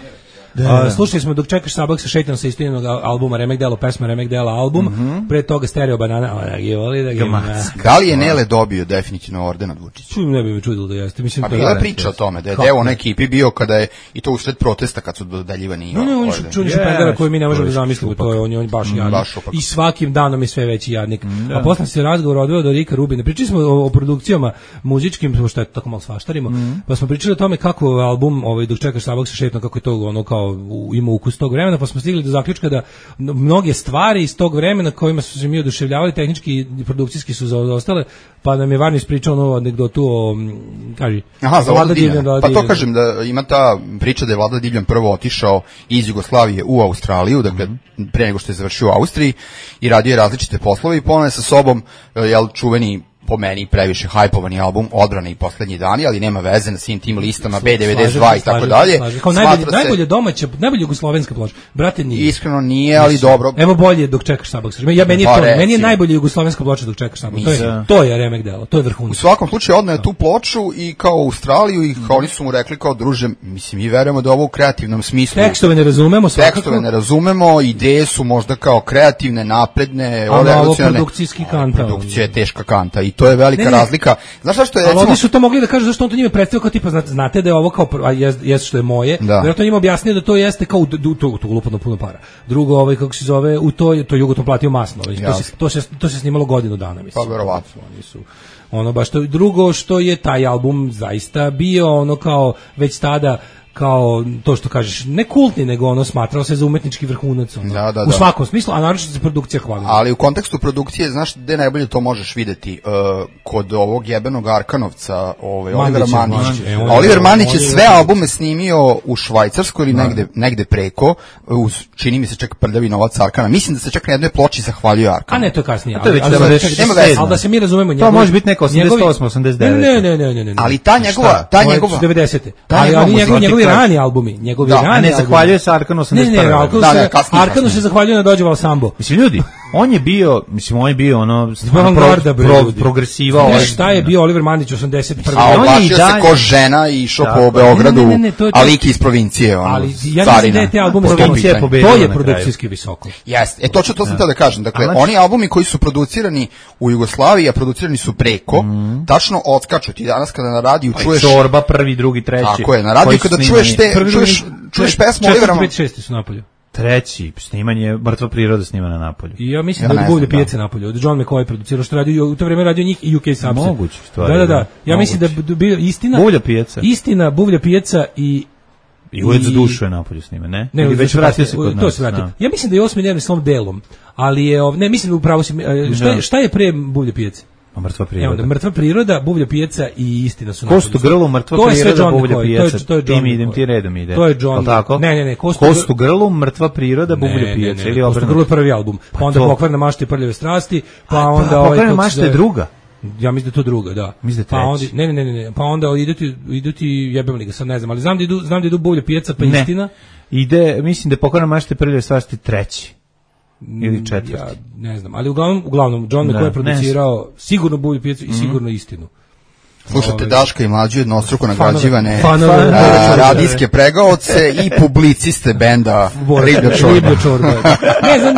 Speaker 7: Da. Uh, slušali smo Dok čekaš sabak sa Šejtanom sa istinog albuma Remek Delo, pesma Remek Dela album, mm -hmm. pre toga Stereo Banana, ona je voli da ga ima.
Speaker 9: Da li je Nele dobio definitivno orden od Vučića?
Speaker 7: Čujem, ne bi me čudilo da jeste. Mislim,
Speaker 9: a bila je priča o tome, da je deo na ekipi bio kada je, i to usred protesta kad su dodaljivani.
Speaker 7: No, ne, on je čuni špendera koji mi ne možemo da zamislimo, to je on, on baš jadnik. I svakim danom je sve veći jadnik. Mm, a posle se razgovor odveo do Rika Rubina. Pričali smo o, o produkcijama muzičkim, što je tako malo svaštarimo, mm. pa smo pričali o tome kako album ovaj, Dok čekaš sabak sa Šejtanom, kako je to ono kao ima ukus tog vremena, pa smo stigli do zaključka da mnoge stvari iz tog vremena kojima su se mi oduševljavali, tehnički i produkcijski su zaostale, pa nam je Varni ispričao novu anegdotu o, kaži,
Speaker 9: aha, za Vlada Divljan. Pa to kažem da ima ta priča da je Vlada Divljan prvo otišao iz Jugoslavije u Australiju, dakle mm-hmm. pre nego što je završio u Austriji i radio je različite poslove i ponove sa sobom, jel, čuveni po meni previše hajpovani album Odbrane i Poslednji dani, ali nema veze na svim tim listama B devedeset dva i tako dalje.
Speaker 7: Kao najbolje, se... najbolje domaća, najbolje jugoslovenska ploča. Brate, nije.
Speaker 9: Iskreno nije, ali mislim, dobro.
Speaker 7: Evo bolje Dok čekaš sabak. Ja meni je to, pa, meni je najbolje jugoslovenska ploča Dok čekaš sabak. To je to je Remek Delo, to je vrhunac.
Speaker 9: U svakom slučaju odneo je tu ploču i kao u Australiju i kao oni su mu rekli kao druže, mislim mi verujemo da ovo u kreativnom smislu.
Speaker 7: Tekstove ne razumemo, svakako.
Speaker 9: Tekstove ne razumemo, ideje su možda kao kreativne, napredne,
Speaker 7: ovo produkcijski kanta.
Speaker 9: Produkcija je teška kanta i to je velika razlika. Znaš šta što je,
Speaker 7: recimo... Ali oni su to mogli da kažu zašto on to njime predstavio kao tipa, znate da je ovo kao, a jeste što je moje, vjerojatno njima objasnio da to jeste kao, to, to ulupano puno para. Drugo, ovaj, kako se zove, u to, to Jugoton platio masno, to se, to, se, to se snimalo godinu dana, mislim.
Speaker 9: Pa, verovatno.
Speaker 7: Oni su, ono, baš to, drugo što je taj album zaista bio, ono, kao, već tada, kao to što kažeš, ne kultni, nego ono smatrao se za umetnički vrhunac, ono,
Speaker 9: da, da,
Speaker 7: u
Speaker 9: da.
Speaker 7: svakom smislu, a naročito se produkcija hvali.
Speaker 9: Ali u kontekstu produkcije, znaš gde najbolje to možeš videti? Uh, kod ovog jebenog Arkanovca, ovaj, Olivera Mandića. E, Oliver Mandić je sve albume snimio u Švajcarskoj ili negde, negde preko, uz, čini mi se čak Prljavi novac Arkana. Mislim da se čak na jednoj ploči zahvaljuje Arkanu.
Speaker 7: A ne, to je kasnije.
Speaker 1: A to je već
Speaker 7: nema veze. Ali da se mi razumemo,
Speaker 1: to može biti neko osamdeset osam osamdeset devet.
Speaker 7: Ne, ne, ne, ne, ne.
Speaker 9: Ali ta njegova, ta njegova
Speaker 7: devedesete. Ali njegovi rani albumi, njegovi
Speaker 1: da,
Speaker 7: rani
Speaker 1: a ne zahvaljuje se Arkanu osamdeset prve.
Speaker 7: Ne, ne, Arkanu
Speaker 9: da,
Speaker 7: se,
Speaker 9: ne, kasnije,
Speaker 7: Arkanu se zahvaljuje na Dođeval Sambo.
Speaker 1: Mislim, ljudi, on je bio, mislim, on je bio ono,
Speaker 7: pro,
Speaker 1: pro, progresiva.
Speaker 7: Ne, šta je bio Oliver Mandić osamdeset prve.
Speaker 9: A oblačio se ko žena i išao po Beogradu, a lik iz provincije. Ono,
Speaker 7: ali ja mislim da je te albume to je produkcijski visoko.
Speaker 9: Jeste, e to ću to sam teo da kažem. Dakle, oni albumi koji su producirani u Jugoslaviji, a producirani su preko, tačno odskaču ti danas kada na radiju čuješ...
Speaker 1: Čorba, prvi, drugi, treći.
Speaker 9: Tako je, na radiju kada čuješ te, čuješ, čuješ pesmu Olivera...
Speaker 7: četiri pet šest su napolju.
Speaker 1: Treći, snimanje Mrtva priroda snima na napolju.
Speaker 7: I ja mislim ja da je Buvlje pijace napolju. Od John McCoy producirao što radio, u to vrijeme radio njih i U K Subset.
Speaker 1: Moguće stvari.
Speaker 7: Da, da, da. Ja moguće. Mislim da je bio istina...
Speaker 1: Buvlja pijaca.
Speaker 7: Istina, Buvlja pijaca i...
Speaker 1: I Ured za dušu je napolju snime, ne?
Speaker 7: Ne,
Speaker 1: ili već vratio se kod nas.
Speaker 7: To se vratio. Ja mislim da je osmi dnevni slom delom, ali je... Ne, mislim da upravo si... Šta je, šta je pre Buvlje pijace?
Speaker 1: Mrtva priroda.
Speaker 7: Evo, Mrtva priroda, Buvlja pijaca i istina su
Speaker 1: Kostu grlu, Mrtva priroda, Buvlja pijaca.
Speaker 7: To je
Speaker 1: Tim idem ti redom ide.
Speaker 7: To je John.
Speaker 1: Tako?
Speaker 7: Ne, ne, ne,
Speaker 1: Kostu, Kostu grlu, Mrtva priroda, Buvlja pijaca ili
Speaker 7: Kostu grlu je prvi album. Pa, pa onda Pokvarna mašta i Prljave strasti, pa
Speaker 1: A,
Speaker 7: onda
Speaker 1: pa, ovaj Pokvarna mašta je druga.
Speaker 7: Ja mislim da to druga, da.
Speaker 1: Mislim da
Speaker 7: pa onda ne, ne, ne, ne, pa onda idu ti idu ti jebem li ga, sad ne znam, ali znam da idu, znam da idu Buvlja pijaca, pa
Speaker 1: ne.
Speaker 7: Istina.
Speaker 1: Ide, mislim da je Pokvarna mašta i Prljave strasti treći. Ili četvrti.
Speaker 7: Ja ne znam, ali uglavnom, uglavnom John McCoy je producirao sigurno Buvlju pijacu i sigurno Istinu.
Speaker 9: Slušate Daška i Mlađu, jednostruko nagrađivane radijske pregaoce i publiciste benda Riblja
Speaker 7: Čorba. Ne znam,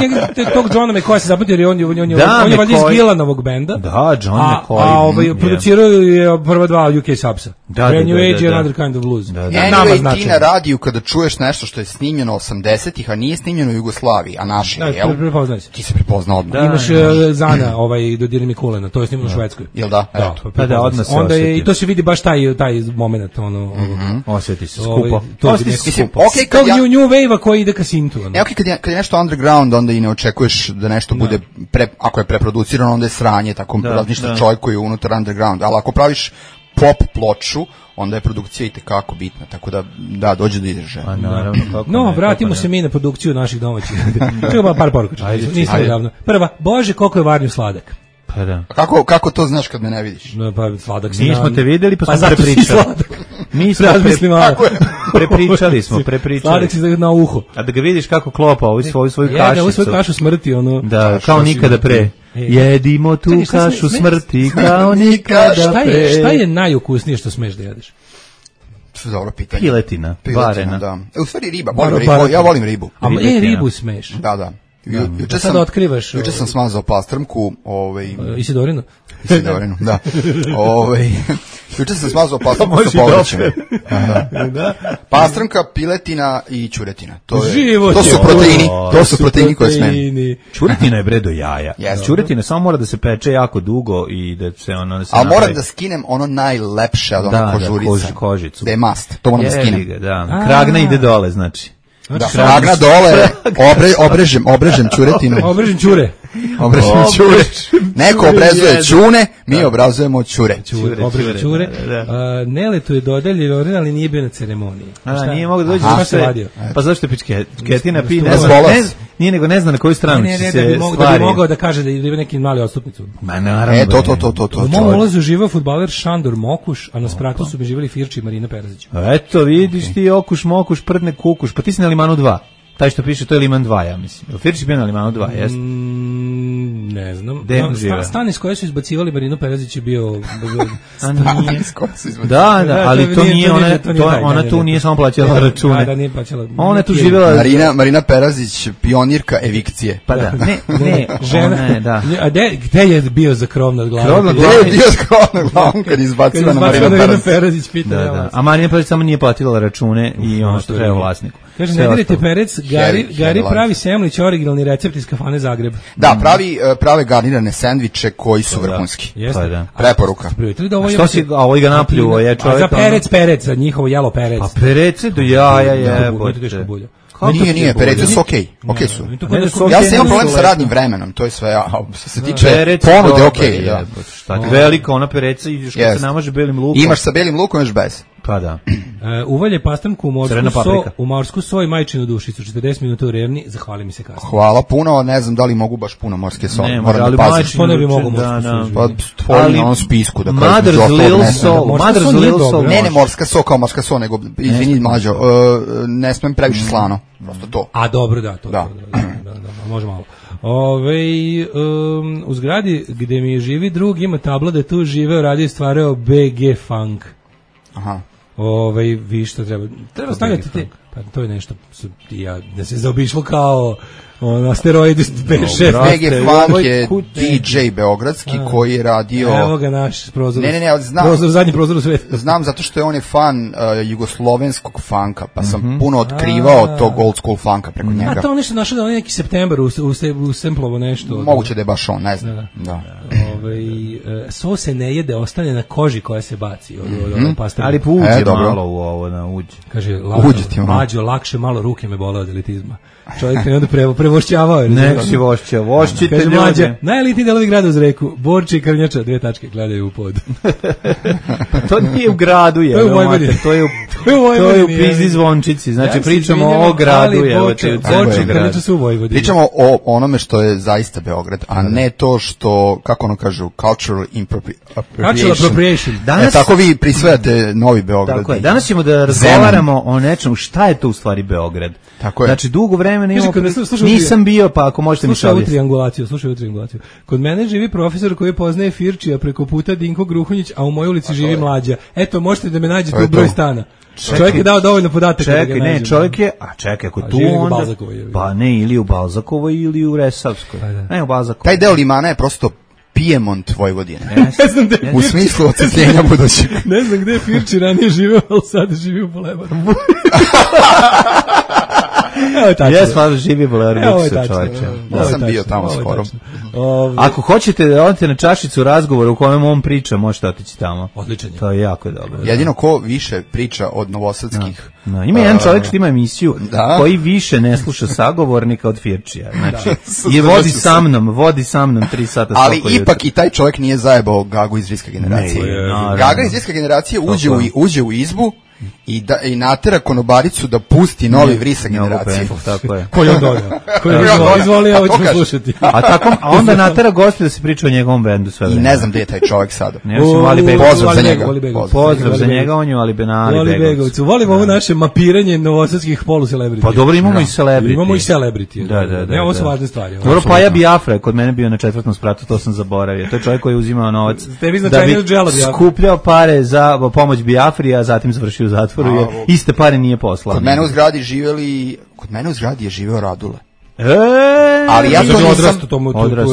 Speaker 7: tog Johna McCoya se zapamtio, jer on je, on je,
Speaker 1: da,
Speaker 7: on je valjda iz Gilanovog benda.
Speaker 1: Da, John
Speaker 7: a,
Speaker 1: McCoy.
Speaker 7: A ovaj, producirao je prva dva U K Subsa.
Speaker 1: Da, da,
Speaker 7: New
Speaker 1: da,
Speaker 7: Age
Speaker 1: da,
Speaker 7: i
Speaker 1: da.
Speaker 7: Another Kind of Blues.
Speaker 9: Da, da. Anyway, ti na radiju kada čuješ nešto što je snimljeno osamdesetih, a nije snimljeno u Jugoslaviji, a naše,
Speaker 7: da,
Speaker 9: jel?
Speaker 7: Prepoznaj se.
Speaker 9: Ti se prepoznao odmah.
Speaker 7: Da, imaš uh, Zana, ovaj, Dodiri Mikulena, to je snimljeno u Švedskoj.
Speaker 9: Jel da?
Speaker 7: Da,
Speaker 1: pa da, odmah se
Speaker 7: onda je, i to se vidi baš taj taj moment, ono,
Speaker 9: mm-hmm.
Speaker 1: osjeti se skupo.
Speaker 9: Osjeti se skupo. Okay,
Speaker 7: kao ja, new, new wave koji ide ka sintu. Ono.
Speaker 9: E, okay, kad, je, kad je nešto underground, onda i ne očekuješ da nešto bude, pre, ako je preproducirano, onda je sranje, tako razmišlja čovjek koji je unutar underground. Ali ako praviš pop ploču, onda je produkcija i tekako bitna, tako da, da, dođe do izražaja.
Speaker 1: A naravno, kako
Speaker 7: No,
Speaker 1: ne,
Speaker 7: vratimo
Speaker 1: kako
Speaker 7: se
Speaker 1: ne.
Speaker 7: mi na produkciju naših domaćih. Čekaj, par poruka.
Speaker 1: Ajde,
Speaker 7: Nisam
Speaker 1: ajde.
Speaker 7: javno. Prva, Bože, koliko je Varnju sladak.
Speaker 1: Pa da.
Speaker 9: A kako, kako to znaš kad me ne vidiš?
Speaker 7: No, pa sladak si
Speaker 1: Mi smo
Speaker 7: nam-
Speaker 1: te videli, pa smo
Speaker 7: zato si
Speaker 1: prepričali.
Speaker 7: sladak.
Speaker 1: Mi smo
Speaker 7: Razmisli malo.
Speaker 9: Tako je.
Speaker 1: prepričali smo, prepričali.
Speaker 7: Sladak si na uho.
Speaker 1: A da ga vidiš kako klopa ovu svoju, svoju
Speaker 7: Jede, ovu
Speaker 1: kašicu.
Speaker 7: svoju kašu smrti, ono.
Speaker 1: Da, kao nikada pre. Jedimo tu
Speaker 7: Čekaj, šta sme-
Speaker 1: kašu
Speaker 7: sme-
Speaker 1: smrti kao nikada
Speaker 7: Šta
Speaker 1: pre.
Speaker 7: je, šta je najukusnije što smeš da jedeš?
Speaker 9: Dobro pitanje.
Speaker 1: Piletina, varena.
Speaker 9: da. E, u stvari riba, volim
Speaker 7: Bar-
Speaker 9: ribu,
Speaker 7: bar-
Speaker 9: ja volim ribu.
Speaker 7: A e,
Speaker 1: Ribetina.
Speaker 7: ribu smeš.
Speaker 9: Da, da. Ju, juče
Speaker 7: sad
Speaker 9: sam,
Speaker 7: otkrivaš,
Speaker 9: juče
Speaker 7: ovaj-
Speaker 9: sam smazao pastrmku, ovaj,
Speaker 7: Isidorino?
Speaker 9: Isidorinu, da. Ovaj, juče sam smazao pastrmku sa povrćem. Da. Pastrmka, piletina i ćuretina. To, je,
Speaker 7: Život
Speaker 9: to
Speaker 7: je
Speaker 9: su
Speaker 7: ovo.
Speaker 9: proteini, to su proteini koje smem.
Speaker 7: Proteini.
Speaker 1: Čuretina je bre do jaja.
Speaker 9: Jeste.
Speaker 1: Čuretina samo mora da se peče jako dugo i da se ono da se
Speaker 9: Ali moram
Speaker 1: napravi.
Speaker 9: da skinem ono najlepše od
Speaker 1: Da,
Speaker 9: onog
Speaker 1: da,
Speaker 9: kožurica.
Speaker 1: kož- kožicu.
Speaker 9: Da je mast, to moram da
Speaker 1: Jebi
Speaker 9: skinem.
Speaker 1: ga, da.
Speaker 7: A.
Speaker 1: Kragna ide dole, znači.
Speaker 9: Da, kragna dole, obre, obrežem, obrežem ćuretinu.
Speaker 7: Obrežen ćure.
Speaker 9: Obrežem ćure. Neko obrazuje ćune, mi obrazujemo ćure.
Speaker 1: Ćure,
Speaker 7: Obrežen ćure.
Speaker 1: da, da.
Speaker 7: A, Neletu je dodeljen, ali nije bio na ceremoniji.
Speaker 1: A,
Speaker 7: Šta?
Speaker 1: nije mogao da dođe
Speaker 7: Aha,
Speaker 1: zašto
Speaker 7: šta se
Speaker 1: je-
Speaker 7: vadio?
Speaker 1: Pa zašto je pičke? Ketina pi, ne
Speaker 9: Ne
Speaker 1: zna,
Speaker 9: zvola
Speaker 1: ne,
Speaker 9: se.
Speaker 1: nije nego ne zna na koju stranu
Speaker 7: Ne, ne,
Speaker 1: će
Speaker 7: ne,
Speaker 1: se
Speaker 7: da bi, mogo, da
Speaker 1: stvari.
Speaker 7: bi mogao da kaže da ima neki mali odstupnicu.
Speaker 1: Ma naravno.
Speaker 9: E, to,
Speaker 1: bre.
Speaker 9: to, to, to, to.
Speaker 7: U mom
Speaker 9: čovjek.
Speaker 7: ulazu živao fudbaler Šandor Mokuš, a na spratu su mi živjeli Firči i Marina Perazić.
Speaker 1: Eto, vidiš ti okuš, mokuš, prdne, kukuš. Pa ti si na Limanu dva. Taj što piše, to je Liman dva, ja mislim. Jel Firči bio na Limanu dva, jeste?
Speaker 7: Mm, ne znam.
Speaker 1: Gde
Speaker 7: No,
Speaker 1: žive?
Speaker 7: sta, stan iz koje su izbacivali Marinu Perazić je bio...
Speaker 1: A nije.
Speaker 9: S kojom se izvodi?
Speaker 1: Da, da,
Speaker 7: Da,
Speaker 1: ali
Speaker 7: to
Speaker 1: to
Speaker 7: nije-
Speaker 1: nije,
Speaker 7: to nije-
Speaker 1: ona,
Speaker 7: to nije
Speaker 1: to,
Speaker 7: taj,
Speaker 1: ona
Speaker 7: da,
Speaker 1: tu
Speaker 7: da,
Speaker 1: nije
Speaker 7: da.
Speaker 1: samo plaćala
Speaker 7: Da,
Speaker 1: račune.
Speaker 7: da, nije plaćala.
Speaker 1: Ona je tu
Speaker 7: Nije-
Speaker 1: živjela...
Speaker 9: Marina, Marina Perazić, pionirka evikcije.
Speaker 1: Pa da, ne, ne,
Speaker 7: Žena,
Speaker 1: ona je, da.
Speaker 7: A de, gde je bio za krov nad glavom?
Speaker 1: Krov nad
Speaker 9: Gde je bio skromno glavom kad izbacila na Marina
Speaker 7: Marina
Speaker 9: Perazić?
Speaker 7: Perazić, pita
Speaker 1: Da,
Speaker 7: ja
Speaker 1: da.
Speaker 7: vas.
Speaker 1: A Marina Perazić samo nije platila račune i ono što
Speaker 7: to je
Speaker 1: treba
Speaker 7: nije.
Speaker 1: vlasniku.
Speaker 7: Kaže,
Speaker 1: Sve
Speaker 7: ne dirajte
Speaker 1: ostalo.
Speaker 7: perec, Gari,
Speaker 9: Heavy,
Speaker 7: Gari
Speaker 9: heavy
Speaker 7: pravi
Speaker 9: life.
Speaker 7: semlić, originalni recept iz kafane Zagreb.
Speaker 9: Da, pravi, e, prave garnirane sendviče koji su vrhunski.
Speaker 7: Jeste.
Speaker 1: Pa da.
Speaker 9: Preporuka.
Speaker 7: A primetili da ovo
Speaker 1: A
Speaker 7: je...
Speaker 1: što si, a ovaj ga napljuo, je
Speaker 7: A
Speaker 1: čovjek...
Speaker 7: za
Speaker 1: ono-
Speaker 7: perec, perec, za njihovo jelo perec.
Speaker 1: Pa perece do jaja je,
Speaker 7: Bude teško bulja.
Speaker 9: Nije, nije, perece su okej. Okej su.
Speaker 7: I to
Speaker 1: Ne,
Speaker 7: kod-
Speaker 1: su
Speaker 9: Ja
Speaker 1: okej,
Speaker 9: sam imam
Speaker 1: nisu
Speaker 9: problem sa
Speaker 1: lepo.
Speaker 9: radnim vremenom, to je sve. A što se tiče
Speaker 1: Perec
Speaker 9: ponude,
Speaker 1: dobar
Speaker 9: okej,
Speaker 1: je,
Speaker 9: da.
Speaker 1: jebote, šta ti, velika ona pereca i još kad
Speaker 9: Yes.
Speaker 1: se namaže belim lukom.
Speaker 9: Imaš sa belim lukom, imaš bez.
Speaker 1: Pa da.
Speaker 7: E, uvalje pastrmku u morsku
Speaker 1: Crvena
Speaker 7: so,
Speaker 1: paprika.
Speaker 7: u morsku so i majčinu dušicu, četrdeset minuta u revni, zahvali mi se kasnije.
Speaker 9: Hvala puno, ne znam da li mogu baš puno morske soli.
Speaker 1: Ne,
Speaker 9: Moram
Speaker 1: ali
Speaker 9: da pazim.
Speaker 1: majčinu
Speaker 7: To ne bi
Speaker 1: duše,
Speaker 7: mogao
Speaker 1: da,
Speaker 7: morsku
Speaker 1: da.
Speaker 7: suživiti.
Speaker 9: Pa tvoji
Speaker 1: Ali
Speaker 9: na onom spisku da kažem.
Speaker 1: Mother's
Speaker 9: između ostalog,
Speaker 1: Little
Speaker 9: ne znam.
Speaker 1: Soul,
Speaker 7: Morska
Speaker 1: Mother's
Speaker 7: so nije
Speaker 1: Little Soul.
Speaker 7: dobra.
Speaker 9: Ne, ne
Speaker 1: može.
Speaker 9: morska so kao morska so, nego, izvini mlađo, uh, ne smem previše slano. Prosto to.
Speaker 7: A dobro, da, to,
Speaker 9: Da.
Speaker 7: to, da, da, da, da, može malo. Ove, um, u zgradi gde mi živi drug ima tabla da je tu živeo, radio i stvarao B G Funk.
Speaker 9: Aha.
Speaker 7: Ove, vi što treba, treba stavljati te, pa to je nešto, su- ja, da se zaobišlo kao on, asteroidi B šest.
Speaker 9: B G Funk
Speaker 7: Ovaj
Speaker 9: je
Speaker 7: kut-
Speaker 9: D J beogradski koji je radio...
Speaker 7: Evo ga naš prozor.
Speaker 9: Ne, ne, ne, ali znam-
Speaker 7: Prozor, zadnji prozor u svijetu.
Speaker 9: Znam zato što je on je fan uh, jugoslovenskog funka, pa sam puno otkrivao
Speaker 7: A.
Speaker 9: tog old school funka preko njega.
Speaker 7: A to on nešto našao da on je neki september u, u, u semplovo nešto.
Speaker 9: Moguće da je baš on, ne znam. Da.
Speaker 7: Ovaj, e, so se ne jede, ostane na koži koja se baci od, od, od, od pastrme.
Speaker 1: Ali uđe
Speaker 9: E, dobro.
Speaker 1: malo u ovo, na uđe.
Speaker 7: Kaže, lako,
Speaker 9: Uđe ti malo.
Speaker 7: mlađo, lakše, malo ruke me bole od elitizma. Čovjek je onda prevo, prevošćavao. je,
Speaker 1: Nek
Speaker 7: razumiješ?
Speaker 1: si vošće, vošćite
Speaker 7: Kaže, mlađe,
Speaker 1: ljude.
Speaker 7: najelitniji delovi grada uz reku, Borči i Krnjača, dve tačke, gledaju u pod.
Speaker 1: To nije u gradu, je.
Speaker 7: To je u Vojvodini.
Speaker 1: mater, To je u,
Speaker 7: To je u
Speaker 1: to je u
Speaker 7: Vojvodini,
Speaker 1: Pizdi
Speaker 7: je.
Speaker 1: Zvončici. Znači,
Speaker 7: Ja se
Speaker 1: pričamo
Speaker 7: izvinjavam,
Speaker 1: o gradu,
Speaker 7: ali
Speaker 1: je.
Speaker 7: Borče- Borče i Krnjača su u Vojvodini.
Speaker 9: Pričamo o onome što je zaista Beograd, a ne to što, kako ono kažu, cultural impropri-
Speaker 7: Cultural
Speaker 9: appropriation.
Speaker 7: appropriation.
Speaker 9: E,
Speaker 1: Danas,
Speaker 9: tako vi prisvajate Novi Beograd.
Speaker 1: tako je. Danas ćemo da razgovaramo o nečemu šta je to u stvari Beograd.
Speaker 9: Tako je.
Speaker 1: Znači, dugo vremena imamo...
Speaker 7: kad ne slušaš- slušaj,
Speaker 1: Nisam bio, pa ako možete mi
Speaker 7: Slušaj ovu
Speaker 1: šaljati.
Speaker 7: triangulaciju, slušaj ovu triangulaciju. Kod mene živi profesor koji poznaje Firčija preko puta Dinko Gruhunjić, a u mojoj ulici živi mlađa. Eto, možete da me nađete
Speaker 9: To je
Speaker 7: u broj
Speaker 9: to.
Speaker 7: stana. Čovjek je dao dovoljno podataka da
Speaker 1: Čekaj,
Speaker 7: ga
Speaker 1: ne,
Speaker 7: nađem.
Speaker 1: čovjek je, a čekaj, ako
Speaker 7: A
Speaker 1: tu
Speaker 7: živi u
Speaker 1: onda...
Speaker 7: Balzakovoj, je.
Speaker 1: Pa ne, ili u Balzakovoj ili u Resavskoj.
Speaker 7: Pa da.
Speaker 1: Ne, u Balzakovoj.
Speaker 9: Taj deo limana je prosto Piemont Vojvodine.
Speaker 7: Ne znam gde je
Speaker 9: U
Speaker 7: Firči-
Speaker 9: smislu ocepljenja budućeg.
Speaker 7: ne znam gde je Firči ranije živeo, ali sad živi u Bolevaru. Evo tačno.
Speaker 1: Jes, malo živi Bolevar
Speaker 7: Evo je
Speaker 1: Buksa,
Speaker 7: tačno.
Speaker 1: čovječe.
Speaker 7: Ovo
Speaker 9: Ja
Speaker 7: je
Speaker 9: sam bio
Speaker 7: tačno,
Speaker 9: tamo
Speaker 7: ovo je
Speaker 9: skoro.
Speaker 7: tačno. Ovaj,
Speaker 1: Ako hoćete da odete na čašicu razgovora u kojem on priča, možete otići tamo.
Speaker 7: Odličan je.
Speaker 1: To je jako dobro. da.
Speaker 9: Jedino ko više priča od novosadskih
Speaker 1: No, ima jedan čovjek što ima emisiju
Speaker 9: da.
Speaker 1: koji više ne sluša sagovornika od Firčija. Znači, je vodi sa mnom, vodi sa mnom tri sata.
Speaker 9: Ali ipak jutro. I taj čovjek nije zajebao Gagu iz Riska generacije. Ne, no, Gaga iz Riska generacije uđe u, uđe u izbu i da i natera konobaricu da pusti novi Vrisa generacije.
Speaker 1: Tako je.
Speaker 7: Ko je on dodao? Ko je on izvolio, ovo ćemo slušati.
Speaker 1: A tako, a onda natera goste da se priča o njegovom bendu sve vreme.
Speaker 9: I ne znam gde je taj čovjek sada.
Speaker 1: Ne znam, Ali Begović.
Speaker 9: Pozdrav za njega.
Speaker 1: Pozdrav za njega, on je Ali Benali Begović.
Speaker 7: Volimo ovo naše mapiranje novosadskih polu-celebrity.
Speaker 1: Pa dobro, imamo i celebrity.
Speaker 7: Imamo i celebrity.
Speaker 1: Da, da, da.
Speaker 7: Ovo su važne stvari.
Speaker 1: Dobro, pa ja Biafra, kod mene bio na četvrtom spratu, to sam zaboravio. To je čovjek koji je uzimao novac
Speaker 7: da bi
Speaker 1: skupljao pare za pomoć Biafri, a zatim završio u zatvoru. Iste pare nije poslao.
Speaker 9: Kod mene u zgradi živeli, kod mene u zgradi je živeo Radule.
Speaker 1: E,
Speaker 9: ali ja to nisam
Speaker 7: odrastao.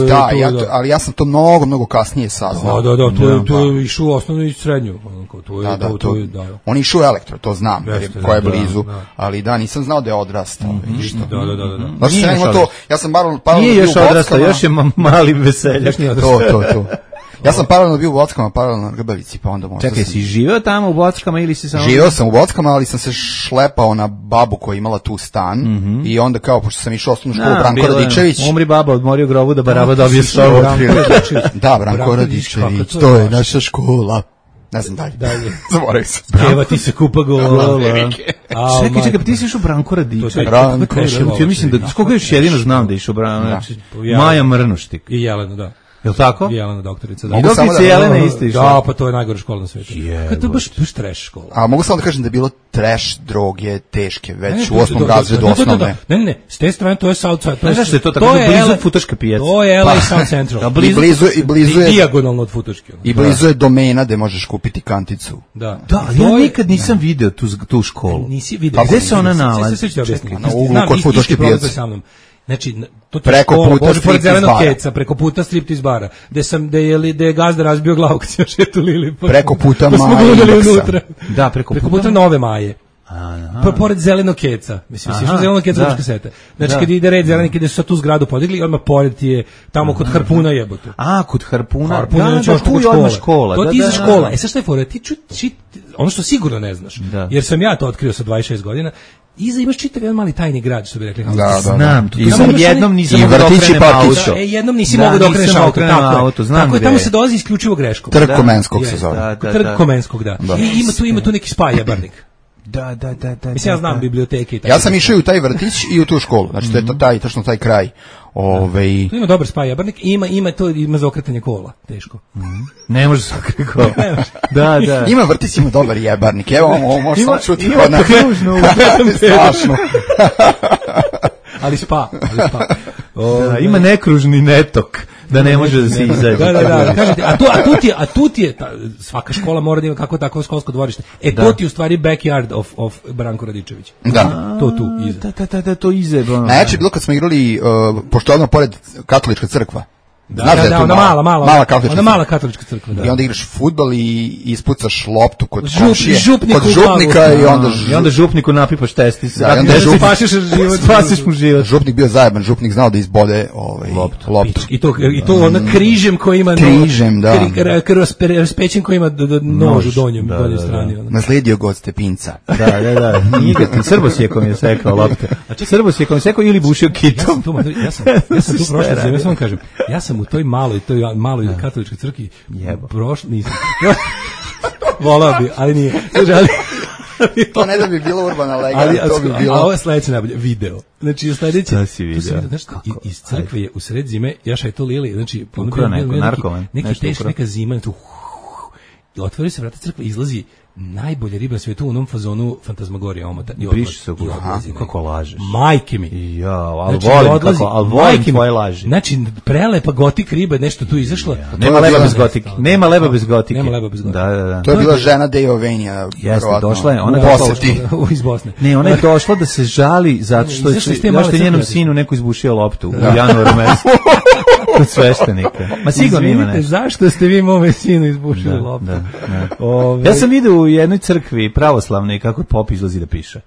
Speaker 9: Da, ja to, ali ja sam to mnogo mnogo kasnije saznao.
Speaker 7: Da, da, da, to je to je išao u osnovnu i srednju, to je to to da.
Speaker 9: On je išao elektro, to znam, jer ko je blizu, ali da nisam znao da je odrastao, vidiš to.
Speaker 7: Da, da, da, da.
Speaker 9: Znači ja to, ja sam paralelno paralelno
Speaker 1: nije još odrastao, još je mali veseljaš, nije
Speaker 9: odrastao. To, to, to. Ja sam paralelno bio u Bockama, paralelno na Grbavici, pa onda možda
Speaker 1: Čekaj,
Speaker 9: sam...
Speaker 1: si živeo tamo u Bockama ili si samo...
Speaker 9: Živeo sam u Bockama, ali sam se šlepao na babu koja je imala tu stan mm-hmm. i onda kao, pošto sam išao osnovnu školu, Branko Radičević...
Speaker 1: Umri baba, odmorio grobu da baraba dobije sobu.
Speaker 9: Da, Branko Radičević, to je naša škola. Ne znam dalje.
Speaker 7: Dalje.
Speaker 9: Zaboravim se.
Speaker 7: Pjeva ti se kupa gola.
Speaker 1: Čekaj, čekaj, pa ti si išao Branko Radičević.
Speaker 9: Branko
Speaker 1: Ja mislim da, skoga još jedino znam da je išao Branko. Maja Mrnuštik.
Speaker 7: I Jelena, da.
Speaker 1: Jel' tako?
Speaker 7: Jelena doktorica, da.
Speaker 1: I doktorica Jelena isto išla.
Speaker 7: Da, pa to je najgora škola na svijetu. Kad to baš baš trash škola.
Speaker 9: A mogu samo da kažem da je bilo trash, droge, teške, već u osmom razredu osnovne.
Speaker 7: Ne, ne, ne, s te strane to je Southside.
Speaker 1: Ne znaš što je to tako blizu Futoške pijace.
Speaker 7: To je L A South Central.
Speaker 9: I blizu, i blizu je...
Speaker 7: Dijagonalno od Futoške.
Speaker 9: I blizu je domena gde možeš kupiti kanticu.
Speaker 7: Da.
Speaker 1: Da, ja nikad nisam video tu, tu školu.
Speaker 7: Nisi video.
Speaker 1: A gde se ona nalazi?
Speaker 9: Na uglu kod Futoške pijace.
Speaker 7: Znači, to je
Speaker 9: preko
Speaker 7: škola,
Speaker 9: puta
Speaker 7: Bože, pored zelenog keca, preko puta striptiz bara, gde sam, gde je, gde je gazda razbio glavu kad se šetulili. Pa,
Speaker 9: preko puta
Speaker 7: pa
Speaker 9: Maje
Speaker 7: unutra.
Speaker 1: Da, preko,
Speaker 7: preko puta, puta Nove Maje. Pa pored zelenog keca. Mislim, si išao zelenog keca ručka seta. Znači, kad ide red zelenik, gde su sad tu zgradu podigli, odmah pored ti je tamo kod Harpuna jebote.
Speaker 1: A, kod Harpuna?
Speaker 7: Harpuna,
Speaker 1: da,
Speaker 7: da,
Speaker 1: tu je odmah škola.
Speaker 7: To ti iza škola. E, sad šta je fora? Ti čut, ono što sigurno ne znaš, jer sam ja to otkrio sa dvadeset šest godina, iza imaš čitav jedan mali tajni grad, što bi rekli.
Speaker 9: Da, da,
Speaker 1: znam, tu sam jednom nisam mogao da okrenem auto.
Speaker 7: E, jednom nisi mogao da okreneš auto, tako je. Tako je, tamo se dolazi isključivo greškom.
Speaker 9: Trg Komenskog se zove.
Speaker 7: Trg Komenskog, da. I ima tu, ima tu neki spa jebarnik.
Speaker 1: Da, da, da, da.
Speaker 7: Mislim, ja znam biblioteke i tako.
Speaker 9: Ja sam išao u taj vrtić i u tu školu. Znači, to je taj, tačno taj kraj. Ove...
Speaker 7: Tu ima dobar spa jebarnik i ima, ima to, ima za okretanje kola. Teško.
Speaker 1: Ne može za okretanje kola. Da, da.
Speaker 9: Ima vrtić, ima dobar jebarnik. Evo, ovo može sam čuti.
Speaker 1: Ima to kružno.
Speaker 9: Strašno.
Speaker 7: Ali spa, ali spa.
Speaker 1: Da, ima nekružni netok. Da ne može da se izađe.
Speaker 7: Da, da, da, kažete, a tu, a tu ti je, a tu ti je, ta, svaka škola mora da ima kako tako školsko dvorište. E, da. To ti je u stvari backyard of, of Branko Radičević.
Speaker 9: Da.
Speaker 7: To tu, iza.
Speaker 1: Da, da, da, da, to iza.
Speaker 9: Najjače je bilo kad smo igrali, uh, pošto je odmah pored katolička crkva.
Speaker 7: Da, da, da, ona mala, mala,
Speaker 9: mala katolička,
Speaker 7: ona mala katolička crkva, da.
Speaker 9: I onda igraš fudbal i ispucaš loptu kod
Speaker 7: Žup,
Speaker 9: komšije,
Speaker 7: župniku
Speaker 9: kod župnika i onda
Speaker 1: žup... i onda župniku napipaš testis.
Speaker 9: Da, onda
Speaker 1: da
Speaker 9: župnik,
Speaker 7: spasiš život,
Speaker 1: spasiš mu život.
Speaker 9: Župnik bio zajeban, župnik znao da izbode ovaj loptu. loptu.
Speaker 7: I to i to ona križem koji ima
Speaker 9: križem, da.
Speaker 7: Raspećen koji ima do, do nož u donjem, da, donjoj strani. Da, da.
Speaker 9: Nasledio ga od Stepinca.
Speaker 1: Da, da, da. Nije Srbosjekom je sekao lopte. A Srbosjekom je sekao ili bušio kitom.
Speaker 7: Ja sam ja sam tu prošle zime, samo kažem. Ja sam u toj maloj toj maloj katoličkoj crkvi prošao, nisam. Volao bi, ali nije. Ali,
Speaker 9: to ne da bi bilo urbana legenda, to bi bilo.
Speaker 7: A ovo je sledeće najbolje, video. Znači, u sledeće...
Speaker 1: Šta si video?
Speaker 7: Znaš, iz crkve je u sred zime, ja šajto lili, znači...
Speaker 1: Ukro neko, narkoman.
Speaker 7: Neki teški, neka zima, tu... Otvori se vrata crkve, izlazi najbolje riba na svijetu u onom fazonu Fantasmagorija omota.
Speaker 1: Briši se, kako lažeš.
Speaker 7: Majke mi.
Speaker 1: Ja, ali znači, volim odlazi, kako, ali volim tvoje laži.
Speaker 7: Znači, prelepa gotik riba, nešto tu izašla.
Speaker 1: Ja, nema leba bez gotike. Nema leba bez gotike.
Speaker 7: Nema leba bez gotike.
Speaker 1: Da, da, da.
Speaker 9: To je bila žena Deo Venija.
Speaker 1: Jeste, došla je. Ona
Speaker 7: je došla iz Bosne.
Speaker 1: Ne, ona je došla da se žali zato što je, zašto je njenom sinu neko izbušio loptu u januaru mesecu. Kod sveštenika. Ma sigurno ima nešto.
Speaker 7: Zašto ste vi mome sinu izbušili loptu?
Speaker 1: Ja sam vidio u jednoj crkvi pravoslavnoj kako pop izlazi da piše.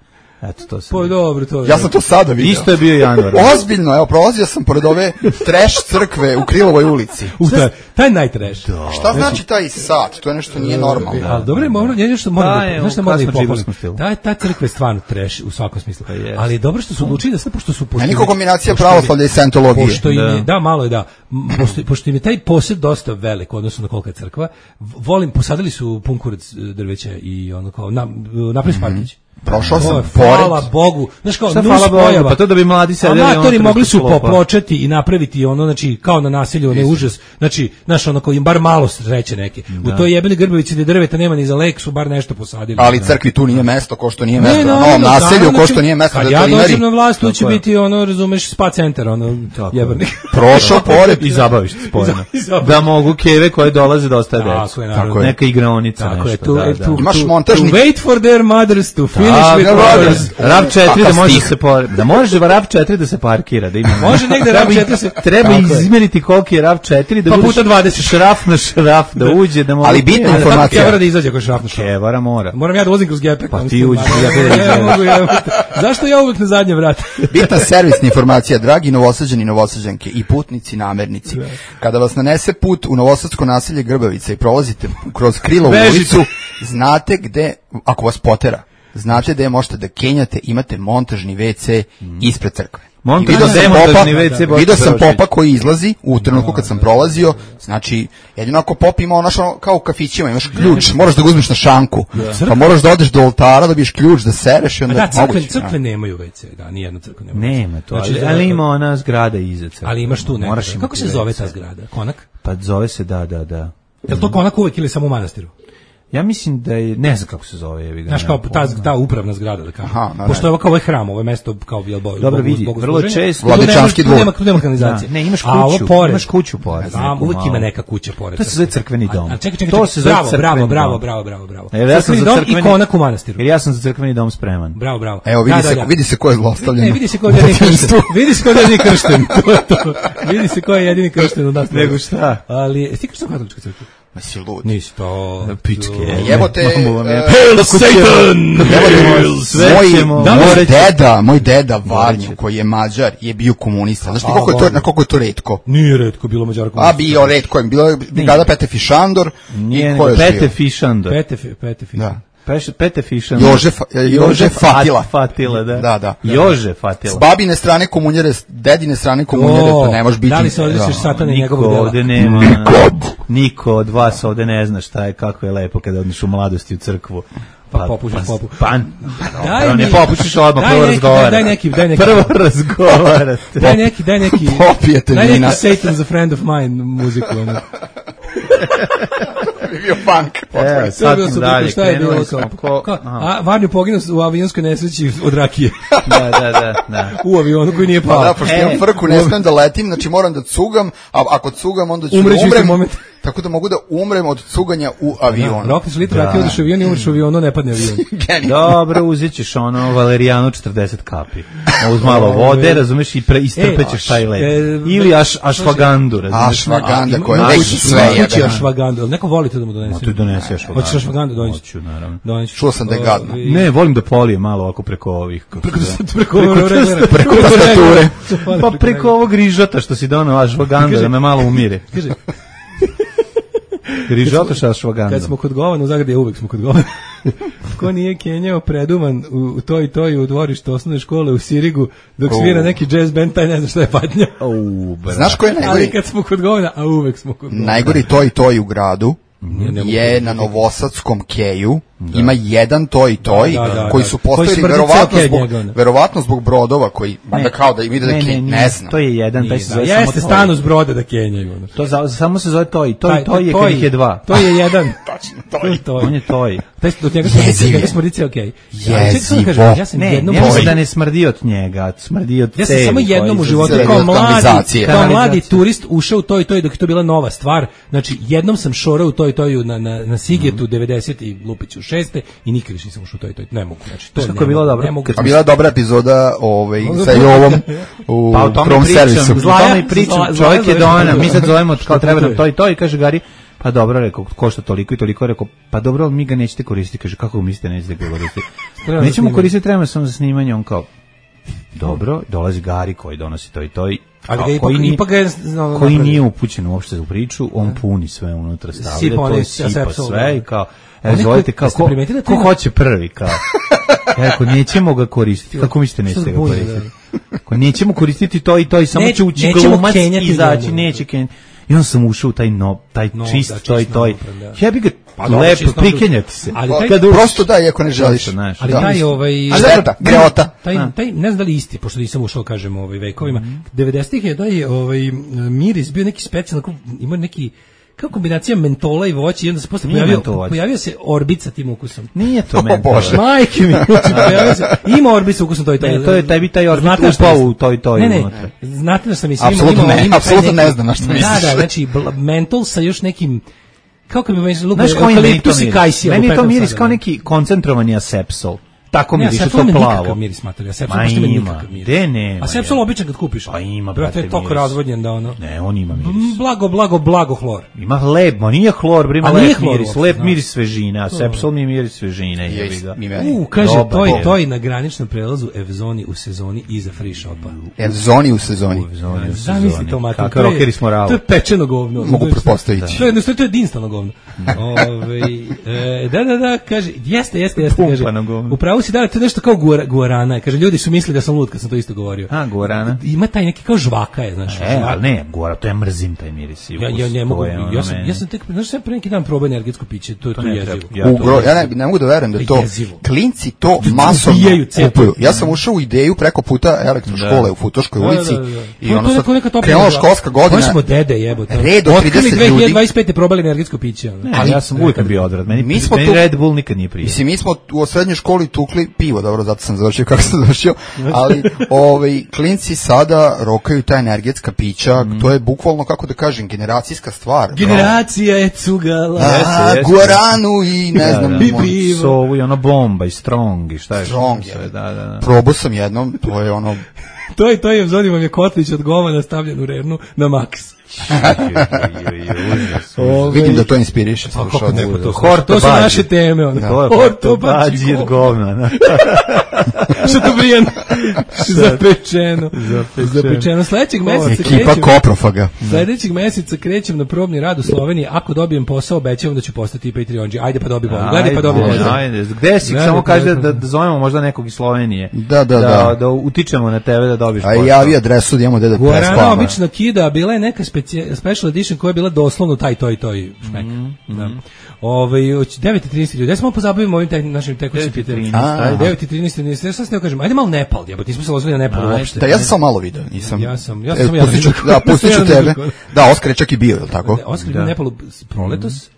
Speaker 1: Eto, to se.
Speaker 7: Pa dobro, to je.
Speaker 9: Ja sam to sada vidio.
Speaker 1: Isto je bio januar.
Speaker 9: Ozbiljno, evo, prolazio sam pored ove trash crkve u Krilovoj ulici.
Speaker 7: U, taj, taj najtreš.
Speaker 1: Da.
Speaker 9: Šta znači taj sat? To je nešto nije normalno.
Speaker 7: Ali dobro je, moram, ja nešto moram
Speaker 1: Da,
Speaker 7: da,
Speaker 1: je,
Speaker 7: znaš šta
Speaker 1: u
Speaker 7: moram da ih
Speaker 1: kasno
Speaker 7: pohvalim.
Speaker 1: džiberskom stilu.
Speaker 7: Ta, ta crkva je stvarno trash u svakom smislu.
Speaker 1: Pa jest.
Speaker 7: Ali je dobro što su odlučili da sve, pošto su...
Speaker 9: Meni ko kombinacija
Speaker 7: pošto-
Speaker 9: pravoslavlja i scientologije.
Speaker 7: Pošto im je,
Speaker 1: Da.
Speaker 7: da, malo je da, M, pošto, pošto im je taj posjed dosta velik u odnosu na kolika je crkva, v- volim, posadili su pun kurac e, drveća i ono kao, na, napravi Sparkić.
Speaker 9: Prošao
Speaker 7: To
Speaker 9: sam
Speaker 7: je,
Speaker 9: pored.
Speaker 7: Hvala Bogu. Znaš kao,
Speaker 1: Šta
Speaker 7: nus
Speaker 1: hvala Bogu,
Speaker 7: pojava.
Speaker 1: pa to da bi mladi sedeli,
Speaker 7: Amatori
Speaker 1: ono,
Speaker 7: mogli su
Speaker 1: preko klopa.
Speaker 7: popločati i napraviti ono, znači, kao na nasilju, onaj užas. Znači, znaš, ono koji im bar malo sreće neke. U toj jebeni Grbavici gde drveta nema ni za lek su bar nešto posadili.
Speaker 9: Ali
Speaker 7: Da.
Speaker 9: crkvi tu nije mesto, ko što nije mesto.
Speaker 7: Ne,
Speaker 9: Na
Speaker 7: naravno,
Speaker 9: novom naselju,
Speaker 7: naravno,
Speaker 9: ko
Speaker 7: znači,
Speaker 9: što nije mesto
Speaker 7: kad
Speaker 9: da
Speaker 7: ja
Speaker 9: veterinari.
Speaker 7: dođem na vlast, tu će
Speaker 1: Tako je.
Speaker 7: biti ono, razumeš, spa centar, ono,
Speaker 1: Tako je.
Speaker 7: jebernik.
Speaker 9: Prošao pored.
Speaker 1: I zabaviš se spojeno.
Speaker 7: I zabaviš.
Speaker 1: Da mogu keve koje dolaze da ostaje
Speaker 7: Tako
Speaker 1: decu.
Speaker 7: je, naravno.
Speaker 1: Neka igraonica,
Speaker 7: Tako je,
Speaker 1: nešto.
Speaker 7: tu,
Speaker 1: da,
Speaker 7: e,
Speaker 1: da.
Speaker 7: tu,
Speaker 9: Imaš
Speaker 7: tu-
Speaker 9: montažni-
Speaker 7: to wait for their mothers to finish
Speaker 1: A,
Speaker 7: with
Speaker 1: da,
Speaker 7: brothers.
Speaker 1: RAV četiri da
Speaker 9: Kakav
Speaker 1: može da
Speaker 9: stih.
Speaker 1: se por... da može RAV četiri da se parkira, da ima.
Speaker 7: Može negde
Speaker 1: Treba
Speaker 7: RAV četiri se-
Speaker 1: treba
Speaker 7: Tako je.
Speaker 1: izmeriti koliki je RAV četiri da
Speaker 7: Pa
Speaker 1: bude
Speaker 7: puta dvadeset.
Speaker 1: šraf na šraf da uđe da može.
Speaker 9: Ali bitna
Speaker 1: Da,
Speaker 9: informacija.
Speaker 7: Kevara da izađe ako je šrafno šraf.
Speaker 1: Kevara mora.
Speaker 7: Moram ja da vozim kroz gepek.
Speaker 1: Pa
Speaker 7: ono
Speaker 1: ti
Speaker 7: što-
Speaker 1: uđi,
Speaker 7: Ma,
Speaker 1: ja
Speaker 7: ne,
Speaker 1: te
Speaker 7: ne,
Speaker 1: izvedem.
Speaker 7: ne mogu, ja mogu. Zašto ja uvek na zadnje vrate?
Speaker 9: Bitna servisna informacija, dragi novosađani i novosađanke i putnici, namernici. Kada vas nanese put u novosadsko naselje Grbavica i prolazite kroz Krilovu
Speaker 7: Bežite.
Speaker 9: ulicu, znate gde, ako vas potera, znate gde možete da kenjate, imate montažni ve ce ispred crkve.
Speaker 1: Montažni
Speaker 9: I video sam
Speaker 1: demontažni
Speaker 9: popa,
Speaker 1: ve ce Boško
Speaker 9: video sam
Speaker 1: Perošić.
Speaker 9: popa koji izlazi u trenutku kad sam prolazio, znači jedino ako pop ima ono što kao u kafićima, imaš ključ, moraš da ga uzmeš na šanku, pa moraš da odeš do oltara, dobiješ ključ da sereš i onda
Speaker 7: Da, crkve,
Speaker 9: moguće,
Speaker 7: crkve
Speaker 9: da.
Speaker 7: nemaju ve ce, da, nijedna crkva nema.
Speaker 1: Nema to,
Speaker 7: Znači,
Speaker 1: ali,
Speaker 7: da-
Speaker 1: ali ima ona zgrada iza crkve.
Speaker 7: Ali imaš tu
Speaker 1: Moraš
Speaker 7: nekako.
Speaker 1: imati
Speaker 7: Kako se zove
Speaker 1: ve ce.
Speaker 7: ta zgrada? Konak?
Speaker 1: Pa zove se, da, da, da.
Speaker 7: Je li to konak uvek ili samo u manastiru?
Speaker 1: Ja mislim da je, ne znam kako se zove. Jebi ga,
Speaker 7: Znaš, kao
Speaker 1: nemam
Speaker 7: ta,
Speaker 1: pojma.
Speaker 7: ta upravna zgrada, da kažem.
Speaker 9: Aha, da,
Speaker 7: Pošto
Speaker 9: da.
Speaker 7: je ovo kao ovaj hram, ovo je mesto kao jel bo,
Speaker 1: Dobro,
Speaker 7: zbog-
Speaker 1: vidi,
Speaker 7: zbog
Speaker 1: vrlo
Speaker 7: služenja.
Speaker 1: često-
Speaker 7: Tu nema-
Speaker 9: Vladičanski
Speaker 7: tu nema,
Speaker 9: dvor.
Speaker 7: tu nema kanalizacije.
Speaker 1: Da, ne, imaš
Speaker 7: A ovo
Speaker 1: kuću,
Speaker 7: pored,
Speaker 1: imaš kuću pored,
Speaker 7: Znam,
Speaker 1: neku
Speaker 7: uvek
Speaker 1: malu.
Speaker 7: ima neka kuća pored.
Speaker 1: To se zove crkveni dom.
Speaker 7: A, a čekaj, čekaj,
Speaker 1: To
Speaker 7: čekaj,
Speaker 1: se zove
Speaker 7: bravo,
Speaker 1: crkveni
Speaker 7: bravo, bravo,
Speaker 1: dom.
Speaker 7: bravo, bravo, bravo.
Speaker 1: Evo, ja sam
Speaker 7: Crkveni
Speaker 1: za
Speaker 7: dom
Speaker 1: crkveni-
Speaker 7: i konak u manastiru.
Speaker 1: Jer ja sam za crkveni dom spreman.
Speaker 7: Bravo, bravo.
Speaker 9: Evo, vidi,
Speaker 7: Da,
Speaker 9: se,
Speaker 7: da, da.
Speaker 9: vidi se ko je zlostavljen.
Speaker 7: Ne, vidi se ko je jedini kršten. Vidi se ko je jedini kršten. To je to. Vidi se ko je jedini kršten od nas.
Speaker 1: Nego šta?
Speaker 7: Ali, jesi ti kršten u katoličkoj crkvi?
Speaker 9: Ma si lud.
Speaker 7: Nisi to.
Speaker 1: Pičke.
Speaker 9: Jebote,
Speaker 1: Mamu vam je-
Speaker 9: e,
Speaker 1: Hail Satan!
Speaker 9: Jebote,
Speaker 1: Sve
Speaker 9: moj,
Speaker 1: ćemo,
Speaker 9: moj
Speaker 1: morat ćemo.
Speaker 9: deda, moj deda Varnju,
Speaker 1: ćete.
Speaker 9: koji je Mađar, je bio komunista. Znaš ti
Speaker 7: A,
Speaker 9: koliko je to,
Speaker 7: Varnju.
Speaker 9: na koliko je to retko?
Speaker 7: Nije retko bilo Mađara
Speaker 9: A
Speaker 7: komunista.
Speaker 9: bio retko je, bilo je brigada Pete Fišandor
Speaker 1: Nije,
Speaker 9: i
Speaker 1: nego
Speaker 9: ko je
Speaker 1: Pete
Speaker 9: bio?
Speaker 1: Fišandor.
Speaker 7: Pete, fi- pete, fi-
Speaker 9: Da.
Speaker 1: Peš, Pete Fišandor.
Speaker 9: Jože, Fa- e, Jože Fatila.
Speaker 1: Fatila, da.
Speaker 9: Da, da.
Speaker 1: Jože
Speaker 9: S
Speaker 1: Fatila.
Speaker 9: babine strane komunjere, s dedine strane komunjere,
Speaker 7: O,
Speaker 9: to ne može biti.
Speaker 7: Da li se odličeš
Speaker 9: Da.
Speaker 7: satana i
Speaker 1: Niko
Speaker 7: njegovog dela?
Speaker 1: ovde nema. Niko od vas ovde ne zna šta je, kako je lepo kada odneš u mladosti u crkvu.
Speaker 7: Pa popušiš popu.
Speaker 1: Pa, pa
Speaker 7: Daj
Speaker 1: dobro, ne
Speaker 7: mi-
Speaker 1: popušiš odmah,
Speaker 7: daj
Speaker 1: prvo
Speaker 7: neki,
Speaker 1: razgovarate.
Speaker 7: daj neki, daj neki.
Speaker 1: Prvo razgovarate.
Speaker 7: Daj neki, daj neki.
Speaker 9: Popijete
Speaker 7: Daj
Speaker 9: vina.
Speaker 7: neki Satan's a friend of mine muziku. Ono.
Speaker 9: Bi bio punk.
Speaker 1: Evo,
Speaker 7: To je
Speaker 1: sad
Speaker 7: bilo
Speaker 1: smo
Speaker 7: super,
Speaker 1: dalje,
Speaker 7: šta je bilo
Speaker 1: krenuli
Speaker 7: kao?
Speaker 1: smo ko...
Speaker 7: kao
Speaker 1: Aha.
Speaker 7: a, Varnju poginuo u avionskoj nesreći od rakije.
Speaker 1: Da, da, da, da.
Speaker 7: U avionu koji nije
Speaker 9: Pa
Speaker 7: pao.
Speaker 9: da, pošto
Speaker 1: E,
Speaker 9: imam frku, ne smem da letim, znači moram da cugam, a ako cugam, onda ću
Speaker 7: Umreću
Speaker 9: da
Speaker 7: isti
Speaker 9: umrem.
Speaker 7: moment.
Speaker 9: Tako da mogu da umrem od cuganja u avionu.
Speaker 7: Rokli su litru rakije, odeš u avion i umreš u avionu, ne padne avion.
Speaker 9: Genijalno.
Speaker 1: Dobro, uzet ćeš ono Valerijanu četrdeset kapi. Uz malo vode, razumeš, i pre, istrpećeš
Speaker 7: E,
Speaker 1: taj led.
Speaker 7: e,
Speaker 1: Ili aš, ašvagandu, razumeš.
Speaker 9: Ašvaganda
Speaker 7: Ima-
Speaker 9: koja
Speaker 7: ima
Speaker 9: već
Speaker 7: kući-
Speaker 9: sve
Speaker 7: ima kući
Speaker 9: jebe.
Speaker 7: ašvagandu, ali neko voli to da mu donese.
Speaker 1: Ma ti donesi ašvagandu.
Speaker 7: Hoćeš ašvagandu donesi?
Speaker 1: Hoću, naravno.
Speaker 7: Donesi.
Speaker 9: Čuo sam da je gadno.
Speaker 7: Ovi-
Speaker 1: Ne, volim da polije malo ovako preko ovih. Kako
Speaker 7: Preko,
Speaker 1: se zove.
Speaker 7: preko,
Speaker 1: Preko
Speaker 7: preko,
Speaker 1: tastature.
Speaker 7: preko
Speaker 9: tastature.
Speaker 1: Pa preko ovog rižota što si donao ašvaganda, da me malo umire.
Speaker 7: Kaže,
Speaker 1: Rižota sa ašvagandom.
Speaker 7: kad smo kod govana u Zagradi, uvek smo kod govana. Ko nije kenjao preduman u, u toj i toj u dvorištu osnovne škole u Sirigu, dok svira
Speaker 9: O.
Speaker 7: neki jazz band, taj ne zna šta je patnja.
Speaker 1: Au, bra.
Speaker 9: Znaš ko je
Speaker 7: Ali
Speaker 9: najgori?
Speaker 7: kad smo kod govana, a uvek smo kod govana.
Speaker 9: Najgori to i to i u gradu
Speaker 7: Ne, ne mogu
Speaker 9: je
Speaker 7: da-
Speaker 9: na Novosadskom keju, ima jedan to i toj
Speaker 7: Da, da, da,
Speaker 9: koji
Speaker 7: da.
Speaker 9: su
Speaker 7: Koji
Speaker 9: postavili
Speaker 7: smrdi
Speaker 9: verovatno
Speaker 7: ceo kej
Speaker 9: zbog,
Speaker 7: njega, ono.
Speaker 9: verovatno zbog brodova koji, valjda kao da im ide da
Speaker 1: ne,
Speaker 9: kej,
Speaker 1: ne,
Speaker 9: ne,
Speaker 1: nije.
Speaker 9: znam.
Speaker 1: To je jedan, taj
Speaker 7: Nije,
Speaker 1: se
Speaker 7: da.
Speaker 1: zove
Speaker 7: Jeste
Speaker 1: samo
Speaker 7: stan
Speaker 1: toj.
Speaker 7: uz broda da kenjaju. Ono.
Speaker 1: To za, samo se zove toj. Toj,
Speaker 7: Taj-
Speaker 1: toj je
Speaker 7: toj-
Speaker 1: kad ih je dva.
Speaker 7: To je jedan.
Speaker 9: Tačno,
Speaker 7: To
Speaker 9: to
Speaker 7: je
Speaker 9: je.
Speaker 7: to.
Speaker 1: On je toj.
Speaker 7: Taj od njega smrdi,
Speaker 9: Jeziv je.
Speaker 7: njega smrdi ceo okej.
Speaker 9: Jezivo.
Speaker 7: Ja sam
Speaker 1: Ne,
Speaker 7: jednom
Speaker 1: ja mislim
Speaker 9: Toj.
Speaker 1: da ne smrdi od njega, smrdi od
Speaker 7: Ja sam
Speaker 1: cevi
Speaker 7: samo jednom
Speaker 1: koji
Speaker 7: u životu
Speaker 1: izlaze.
Speaker 7: kao
Speaker 9: Od
Speaker 7: mladi,
Speaker 9: kanalizacije.
Speaker 7: kao mladi
Speaker 1: Kanalizacije.
Speaker 7: turist ušao u to i to i dok je to bila nova stvar. Znači, jednom sam šorao u to i to na, na, na Sigetu devedeset i Lupiću šeste i nikad više nisam ušao u to i to. Ne mogu. Znači, to
Speaker 1: Znaš
Speaker 7: ne
Speaker 1: kako je bilo
Speaker 7: mogu,
Speaker 1: dobro?
Speaker 7: ne mogu.
Speaker 1: Kad
Speaker 9: A bila je dobra epizoda ovaj, sa
Speaker 7: Pa,
Speaker 9: Jovom u
Speaker 1: Pa o tome
Speaker 9: prvom
Speaker 1: pričam,
Speaker 9: servisu.
Speaker 1: o
Speaker 7: Zlaja-
Speaker 1: tome i pričam,
Speaker 7: Zla-
Speaker 1: čovjek je
Speaker 7: Zlaja
Speaker 1: donao,
Speaker 7: zove-
Speaker 1: mi sad zovemo kao treba nam
Speaker 7: putuje.
Speaker 1: to i to i kaže Gari, pa dobro, rekao, košta toliko i toliko, rekao, pa dobro, ali mi ga nećete koristiti, kaže, kako mislite nećete ga koristiti? Nećemo koristiti trema samo za snimanje, on kao, dobro, dolazi Gari koji donosi to i to i
Speaker 7: ali
Speaker 1: koji, nije,
Speaker 7: ipak je,
Speaker 1: no, koji nije upućen uopšte u priču, on puni sve unutra, stavlja to i sipa sve i kao, evo zvolite, kao, ko, ko hoće prvi, kao, ja rekao, nećemo ga koristiti, kako mislite nećete ga koristiti? Ako nećemo koristiti to i to i samo će ući glumac i izaći, neće kenjati. I onda sam ušao u taj, no, taj no, čist, da, to i to i ja bi ga pa, lepo prikenjati se.
Speaker 9: Ali taj, kad prosto daj ako ne želiš.
Speaker 7: Ali da. taj ovaj...
Speaker 9: Šteta, greota.
Speaker 7: Taj, taj, ne znam da li isti, pošto nisam ušao, kažem, ovaj, vekovima. Mm-hmm. devedesetih je taj ovaj, miris bio neki specijalno, imao neki kao kombinacija mentola i voća i onda se posle pojavio, pojavio se Orbit sa tim ukusom.
Speaker 1: Nije to mentol.
Speaker 7: Majke mi, pojavio se, ima Orbit sa ukusom to i to.
Speaker 1: Ne, to je taj bi taj Orbit upao u to i to.
Speaker 7: Ne, ne, znate da sam mislim
Speaker 9: imao, imao, imao, imao apsolutno ne znam na što misliš.
Speaker 7: Da, da, znači mentol sa još nekim kako bi mi se
Speaker 1: lupio, eukaliptus i kajsija. Meni to miris kao neki koncentrovani asepsol. Tako mi diše to plavo.
Speaker 7: Miris materija, Sepsol baš nema nikakav miris.
Speaker 1: De ne.
Speaker 7: A Sepsol običan kad kupiš.
Speaker 1: Pa ima,
Speaker 7: brate, je toliko razvodnjen da ono.
Speaker 1: Ne, on ima miris.
Speaker 7: Blago, blago, blago hlor.
Speaker 1: Ima lep, ma nije hlor, bre, ima lep miris, lep miris svežine, a Sepsol mi je miris svežine, jebi ga.
Speaker 7: U, kaže, to je to i na graničnom prelazu Evzoni u sezoni iza free shopa.
Speaker 9: Evzoni u sezoni.
Speaker 7: Zamisli to, mater.
Speaker 1: Kako rokeri smo ravo.
Speaker 7: To je pečeno govno.
Speaker 9: Mogu pretpostaviti.
Speaker 7: To je, to je dinstalno govno. Ovaj, da, da, da, kaže, jeste, jeste, jeste, kaže. Upravo si da, to je nešto kao guarana. Kaže, ljudi su mislili da sam lud kad sam to isto govorio.
Speaker 1: A, guarana?
Speaker 7: Ima taj neki kao žvaka je, znaš.
Speaker 1: E, ali ne, guara, to ja mrzim taj miris.
Speaker 7: Ja, ja ne mogu, ja sam, ja sam tek, znaš, sam pre neki dan probao energetsko piće, to je to, to jezivo.
Speaker 9: Ja, Ugro, ja ne, ne mogu da verujem da to, jezivo. Klinci to masovno kupuju. Ja sam ušao u ideju preko puta elektroškole u Futoškoj ulici i ono sad krenula školska godina.
Speaker 7: Koji smo dede jebote.
Speaker 9: Red od trideset ljudi.
Speaker 7: dve hiljade dvadeset pete probali energetsko piće.
Speaker 1: Ali ja sam uvijek bio odvrat. Meni Red Bull nikad nije prijao.
Speaker 9: Mislim, mi smo u srednjoj školi tukli pivo, dobro, zato sam završio kako sam završio, ali ovaj, klinci sada rokaju ta energetska pića, mm. to je bukvalno, kako da kažem, generacijska stvar.
Speaker 7: Generacija je cugala.
Speaker 9: A, guaranu i ne da, znam.
Speaker 1: Da, da. Sovu i ono bomba i strong i šta je.
Speaker 9: Strong je. Da, da, da. Probao sam jednom, to je ono...
Speaker 7: to je, to je, zoni vam je kotlić od govana stavljen u rernu na maks.
Speaker 9: Vidim da to inspiriše.
Speaker 7: To su naše teme.
Speaker 1: Horto bađi od govna.
Speaker 7: Što to brijan? Zapečeno. Zapečeno. Sljedećeg meseca krećem.
Speaker 9: Ekipa koprofaga.
Speaker 7: Sljedećeg meseca krećem na probni rad u Sloveniji. Ako dobijem posao, obećavam da ću postati Patreonđi. Ajde pa dobi bolje. Gledaj pa dobi bolje.
Speaker 1: Gde si? Samo kaže da zovemo možda nekog iz Slovenije.
Speaker 9: Da, da, da.
Speaker 1: Da utičemo na tebe da dobiš posao.
Speaker 9: A javi adresu da imamo gde da prespavamo.
Speaker 7: Guarana obično kida, bila je neka special edition koja je bila doslovno taj, toj, toj šmek. Mm, da. Mm. Ove, devet i trinaest ljudi, ja smo pozabavimo ovim tek, našim tekućim pitanjima. devet i trinaest ljudi, ja sam se ne kažem, ajde malo Nepal, jebote, nismo se lozili na Nepal uopšte.
Speaker 9: Da, ja sam samo malo video, nisam.
Speaker 7: Ja sam, ja sam, ja
Speaker 9: pustit ću, da, pustit ću tebe. Da, Oskar je čak i bio, je li tako?
Speaker 7: Oskar je bio u Nepalu proletos.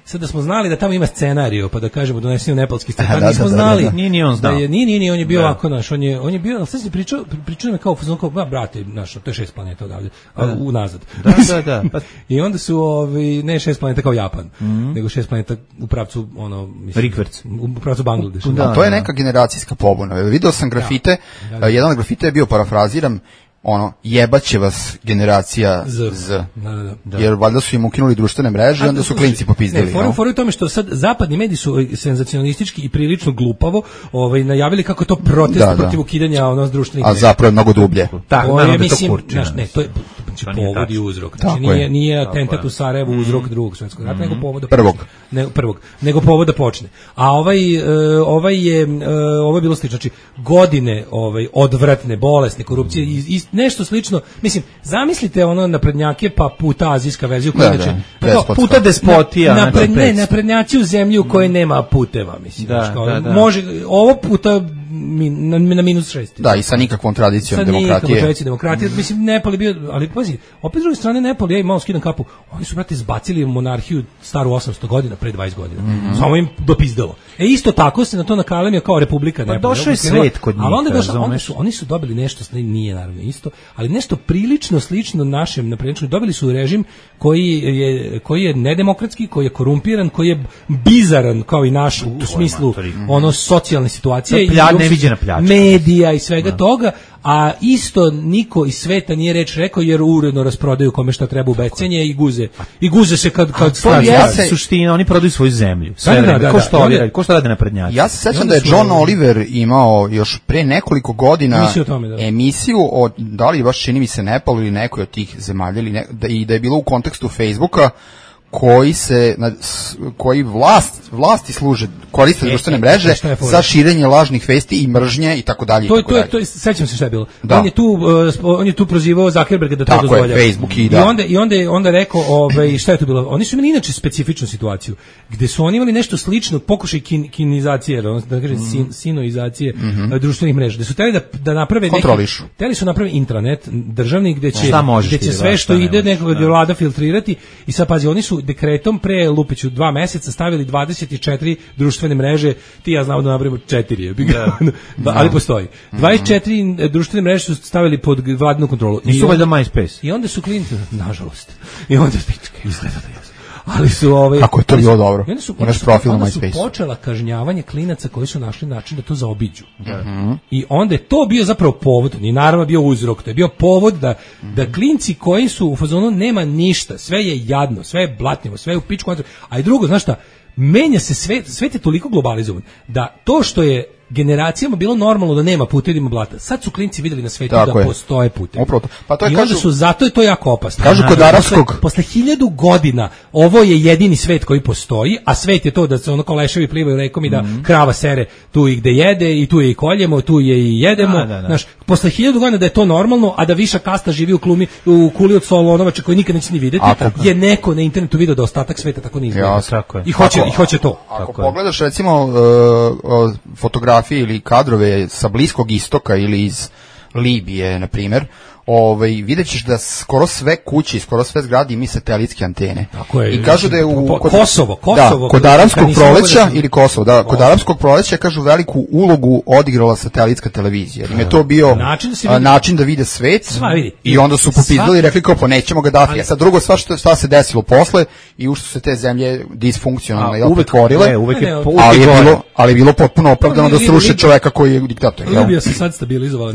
Speaker 7: Sad da smo znali da tamo ima scenarijo, pa da kažemo donesimo nepalski scenarijo, nismo znali.
Speaker 1: Nije ni on znao.
Speaker 7: Nije, nije, nije, on je bio ovako naš, on je, on je bio, al sad se pričao, pričao me kao fuzon kao, ba brate, naš, to je šest planeta odavde, unazad.
Speaker 1: Da, da, da.
Speaker 7: Pa, i onda su ovi ne šest planeta kao Japan, mm-hmm. nego šest planeta u pravcu ono, mislim,
Speaker 1: Rikverc.
Speaker 7: U pravcu Bangladeša.
Speaker 9: Da, to je neka generacijska pobuna. Video sam grafite, da, da. jedan od grafita je bio, parafraziram, ono, jebaće vas generacija Z. Z. Da, da, da. Jer valjda su im ukinuli društvene mreže i onda su klinci popizdili.
Speaker 7: Ne, forum, forum je tome što sad zapadni mediji su senzacionalistički i prilično glupavo ovaj, najavili kako to protest da, protiv da. ukidanja ono, društvenih mreža.
Speaker 9: A zapravo je mnogo dublje.
Speaker 7: Tako, je, mislim, to kurči, naš, ne, to je znači, povod i uzrok. Znači, nije, nije atentat u Sarajevu uzrok drugog svjetskog rata, mm-hmm. nego povod da
Speaker 9: prvog.
Speaker 7: Ne, prvog. Nego povod da počne. A ovaj, uh, ovaj je, uh, ovo je bilo slično. Znači, godine ovaj, odvratne, bolesne, korupcije i, i nešto slično. Mislim, zamislite ono naprednjake pa puta azijska verzija koja inače
Speaker 1: puta despotija.
Speaker 7: Na, napred, ne, naprednjaci u zemlji u kojoj nema puteva, mislim.
Speaker 1: Da,
Speaker 7: kao,
Speaker 1: da, da.
Speaker 7: Može, ovo puta min, na, na minus šest.
Speaker 9: Da, i sa nikakvom tradicijom
Speaker 7: sa
Speaker 9: demokratije. Sa nikakvom
Speaker 7: tradicijom demokratije. Mm. Mislim, Nepal je bio, ali pazi, opet s druge strane Nepal, ja im malo skidam kapu, oni su, brate, zbacili monarhiju staru osamsto godina, pre dvadeset godina. Mm-hmm. Samo im dopizdalo. E, isto tako se na to nakalemio kao republika Nepal.
Speaker 1: Pa došao je svet kod njih.
Speaker 7: Ali onda došlo, onda su, oni su dobili nešto, nije naravno isto, ali nešto prilično slično našem naprednjačkom. Dobili su režim koji je, koji je nedemokratski, koji je korumpiran, koji je bizaran kao i naš u, u smislu ono socijalne situacije i
Speaker 1: neviđena pljačka.
Speaker 7: Medija i svega da. toga, a isto niko iz sveta nije reč rekao jer uredno rasprodaju kome šta treba u bescenje i guze. I guze se kad kad
Speaker 1: to je suština, oni prodaju svoju zemlju. Sve da, da, da, ko što da, radi, ko što radi naprednjaci.
Speaker 9: Ja se sećam da je John su... Oliver imao još pre nekoliko godina emisiju, tome, da. emisiju o da li baš čini mi se Nepalu ili nekoj od tih zemalja ili ne, da, i da je bilo u kontekstu Facebooka koji se koji vlast vlasti služe koriste društvene mreže za širenje lažnih vesti i mržnje i tako dalje.
Speaker 7: To je to je to je sećam se šta je bilo. Da. On je tu uh, on je tu prozivao Zuckerberga da to
Speaker 9: tako
Speaker 7: dozvoljava.
Speaker 9: Je, Facebook i, da.
Speaker 7: I onda i onda je onda rekao ovaj šta je to bilo? Oni su imali inače specifičnu situaciju gde su oni imali nešto slično pokušaj kin, kinizacije, da kažem mm. sin, sinoizacije mm -hmm. društvenih mreža. Da su hteli da da naprave neki hteli su napraviti intranet državni gde će gde će sve što ide nekoga da vlada filtrirati i sad pazi oni su dekretom pre Lupiću dva meseca stavili dvadeset četiri društvene mreže, ti ja znamo da napravimo četiri, da. da, ali postoji. dvadeset četiri društvene mreže su stavili pod vladinu kontrolu.
Speaker 1: Nisu valjda MySpace.
Speaker 7: I onda su klijenti, nažalost, i onda pičke, izgleda da je. Ali su ove
Speaker 9: kako je to bilo dobro.
Speaker 7: Onda su, onda su, onda su počela kažnjavanje klinaca koji su našli način da to zaobiđu. Mm-hmm. I onda je to bio zapravo povod, ni naravno bio uzrok, to je bio povod da mm-hmm. da klinci koji su u fazonu nema ništa, sve je jadno, sve je blatnjivo, sve je u pičku, a i drugo, znaš šta, menja se sve, svet je toliko globalizovan da to što je generacijama bilo normalno da nema putevi, ima blata. Sad su klinci videli na svetu da je. Postoje putevi.
Speaker 9: Pa to je,
Speaker 7: i onda kažu, su, zato je to jako opasno.
Speaker 9: Kažu kod arapskog.
Speaker 7: Posle, posle hiljadu godina ovo je jedini svet koji postoji, a svet je to da se ono koleševi plivaju rekom i da mm-hmm. krava sere tu i gde jede i tu je i koljemo, tu je i jedemo. Da, da, da. Znaš, posle hiljadu godina da je to normalno, a da viša kasta živi u klumi, u kuli od solonovača koji nikad neće ni videti, ako, je neko na internetu video da ostatak sveta tako ne izgleda.
Speaker 9: Ja,
Speaker 7: I hoće, ako, i hoće to.
Speaker 9: Ako tako pogledaš je. recimo uh, uh, fotografije ili kadrove sa Bliskog istoka ili iz Libije, na primjer, ovaj, vidjet ćeš da skoro sve kuće, skoro sve zgrade imaju satelitske antene.
Speaker 7: Tako je.
Speaker 9: I kažu da je u...
Speaker 7: Kod, Kosovo, Kosovo.
Speaker 9: Da, kod arapskog proleća, ili Kosovo, da, kod arapskog proleća, kažu, veliku ulogu odigrala satelitska televizija. Im je to bio način da, vidi, način da vide svet sva, vidi, i onda su popizdali i rekli kao, pa nećemo ga dati. A sad drugo, sva što, šta se desilo posle i ušto se te zemlje disfunkcionalne i otvorile, ali je bilo, ali je bilo potpuno opravdano da sruše čoveka koji je diktator.
Speaker 7: Libija se sad stabilizovala.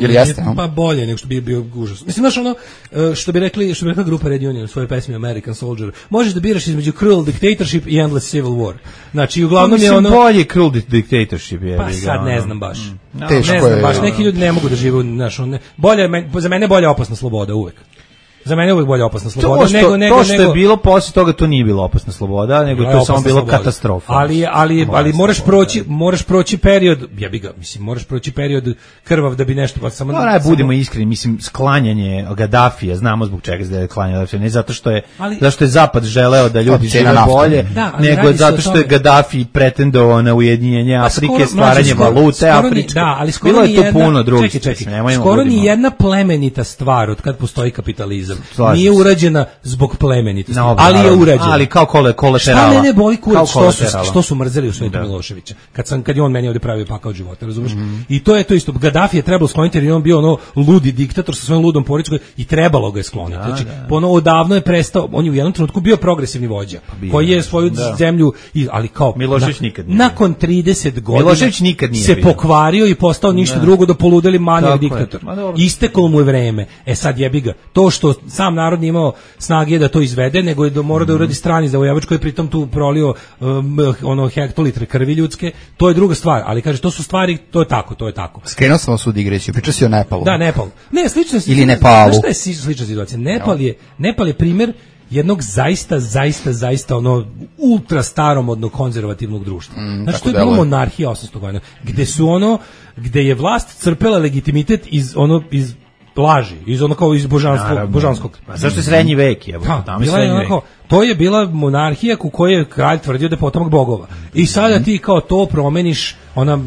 Speaker 7: Pa bolje nego što bi bio užas. Mislim, znaš ono, što bi rekli, što bi rekla grupa Red Union u svojoj pesmi American Soldier, možeš da biraš između cruel dictatorship i endless civil war. Znači, uglavnom je ono...
Speaker 1: bolje cruel dictatorship je.
Speaker 7: Pa sad ne znam baš.
Speaker 9: No, Teško
Speaker 7: ne znam baš, neki ljudi ne mogu da žive, znaš, on, bolje, za mene je bolja opasna sloboda uvek. Za mene je uvijek bolja opasna sloboda.
Speaker 1: To što, nego, nego, to što je bilo posle toga, to nije bilo opasna sloboda, nego to je samo bilo sloboda. Katastrofa.
Speaker 7: Ali, ali, ali moraš proći, moraš proći period, ja bih ga, mislim, moraš proći period krvav da bi nešto, pa samo...
Speaker 1: No, ne, budemo iskreni, mislim, sklanjanje Gadafija, znamo zbog čega se da je klanjanje Gadafija, ne zato što je, ali, zato što je Zapad želeo da ljudi žive bolje, da, nego zato što je Gaddafi pretendovao na ujedinjenje Afrike, stvaranje valute Afričke.
Speaker 7: Da, ali skoro ni jedna, čekaj, čekaj, skoro ni jedna plemenita stvar od kad postoji kapitalizam nije urađena zbog plemenitosti, no, ali je urađena.
Speaker 1: Ali kao kole, kolaterala.
Speaker 7: Šta mene boli kurac, što su, što su mrzeli u svetu da. Miloševića, kad, sam, kad je on meni ovdje pravio pakao života, razumiješ? Mm-hmm. I to je to isto. Gaddafi je trebalo skloniti jer je on bio ono ludi diktator sa svojom ludom porodičkom i trebalo ga je skloniti. Da, znači, da. Ono odavno je prestao, on je u jednom trenutku bio progresivni vođa, pa koji je svoju da. zemlju, ali kao,
Speaker 1: Milošević
Speaker 7: na,
Speaker 1: nikad nije
Speaker 7: nakon trideset godina
Speaker 1: Milošević nikad nije
Speaker 7: se
Speaker 1: bio.
Speaker 7: pokvario i postao ništa da. drugo do poludeli manijak diktator. Isteklo mu je vreme. E sad jebi ga. To što sam narod nije imao snage da to izvede, nego je da mora da uradi strani zavojevač koji je pritom tu prolio um, ono hektolitre krvi ljudske, to je druga stvar, ali kaže to su stvari, to je tako, to je tako.
Speaker 9: Skrenuo sam vas u digresiju, pričao si o Nepalu.
Speaker 7: Da, Nepal. Ne, slično
Speaker 9: ili Nepalu.
Speaker 7: Znaš šta je slična situacija? Nepal je, Nepal je primjer jednog zaista, zaista, zaista ono ultra staromodnog konzervativnog društva. Mm, znači to je bilo monarhija osamsto godina, gde su ono, gde je vlast crpela legitimitet iz ono, iz laži, iz ono kao iz božanskog, Naravno. božanskog.
Speaker 1: A zašto je srednji vek? Je,
Speaker 7: da, tamo je srednji vek. Onako, to je bila monarhija u kojoj je kralj tvrdio da je potomak bogova. I sada ti kao to promeniš, ona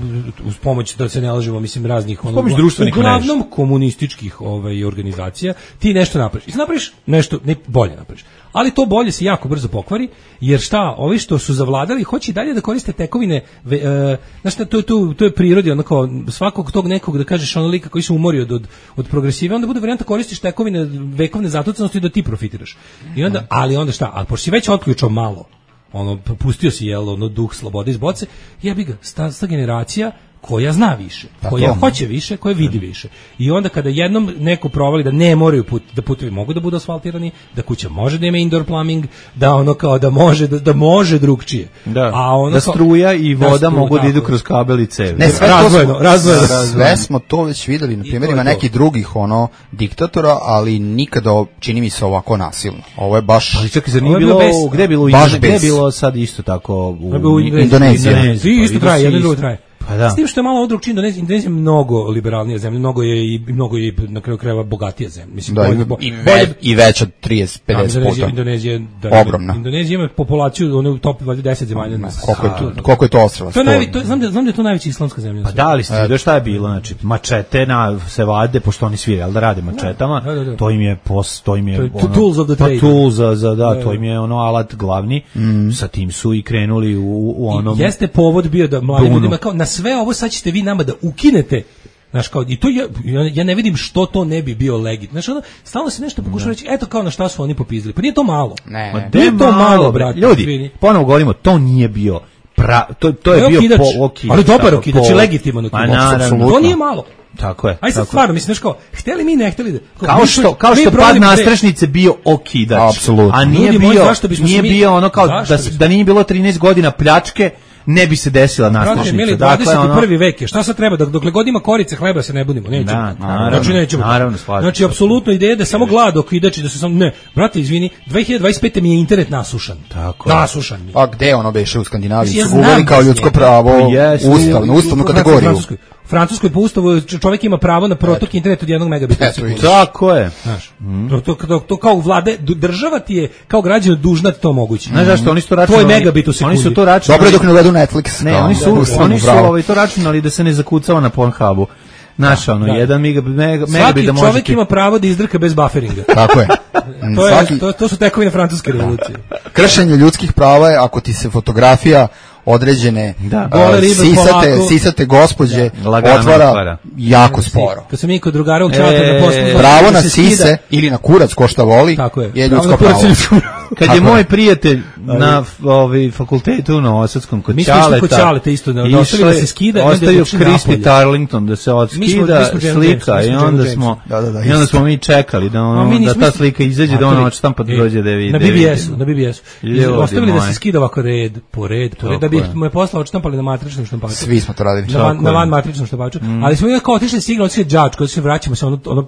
Speaker 7: uz pomoć, da se ne lažemo, mislim, raznih ono, uglavnom mrež. komunističkih ovaj, organizacija, ti nešto napraviš. I napraviš nešto, ne, bolje napraviš. Ali to bolje se jako brzo pokvari, jer šta, ovi što su zavladali hoće i dalje da koriste tekovine, ve, e, znaš šta, to je, to, to je prirodi, onako, svakog tog nekog, da kažeš, ono lika koji se umori od, od, od progresive, onda bude varijanta koristiš tekovine vekovne zatucanosti da ti profitiraš. I onda, ali onda šta, ali pošto si već otključao malo, ono, pustio si, jel, ono, duh slobode iz boce, jebi ga, sta, sta generacija koja zna više, koja hoće više, koja vidi više. I onda kada jednom neko provali da ne moraju put, da putevi mogu da budu asfaltirani, da kuća može da ima indoor plumbing, da ono kao da može da, da može drugčije.
Speaker 1: Da.
Speaker 7: A ono
Speaker 1: da struja i voda
Speaker 7: da stru,
Speaker 1: mogu da idu
Speaker 7: tako.
Speaker 1: kroz kabel i cevi.
Speaker 9: Ne, sve
Speaker 7: razvojno,
Speaker 9: to
Speaker 7: razvojno.
Speaker 9: Sve smo to već videli na primjerima nekih drugih ono diktatora, ali nikada čini mi se ovako nasilno. Ovo je baš
Speaker 1: ali čekaj, zar nije bilo, gde je bilo, gde je bilo sad isto tako u,
Speaker 7: u
Speaker 9: Indoneziji.
Speaker 7: Svi isto traje, jedno drugo traje.
Speaker 1: Pa da.
Speaker 7: S tim što je malo drugčije, Indonezija, Indonezija je mnogo liberalnija zemlja, mnogo je i mnogo je na kraju krajeva bogatija zemlja. Mislim,
Speaker 9: da,
Speaker 7: bolje,
Speaker 9: i, ve, i veća od trideset do pedeset puta.
Speaker 7: Indonezija, da,
Speaker 9: ogromna.
Speaker 7: Indonezija ima populaciju ono u top deset zemalja.
Speaker 9: No, koliko je to, koliko je to ostrva?
Speaker 7: To je najvi, to znam da znam da je to najveća islamska zemlja.
Speaker 1: Pa da li ste vidio šta je bilo, znači mačete na se vade pošto oni svi al da rade mačetama.
Speaker 7: Da, da, da.
Speaker 1: To im je post, to im je
Speaker 7: to ono, tools of the trade.
Speaker 1: Pa tools za, za da, da, to im je ono alat glavni. Mm. Sa tim su i krenuli u, u onom.
Speaker 7: I jeste povod bio da mladi ljudima kao na sve ovo sad ćete vi nama da ukinete. Znaš, kao, i to ja, ja ne vidim što to ne bi bio legit. Znaš, ono, stalno se nešto pokušava reći, eto kao na šta su oni popizdili. Pa nije to malo.
Speaker 9: Ne,
Speaker 7: ne. Nije to malo, brate.
Speaker 1: Ljudi, ponovo govorimo, to nije bio pra, to, to je, je bio
Speaker 7: okidač,
Speaker 1: po, okidač.
Speaker 7: Ali dobar okidač, po, legitiman okidač. To nije malo.
Speaker 1: Tako je.
Speaker 7: Aj sad stvarno, mislim, znaš kao, hteli mi, ne hteli da...
Speaker 1: Kao, kao što, kao što pad nastrešnice bio okidač.
Speaker 9: Apsolutno.
Speaker 1: A nije bio, nije bio ono kao da, da nije bilo trinaest godina pljačke, ne bi se desila nastrešnica.
Speaker 7: Mili, dvadeset prvi vek je. Šta sad treba? Dokle god ima korice hleba se ne budimo, nećemo.
Speaker 1: Da, naravno,
Speaker 7: znači nećemo.
Speaker 1: Naravno,
Speaker 7: znači apsolutno ideja da samo glad okidači da se samo ne. Brate, izvini, dve hiljade dvadeset pete mi je internet nasušan.
Speaker 1: Tako.
Speaker 7: Nasušan mi.
Speaker 9: A gde ono beše u Skandinaviji?
Speaker 7: Ja
Speaker 9: su uveli kao ljudsko pravo, ustavnu, ustavnu kategoriju.
Speaker 7: Francuskoj po ustavu čovjek ima pravo na protok interneta od jednog megabita.
Speaker 1: Tako je.
Speaker 7: Znaš, mm. to, to, to, to kao vlade, država ti je kao građan dužna to moguće.
Speaker 1: Znaš zašto, oni su to računali.
Speaker 7: Tvoj megabit u sekundi.
Speaker 1: Oni su to računali.
Speaker 9: Dobro dok ne uvedu Netflix.
Speaker 1: Ne, oni su, da, oni su ovaj, to računali da se ne zakucava na Pornhubu. Znaš, ono, da. jedan megabit da može...
Speaker 7: Svaki čovjek ima pravo da izdrka bez bufferinga.
Speaker 9: Tako je.
Speaker 7: to, je Svaki... to, to su tekovine francuske revolucije.
Speaker 9: Kršenje ljudskih prava je ako ti se fotografija određene
Speaker 7: da.
Speaker 9: uh, sisate, sisate gospođe da. otvara, otvara jako sporo.
Speaker 7: Kad sam mi kod drugara u Čata e, na poslu...
Speaker 9: Pravo na sise ili na kurac ko šta voli
Speaker 7: je.
Speaker 9: je ljudsko pravo.
Speaker 1: Kad je moj prijatelj na ovaj fakultetu na Osadskom kod Ćaleta,
Speaker 7: kod Ćaleta isto da ostavio da se skida,
Speaker 1: ostavio Kristi Tarlington da se odskida slika i onda smo i onda smo mi čekali da ono da ta slika izađe da ona odštampa da dođe da vidi.
Speaker 7: Na B B S-u, na B B S-u. Ostavili da se skida ovako red po red, po red da bi mu je posla odštampali na matričnom štampaču.
Speaker 9: Svi smo to radili.
Speaker 7: Na van matričnom štampaču. Ali smo kao otišli signal od đačko, se vraćamo se ono ono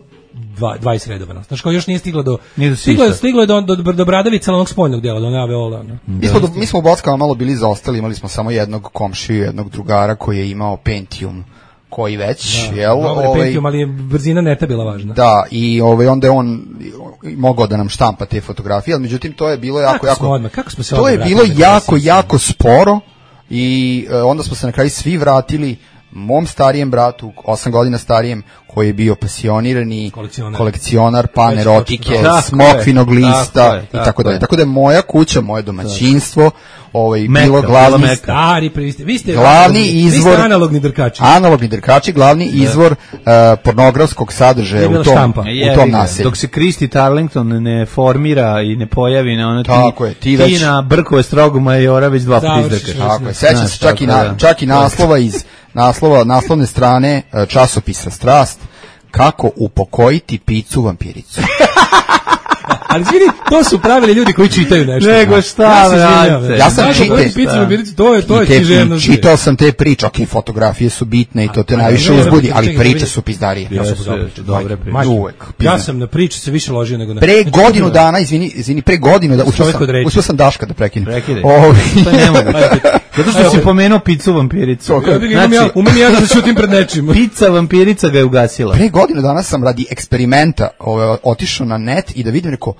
Speaker 7: dvadeset redova. Znači kao još nije stiglo do stiglo je stiglo je do do, do Bradavica onog spoljnog dela, do Aveola, no.
Speaker 9: Mi smo do, mi smo u Bockama malo bili zaostali, imali smo samo jednog komšiju, jednog drugara koji je imao Pentium koji već,
Speaker 7: da,
Speaker 9: jel?
Speaker 7: Ovaj Pentium, ali je brzina neta bila važna.
Speaker 9: Da, i ovaj onda je on mogao da nam štampa te fotografije, ali međutim to je bilo jako
Speaker 7: kako
Speaker 9: jako
Speaker 7: smo odmah, kako smo se
Speaker 9: to je bilo jako jako sporo i uh, onda smo se na kraju svi vratili mom starijem bratu, osam godina starijem, koji je bio pasionirani kolekcionar, kolekcionar panerotike, smokvinog lista i tako dalje. Tako da je moja kuća, moje domaćinstvo, ovaj
Speaker 1: meka,
Speaker 9: bilo glavni
Speaker 7: stari, vi ste, vi ste
Speaker 9: glavni izvor,
Speaker 7: vi ste analogni drkači.
Speaker 9: Analogni drkači, glavni da. izvor uh, pornografskog sadržaja u tom, u tom naselju.
Speaker 1: Dok se Kristi Tarlington ne formira i ne pojavi na ono ti,
Speaker 9: je, ti, već,
Speaker 1: ti na Brkove strogu majora već dva puta izdrkaš.
Speaker 9: Tako je, sećam se čak i, na, čak i naslova iz naslova, naslovne strane časopisa Strast, kako upokojiti picu vampiricu.
Speaker 7: Ali vidi, to su pravili ljudi koji čitaju nešto.
Speaker 1: Nego šta, brate.
Speaker 9: Ja sam čitao,
Speaker 7: to je to je književno.
Speaker 9: Čitao sam te priče, ok, fotografije su bitne i to te najviše uzbudi, ali priče su pizdarije.
Speaker 7: Ja sam dobre priče.
Speaker 9: Uvek.
Speaker 7: Ja sam na priče se više ložio nego na.
Speaker 9: Pre godinu dana, izvini, izvini, pre godinu da uspeo sam, uspeo sam Daška da prekinem.
Speaker 1: Prekidaj. To ne mogu. Zato što si pomenuo picu vampiricu.
Speaker 7: Znači, umem ja da šutim pred nečim.
Speaker 1: Pica vampirica ga je ugasila.
Speaker 9: Pre godinu dana sam radi eksperimenta otišao na net i da vidim neko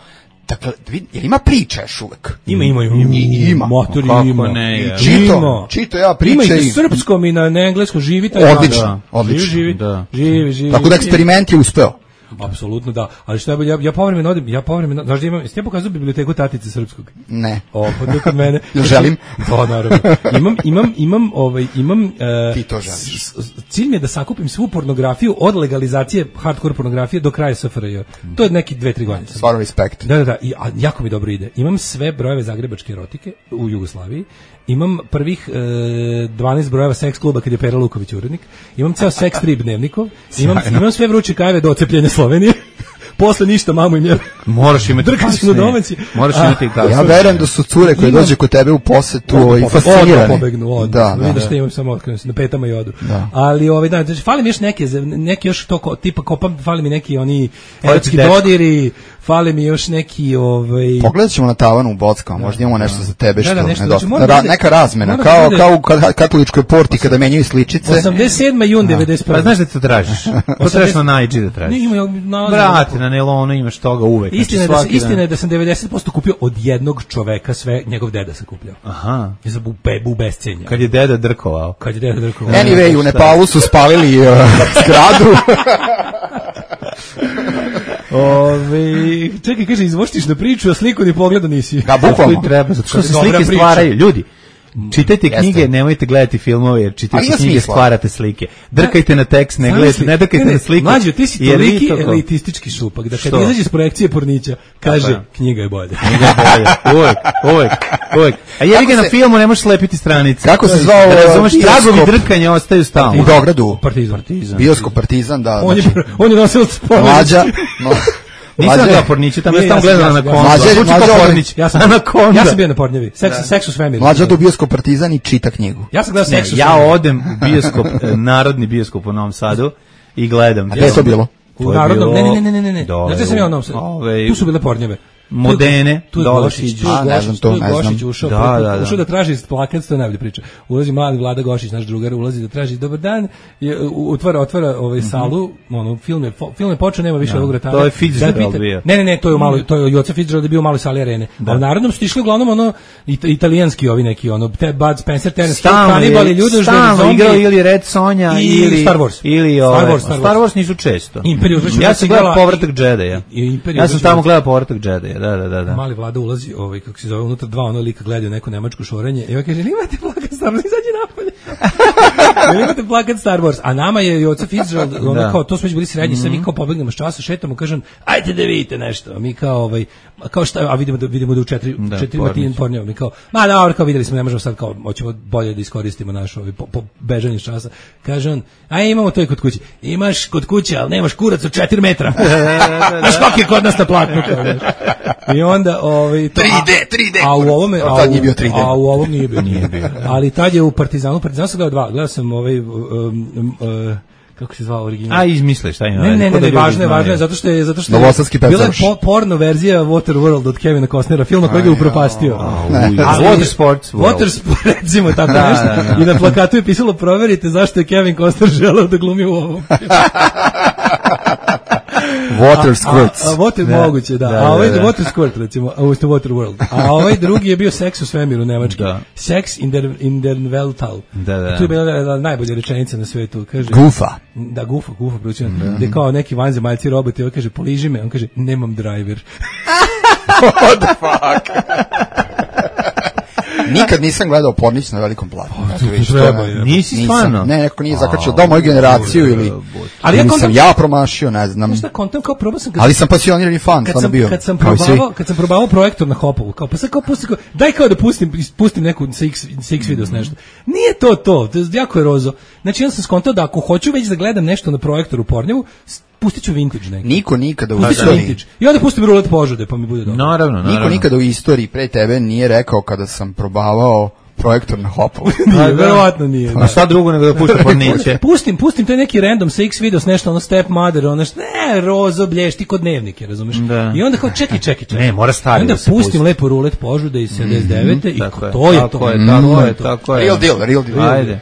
Speaker 9: dakle, jel ima priča još uvek?
Speaker 7: Ima, ima, ima.
Speaker 9: I, ima.
Speaker 7: Motori
Speaker 1: kako
Speaker 7: ima.
Speaker 1: Ne,
Speaker 9: čito, čito ja priče.
Speaker 7: Ima i na srpskom i na, na engleskom, živi taj.
Speaker 9: Odlično, da. odlično.
Speaker 7: Živi, živi, da. živi, živi.
Speaker 9: Tako da eksperiment je uspeo.
Speaker 7: Apsolutno da, ali šta je, ja, ja povremeno odim, ja povremeno, znaš da imam, jeste ja pokazao biblioteku Tatice Srpskog?
Speaker 9: Ne.
Speaker 7: O, pa tu kod mene.
Speaker 9: Želim.
Speaker 7: Da, naravno. Imam, imam, imam, ovaj, imam, uh,
Speaker 9: ti to želiš.
Speaker 7: Cilj mi je da sakupim svu pornografiju od legalizacije hardcore pornografije do kraja S F R J. To je neki dve, tri godine.
Speaker 9: Stvarno respekt.
Speaker 7: Da, da, da, i, a, jako mi dobro ide. Imam sve brojeve zagrebačke erotike u Jugoslaviji, imam prvih e, dvanaest brojeva seks kluba kad je Pera Luković urednik, imam ceo seks strip dnevnikov, imam, imam sve vruće kajve do ocepljenja Slovenije. Posle ništa, mamu im je.
Speaker 1: Moraš imati
Speaker 7: kasnije. Domaći.
Speaker 1: Moraš imati kasnije.
Speaker 9: Ja verujem da su cure koje dođe kod tebe u posetu i fascinirane.
Speaker 7: Pobegnu, od. Da, da. Vidiš da imam samo otkrenuo na petama i odu. Da. Ali ovaj da, znači fali mi još neke, neki još to ko, tipa kopam, fali mi neki oni erotski dodiri, fali mi još neki ovaj.
Speaker 9: Pogledaćemo na tavanu u Bockama, možda imamo nešto za tebe što
Speaker 7: da, da, nešto,
Speaker 9: nedostaje.
Speaker 7: znači,
Speaker 9: Ra, neka razmena, kao bude, kao u katoličkoj porti kada menjaju sličice.
Speaker 7: osamdeset sedmi jun devedeset prve.
Speaker 1: Pa znaš da ti to tražiš? To trebaš na Najdži da tražiš.
Speaker 7: Ne, ima na
Speaker 1: Brate, na nelonu imaš toga uvek.
Speaker 7: Istina, znači, da, istina je da sam devedeset posto kupio od jednog čoveka sve, njegov deda sam kupljao.
Speaker 1: Aha.
Speaker 7: Je za bu, bu bescenja.
Speaker 1: Kad je deda drkovao.
Speaker 7: Kad je deda drkovao.
Speaker 9: Anyway, u Nepalu su spalili uh, zgradu.
Speaker 7: Ove, čekaj, kaže, izvoštiš na priču, a sliku ni pogleda nisi.
Speaker 9: Da, bukvalno.
Speaker 1: Treba, zato što se slike stvaraju. Ljudi, čitajte knjige, jeste. Nemojte gledati filmove, jer čitajte knjige, stvarate slike. Drkajte na tekst, ne gledajte, ne drkajte ne, ne, na sliku.
Speaker 7: Mlađo, ti si toliki to elitistički šupak, da kad izađe iz projekcije Pornića, kaže, Tako, knjiga je bolja.
Speaker 1: Knjiga je bolja, uvek, uvek, uvek. A jebi ga na filmu, ne možeš slepiti stranice.
Speaker 9: Kako se zvao?
Speaker 1: Razumeš, tragovi drkanja ostaju stalno.
Speaker 9: U Beogradu.
Speaker 7: Partizan.
Speaker 1: Partizan.
Speaker 9: Bioskop Partizan, da.
Speaker 7: On je, on je nosio spomenu.
Speaker 9: Mlađa, no.
Speaker 1: Nisam da Porniću, tamo je tamo gledala na kondu.
Speaker 9: Mlađa, Mlađa,
Speaker 7: ja sam na kondu. Ja sam bio na Pornjevi. Seks, Sexus Family.
Speaker 9: Mlađa do bioskop Partizan i čita knjigu.
Speaker 7: Ja sam gledao Sexus.
Speaker 1: Ja odem u bioskop, narodni bioskop u Novom Sadu i gledam.
Speaker 9: A gde je to bilo?
Speaker 7: U narodnom, ne, ne, ne, ne, ne, ne. Znači sam ja u Novom Sadu. Tu su bile Pornjeve.
Speaker 1: Modene,
Speaker 7: tu Gošić, tu
Speaker 9: a, ne znam to, ne znam.
Speaker 7: Gošić ušao,
Speaker 1: da, da, da.
Speaker 7: ušao da traži plakat, to je najbolja priča. Ulazi mladi Vlada Gošić, naš drugar, ulazi da traži dobar dan, je, otvara, otvara ovaj mm-hmm. salu, ono, film je, film je počeo, nema više
Speaker 1: da.
Speaker 7: ovog retara.
Speaker 1: To je Fitzgerald bio.
Speaker 7: Ne, ne, ne, to je u maloj, to je Joca Fitzgerald je bio u maloj sali arene. Da. A u narodnom su išli uglavnom ono, it, italijanski ovi neki, ono, Ted Bud Spencer, Terence Hill, Kanibali, Ljudožder,
Speaker 1: Zombi. Igrao ili Red Sonja, ili
Speaker 7: Star Wars.
Speaker 1: Ili
Speaker 7: Star
Speaker 1: ove,
Speaker 7: Wars, Star Wars.
Speaker 1: Star Wars nisu često.
Speaker 7: Imperiju,
Speaker 1: ja sam gledao Povratak Džedaja. Ja sam tamo gledao Povratak Džedaja, da, da, da, da.
Speaker 7: Mali Vlada ulazi, ovaj kako se zove, unutra dva ono lika gledaju neko nemačko šorenje i on kaže, imate plakat Star Wars, izađi napolje. Imate plakat Star Wars, a nama je Joca Fitzgerald, ono da. Kao, to smo već bili srednji, mm-hmm. sad mi kao pobegnemo s časa, šetamo, kažem, ajte da vidite nešto, a mi kao, ovaj, kao šta, a vidimo da, vidimo da u četiri, da, četiri matin pornjeva, mi kao, ma dobro, kao videli smo, ne možemo sad kao, hoćemo bolje da iskoristimo naš ovaj, po, po bežanju s časa, kaže on, aj imamo to i kod kuće, imaš kod kuće, ali nemaš kurac od četiri metra, znaš kak je kod nas na platnu, i onda, ovaj, to,
Speaker 9: tri D, tri D.
Speaker 7: A u ovome, a,
Speaker 9: a, u,
Speaker 7: tri D. A u ovom nije bio, nije bio. Ali tad je u Partizanu, Partizanu sam gledao dva, gledao sam ovaj, um, um, uh, kako se zvao original?
Speaker 1: A izmisliš, šta ima?
Speaker 7: Ne, ne, ne, ne, važno je, važno je, zato što je, zato što je bila je po, porno verzija Waterworld od Kevina Costnera, filma koji ga upropastio.
Speaker 1: Water Sports World.
Speaker 7: Water Sports, recimo tako nešto. I na plakatu je pisalo, proverite zašto je Kevin Costner želeo da glumi u ovom.
Speaker 9: Water Squirts.
Speaker 7: A, a, a water da, moguće, da. da a ovaj da, da. Water Squirt, recimo, a uste Water World. A ovaj drugi je bio Sex u svemiru nemački. Da. Sex in der, in der Weltall.
Speaker 1: Da, da.
Speaker 7: I tu je bila najbolja rečenica na svetu. Kaže,
Speaker 9: Gufa.
Speaker 7: Da, Gufa, Gufa, proćeno. Da. Gde kao neki vanzemaljci roboti, on kaže, poliži me, on kaže, nemam driver.
Speaker 9: What the fuck? Nikad nisam gledao Pornić na velikom platnu.
Speaker 1: Treba, je. Nisi stvarno?
Speaker 9: Ne, neko nije zakačio, dao moju generaciju ili,
Speaker 7: ali ja
Speaker 9: ili sam ja promašio, ne znam.
Speaker 7: Šta kontam, kao probao sam...
Speaker 9: Ali sam pasionirani fan,
Speaker 7: stvarno
Speaker 9: bio.
Speaker 7: Kad sam probavao, kad sam probavao projektor na Hopovu, kao pa sad kao pusti, kao, daj kao da pustim, pustim neku C X, C X videos nešto. Nije to to, to je jako je rozo. Znači, ja sam skontao da ako hoću već da gledam nešto na projektoru u Pornjevu, pustit ću vintage neki.
Speaker 9: Niko nikada u
Speaker 7: istoriji. I onda pustim rulet požude, pa mi bude dobro.
Speaker 1: Naravno, naravno.
Speaker 9: Niko nikada u istoriji pre tebe nije rekao kada sam probavao projektor na Hopovu.
Speaker 7: Nije, verovatno nije.
Speaker 1: A šta drugo nego da pušta Porniće?
Speaker 7: Pustim, pustim, to je neki random C X videos, nešto ono Step Mother, ono što, ne, rozo, blješti kod dnevnike, razumeš? Da. I onda kao, čekaj, čekaj, čekaj.
Speaker 1: Ne, mora stari
Speaker 7: da se pustim pusti. Lepo rulet požude iz sedamdeset devete i to je to.
Speaker 1: Tako je, tako je, tako je.
Speaker 9: Real deal, real deal.
Speaker 1: Ajde.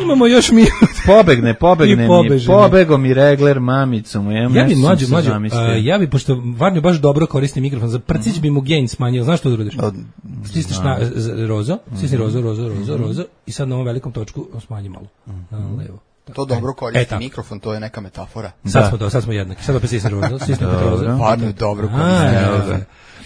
Speaker 7: Imamo još mi
Speaker 1: pobegne, pobegne mi, pobegom i regler mamicom.
Speaker 7: Ja bi mlađu, mlađu, ja bi, pošto Varnjo baš dobro koristi mikrofon, za prcić bi mu gain smanjio, znaš što da uradiš? Stisneš na rozo, stisni rozo, rozo, rozo, rozo i sad na ovom velikom točku smanji malo, na levo.
Speaker 9: To dobro koristi
Speaker 7: e,
Speaker 9: mikrofon, to je neka metafora.
Speaker 7: Sad
Speaker 1: da.
Speaker 7: smo to, sad smo jednaki. Sad opet sistem roza, sistem petroza.
Speaker 9: Parno dobro
Speaker 7: A,
Speaker 9: koristi.
Speaker 7: ja,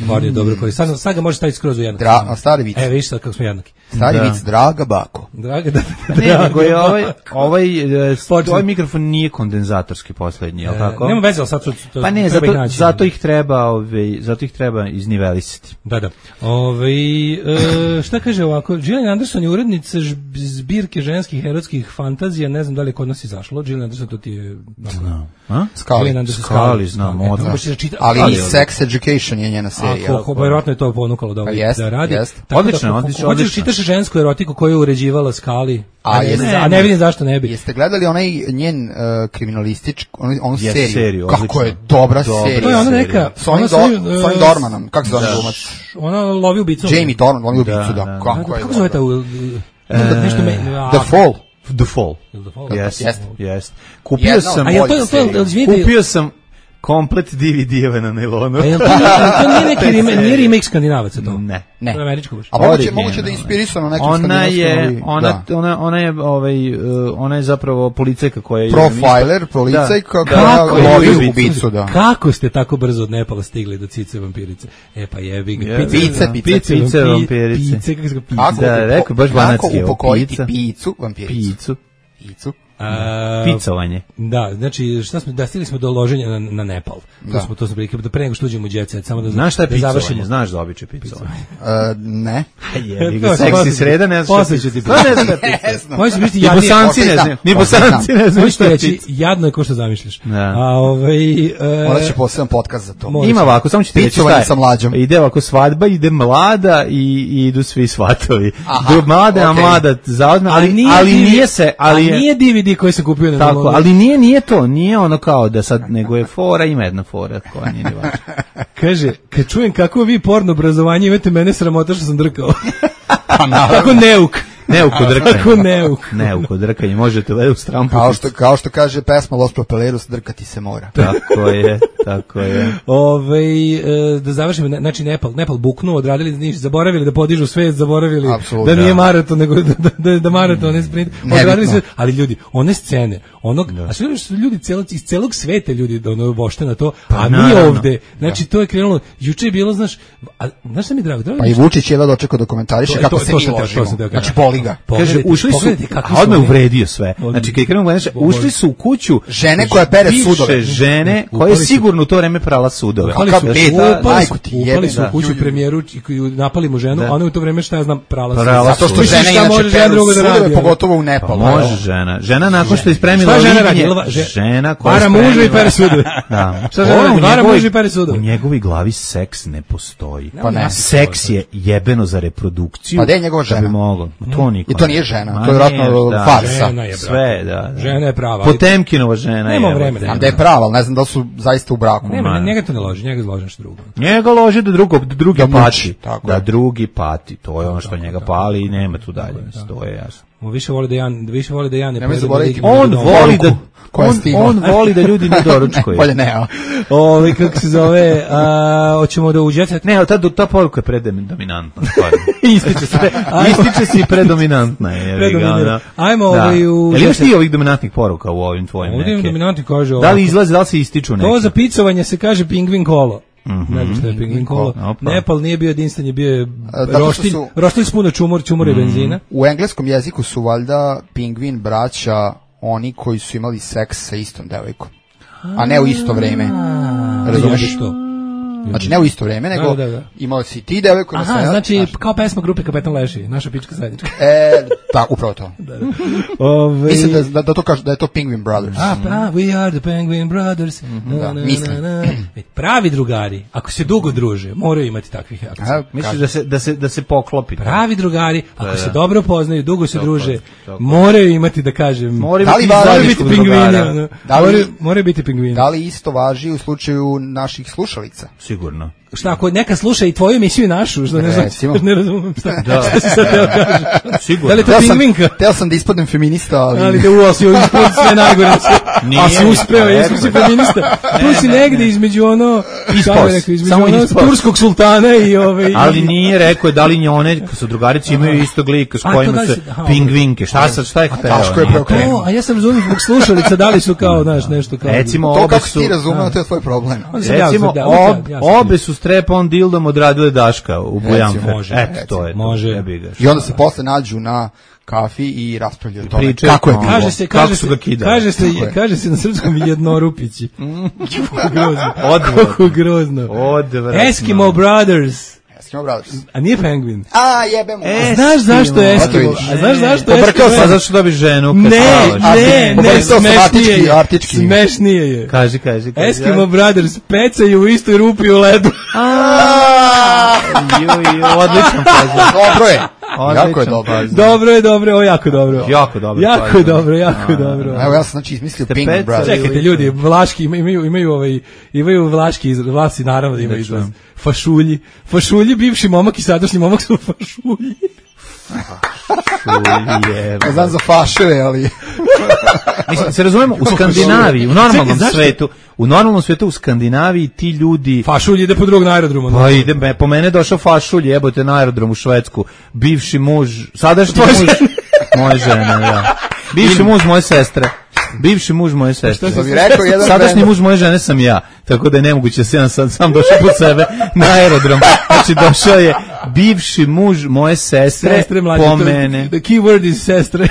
Speaker 7: Varno je dobro koji. Sad, sad ga može staviti skroz u jednaki.
Speaker 9: Dra, a stari vic.
Speaker 7: E, vidiš sad kako smo jednaki.
Speaker 9: Stari
Speaker 1: Da.
Speaker 9: vic, draga bako.
Speaker 7: Draga, da,
Speaker 1: Ne, nego je ovaj, ovaj, e, ovaj mikrofon nije kondenzatorski poslednji, je li tako?
Speaker 7: Nema veze, ali sad su, to,
Speaker 1: Pa ne,
Speaker 7: treba
Speaker 1: zato,
Speaker 7: ih naći.
Speaker 1: zato ih treba, ovaj, zato ih treba iznivelisati.
Speaker 7: Da, da. Ove, e, šta kaže ovako? Gillian Anderson je urednica žb- zbirke ženskih erotskih fantazija, ne znam da li je kod nas izašlo. Gillian Anderson, to ti je...
Speaker 1: Znam. A?
Speaker 9: Skali.
Speaker 1: Skali, znam,
Speaker 7: Eto,
Speaker 1: odmah.
Speaker 7: baš je čita-
Speaker 9: Ali
Speaker 7: ali-
Speaker 9: i Sex Education je njena serija.
Speaker 7: Ako, verovatno je to ponukalo da,
Speaker 9: Pa
Speaker 7: ovaj,
Speaker 9: jest,
Speaker 7: da radi.
Speaker 9: jest.
Speaker 7: Tako
Speaker 1: Odlično,
Speaker 7: da,
Speaker 1: odlično,
Speaker 7: hoćeš
Speaker 1: odlično.
Speaker 7: čitaš žensku erotiku koju je uređivala Skali,
Speaker 9: A,
Speaker 7: a, ne,
Speaker 9: jeste.
Speaker 7: a ne vidim zašto ne bi.
Speaker 9: Jeste gledali onaj njen uh, kriminalistički, onu, onu
Speaker 1: Jeste,
Speaker 9: seriju?
Speaker 1: seriju,
Speaker 9: Kako
Speaker 1: odlično.
Speaker 9: je dobra
Speaker 1: Dobra
Speaker 9: serija.
Speaker 7: To je ona
Speaker 1: serija.
Speaker 7: neka...
Speaker 9: S onim,
Speaker 7: ona
Speaker 9: do,
Speaker 7: svoju,
Speaker 9: s onim
Speaker 7: e,
Speaker 9: Dormanom, kako se zove glumac?
Speaker 7: Ona lovi ubicu.
Speaker 9: Jamie Dorman, lovi ubicu,
Speaker 1: Da,
Speaker 9: da.
Speaker 1: da.
Speaker 9: Kako je
Speaker 7: Kako zove ta...
Speaker 9: dobro.
Speaker 7: u- e, nešto me... a,
Speaker 9: The Fall.
Speaker 1: The Fall.
Speaker 7: The Fall.
Speaker 1: Yes,
Speaker 9: Jeste.
Speaker 1: yes. Kupio
Speaker 9: Jedna od
Speaker 1: sam,
Speaker 7: A jel to,
Speaker 9: boljih
Speaker 7: to,
Speaker 9: serija.
Speaker 7: izvinite,
Speaker 1: kupio sam komplet D V D-eve na nailonu.
Speaker 7: a jel to, to nije neki remake, nije remake Skandinavaca to?
Speaker 1: Ne.
Speaker 9: Ne.
Speaker 7: To je američko baš.
Speaker 9: A moguće,
Speaker 1: Originalno.
Speaker 9: moguće da je inspirisano nekim
Speaker 1: Ona
Speaker 9: skandinavskim,
Speaker 1: je,
Speaker 9: ali-
Speaker 1: ona,
Speaker 9: da.
Speaker 1: ona, ona je, ovaj, uh, ona je zapravo policajka koja je...
Speaker 9: Profiler, policajka,
Speaker 1: Da.
Speaker 9: koja
Speaker 7: Kako
Speaker 9: lovi
Speaker 7: je-
Speaker 9: ubicu, da.
Speaker 7: Kako ste tako brzo od Nepala stigli do cice vampirice? E pa jebi ga.
Speaker 1: Jebi
Speaker 9: Pice,
Speaker 1: ga.
Speaker 9: pice,
Speaker 1: pice vampirice.
Speaker 7: Pice, kako se ga pice?
Speaker 9: Kako,
Speaker 1: Da,
Speaker 9: upo-
Speaker 1: rekao, baš
Speaker 9: kako
Speaker 1: banatski, evo,
Speaker 9: upokojiti
Speaker 1: pica.
Speaker 9: picu, vampiricu.
Speaker 1: Picu.
Speaker 9: Picu.
Speaker 7: A,
Speaker 1: Picovanje.
Speaker 7: Da, znači šta smo da stigli smo do loženja na, na Nepal. To
Speaker 9: Da.
Speaker 7: smo to smo prilike da pre nego što uđemo u jet set, samo da
Speaker 1: Znaš šta je
Speaker 7: da
Speaker 1: picovanje?
Speaker 7: završimo.
Speaker 1: Znaš za običaj picovanje?
Speaker 9: Uh, ne.
Speaker 1: Jebi
Speaker 7: To
Speaker 1: ga,
Speaker 7: je
Speaker 1: seksi
Speaker 7: posle-
Speaker 1: sreda, ne znaš šta
Speaker 7: posle
Speaker 1: je
Speaker 7: ću ti
Speaker 1: picovanje. Ne znaš šta je picovanje.
Speaker 7: Možeš biti
Speaker 1: Ni
Speaker 7: jadnije.
Speaker 1: bosanci ne
Speaker 9: Možda
Speaker 1: znaju,
Speaker 9: znam,
Speaker 1: ni
Speaker 9: možda
Speaker 1: bosanci ne znaju
Speaker 7: Možeš
Speaker 1: šta
Speaker 7: ti
Speaker 1: je
Speaker 7: reći
Speaker 1: pica.
Speaker 7: jadno je ko što zamišljaš.
Speaker 1: Da.
Speaker 7: A ovaj e,
Speaker 9: Morat će poseban podcast za to.
Speaker 7: Može.
Speaker 1: Ima ovako, samo ću ti reći
Speaker 9: Picovanje
Speaker 1: šta je.
Speaker 9: sa mlađom.
Speaker 1: Ide ovako svadba, ide mlada i, i idu svi svatovi.
Speaker 9: Aha,
Speaker 1: Do mlade, a
Speaker 9: okej.
Speaker 1: mlada zauzme, ali,
Speaker 7: ali nije,
Speaker 1: ali
Speaker 7: D V D
Speaker 1: nije se, ali
Speaker 7: a
Speaker 1: je,
Speaker 7: nije D V D koji se kupio na
Speaker 1: tako,
Speaker 7: Nalonu.
Speaker 1: ali nije, nije to, nije ono kao da sad, nego je fora, ima jedna fora koja nije ni važna.
Speaker 7: Kaže, kad čujem kako vi porno obrazovanje imate, mene sramota što sam drkao.
Speaker 9: Pa naravno.
Speaker 7: Kako neuk.
Speaker 1: Neuko drkanje.
Speaker 7: Kako neuk.
Speaker 1: Neuko drkanje, možete le u strampu.
Speaker 9: Kao što, kao što kaže pesma Los Propeleros, drkati se mora.
Speaker 1: Tako je, tako je.
Speaker 7: Ove, e, da završimo, ne- znači Nepal, Nepal buknuo, odradili niš, zaboravili da podižu svet, zaboravili
Speaker 9: Apsolutno,
Speaker 7: da nije
Speaker 9: da.
Speaker 7: maraton, nego da, da, da, da maraton, ne sprint.
Speaker 9: Nebitno.
Speaker 7: Odradili sve, ali ljudi, one scene, onog, a sve su ljudi celog, iz celog sveta ljudi ono vošte na to, a mi
Speaker 1: naravno.
Speaker 7: ovde, znači to je krenulo, juče je bilo, znaš, a, znaš šta mi je drago, drago
Speaker 9: Pa
Speaker 7: mi
Speaker 9: i
Speaker 7: je što-
Speaker 9: Vučić je da dočekao da komentariše
Speaker 7: To-
Speaker 9: kako
Speaker 7: to-
Speaker 9: se
Speaker 7: to
Speaker 9: mi
Speaker 7: sam teo- to
Speaker 9: ložimo.
Speaker 7: sam teo kažem.
Speaker 9: Znači, boli ga.
Speaker 1: Kaže,
Speaker 7: Pogledajte,
Speaker 1: ušli su,
Speaker 7: pogledajte kakvi
Speaker 1: a
Speaker 7: su
Speaker 1: odmah
Speaker 7: oni.
Speaker 1: uvredio sve. Znači, kad krenemo gledaš, ušli su u kuću
Speaker 9: Žene koja pere
Speaker 1: bivše
Speaker 9: sudove.
Speaker 1: žene
Speaker 7: Upali
Speaker 1: koje
Speaker 7: su-
Speaker 1: sigurno u to vreme prala sudove.
Speaker 7: Upali
Speaker 9: Kakav
Speaker 7: su,
Speaker 9: beda,
Speaker 7: upali su,
Speaker 9: majku ti
Speaker 7: upali
Speaker 9: jebe,
Speaker 7: su
Speaker 9: da.
Speaker 7: u kuću premijeru i koju napali mu ženu,
Speaker 1: Da.
Speaker 7: a ona je u to vreme šta ja znam prala su.
Speaker 1: Prala
Speaker 9: Zato što
Speaker 1: Misliš
Speaker 9: žene
Speaker 7: šta može
Speaker 9: inače
Speaker 7: žena
Speaker 9: peru
Speaker 7: drugo da
Speaker 9: sudove,
Speaker 7: radi, ono?
Speaker 9: pogotovo u Nepalu.
Speaker 1: Može žena. Žena nakon što je ispremila
Speaker 7: Šta žena radi?
Speaker 1: lignje,
Speaker 7: Jel va- že-
Speaker 1: žena koja je
Speaker 7: Vara muža i
Speaker 1: spremila-
Speaker 7: pere sudove.
Speaker 1: Da.
Speaker 7: Šta žena
Speaker 1: Ona
Speaker 7: radi?
Speaker 1: u
Speaker 7: Vara
Speaker 1: njegovoj-
Speaker 7: muža i pere sudove.
Speaker 1: U njegovoj glavi seks ne postoji.
Speaker 9: Pa ne.
Speaker 1: Seks je jebeno za reprodukciju.
Speaker 9: Pa gde je njegova
Speaker 1: Da bi
Speaker 9: žena?
Speaker 1: moglo. To niko
Speaker 9: I to
Speaker 1: ne
Speaker 9: nije
Speaker 1: zna.
Speaker 9: žena,
Speaker 1: Ma
Speaker 9: to je vjerojatno
Speaker 1: nije, da.
Speaker 9: farsa.
Speaker 7: Žena je, brate.
Speaker 1: Sve, da. da.
Speaker 7: Žena je prava, ali-
Speaker 1: Potemkinova žena.
Speaker 7: Nema
Speaker 1: je,
Speaker 7: vremena.
Speaker 1: evo.
Speaker 9: A da je prava, ali ne znam da li su zaista u braku.
Speaker 7: Nema, njega to ne loži, njega zloži nešto drugo.
Speaker 1: Njega loži da, drugo, da drugi
Speaker 9: Da muči,
Speaker 1: pati.
Speaker 9: tako
Speaker 1: Da
Speaker 9: je.
Speaker 1: drugi pati. To je ono što njega pali i nema tu dalje. Mislim, to je jasno.
Speaker 7: On više voli da ja, više voli da ja ne
Speaker 9: Nemoj
Speaker 7: pojedem
Speaker 9: zaboraviti,
Speaker 7: veliki
Speaker 1: On
Speaker 7: dom.
Speaker 1: voli da
Speaker 9: koja je
Speaker 1: on,
Speaker 9: stigla.
Speaker 1: on voli da ljudi ne doručkuju.
Speaker 9: Bolje ne, a?
Speaker 7: Ovi, kako se zove, a, hoćemo da uđete.
Speaker 1: Ne, ta, ta poruka je predominantna. stvarno.
Speaker 7: Ističe se.
Speaker 1: Ističe se i predominantna. Je,
Speaker 7: Predominantna. Ajmo
Speaker 1: da.
Speaker 7: ovaj u-
Speaker 1: Jel imaš ti ovih dominantnih poruka u ovim tvojim
Speaker 7: Ovdje
Speaker 1: neke?
Speaker 7: dominanti kaže
Speaker 1: Da
Speaker 7: ovako.
Speaker 1: li izlazi, da li se ističu neke?
Speaker 7: To za picovanje se kaže pingvin kolo.
Speaker 1: Mhm.
Speaker 7: Ne znam šta je pingvin kolo.
Speaker 1: Opa.
Speaker 7: Nepal nije bio jedinstven, je bio je
Speaker 9: zato što
Speaker 7: roštilj,
Speaker 9: su-
Speaker 7: roštilj s puno čumor, čumor i benzina.
Speaker 9: U engleskom jeziku su valjda pingvin braća oni koji su imali seks sa istom devojkom. A ne u isto vreme. Razumeš?
Speaker 7: Jebe to.
Speaker 9: Znači ne u isto vreme, nego
Speaker 7: Da, da, da.
Speaker 9: imao si ti devojku na
Speaker 7: Aha,
Speaker 9: sve.
Speaker 7: znači kao pesma grupe Kapetan Leši, naša pička zajednička.
Speaker 9: E, da, upravo to.
Speaker 7: Ove,
Speaker 9: Mislim da, da, da to kaže da je to Penguin Brothers.
Speaker 7: A, pa, we are the Penguin Brothers. Na,
Speaker 9: da,
Speaker 7: na,
Speaker 9: mislim.
Speaker 7: na, na. E, Pravi drugari, ako se dugo druže, moraju imati takvih akcija.
Speaker 9: Aha,
Speaker 1: Misliš
Speaker 9: kaže.
Speaker 1: da se, da se, da se poklopi?
Speaker 7: Pravi drugari, ako
Speaker 1: da.
Speaker 7: se dobro poznaju, dugo se
Speaker 1: Tako
Speaker 7: druže,
Speaker 1: je, tako je.
Speaker 7: moraju imati, da kažem,
Speaker 1: Moraju
Speaker 9: Da li
Speaker 1: biti
Speaker 9: važi-
Speaker 7: moraju
Speaker 1: zajedničkog
Speaker 7: biti pingvini.
Speaker 1: drugara.
Speaker 7: ono.
Speaker 9: Da li-
Speaker 7: Moraju, moraju biti pingvini.
Speaker 9: Da li isto važi u slučaju naših slušalica?
Speaker 1: Sigurno.
Speaker 7: šta ako neka sluša i tvoju emisiju i našu, što ne znam, ne razumem šta,
Speaker 1: da.
Speaker 7: šta si sad teo kažeš.
Speaker 1: Sigurno.
Speaker 7: Da li to pingvinka?
Speaker 9: Teo sam da ispadnem feminista, ali...
Speaker 7: Ali da uo si uspio sve najgore. A si uspeo, jesmo si feminista. Tu si negde između ono...
Speaker 1: Ispos.
Speaker 7: Samo ono turskog sultana i ove...
Speaker 1: Ali nije rekao je da li njone, su drugarice imaju istog lika s kojima se pingvinke. Šta sad, šta je hteo?
Speaker 7: A ja sam razumio zbog slušalica, da li su kao, znaš, nešto kao...
Speaker 1: Recimo,
Speaker 9: to kako ti razumeo, to je tvoj problem.
Speaker 1: Recimo, obe su strep-on dildom odradile Daška u Bujanfe. Eto, to je.
Speaker 7: Može.
Speaker 9: I onda se posle nađu na kafi i raspravljaju o tome.
Speaker 1: Pričaju,
Speaker 9: kako je bilo?
Speaker 7: Kaže se,
Speaker 1: kako
Speaker 7: kaže
Speaker 1: su ga kidali.
Speaker 7: Kaže se, kaže se na srpskom jednorupići. Kako grozno.
Speaker 1: Odvratno.
Speaker 7: Kako grozno.
Speaker 1: Odvratno.
Speaker 7: Eskimo Brothers.
Speaker 9: Eskimo Brothers.
Speaker 7: A nije Penguin.
Speaker 9: A, jebemo.
Speaker 7: E, znaš zašto je Eskimo? A znaš zašto je
Speaker 1: Pobrkao sam, zašto dobiš ženu?
Speaker 7: Ne, ne, ne, smešnije je.
Speaker 9: Artički.
Speaker 7: Smešnije je.
Speaker 1: Kaži, kaži, kaži.
Speaker 7: Eskimo Brothers pecaju u istoj rupi u ledu.
Speaker 1: Odlično kaže.
Speaker 9: Dobro je. Jako je dobro.
Speaker 7: Dobro je, dobro, ovo jako dobro.
Speaker 1: Jako dobro.
Speaker 7: Jako dobro, jako dobro.
Speaker 9: Evo ja sam znači izmislio Penguin Brothers.
Speaker 7: Čekajte ljudi, vlaški imaju imaju ovaj imaju vlaški izraz, vlasi naravno da imaju izraz. Fašulji. Fašulji, bivši momak i sadašnji momak su fašulji.
Speaker 1: Fašulje.
Speaker 9: Ne znam za faševe, ali...
Speaker 1: Mislim, se razumemo, u Skandinaviji, u normalnom svetu, u normalnom svetu u Skandinaviji ti ljudi...
Speaker 7: Fašulj ide po drugog na aerodromu.
Speaker 1: Pa ide, po mene došao fašulj, jebote na aerodrom u Švedsku, bivši muž, sadašnji muž, moje žene, da. Bivši muž moje sestre. Bivši muž moje sestre.
Speaker 9: Što bi rekao jedan
Speaker 1: sadašnji muž moje žene sam ja, tako da je nemoguće da se ja sad sam došao po sebe na aerodrom. Znači došao je bivši muž moje sestre, sestre mlađe, po mene.
Speaker 7: The key word is sestre.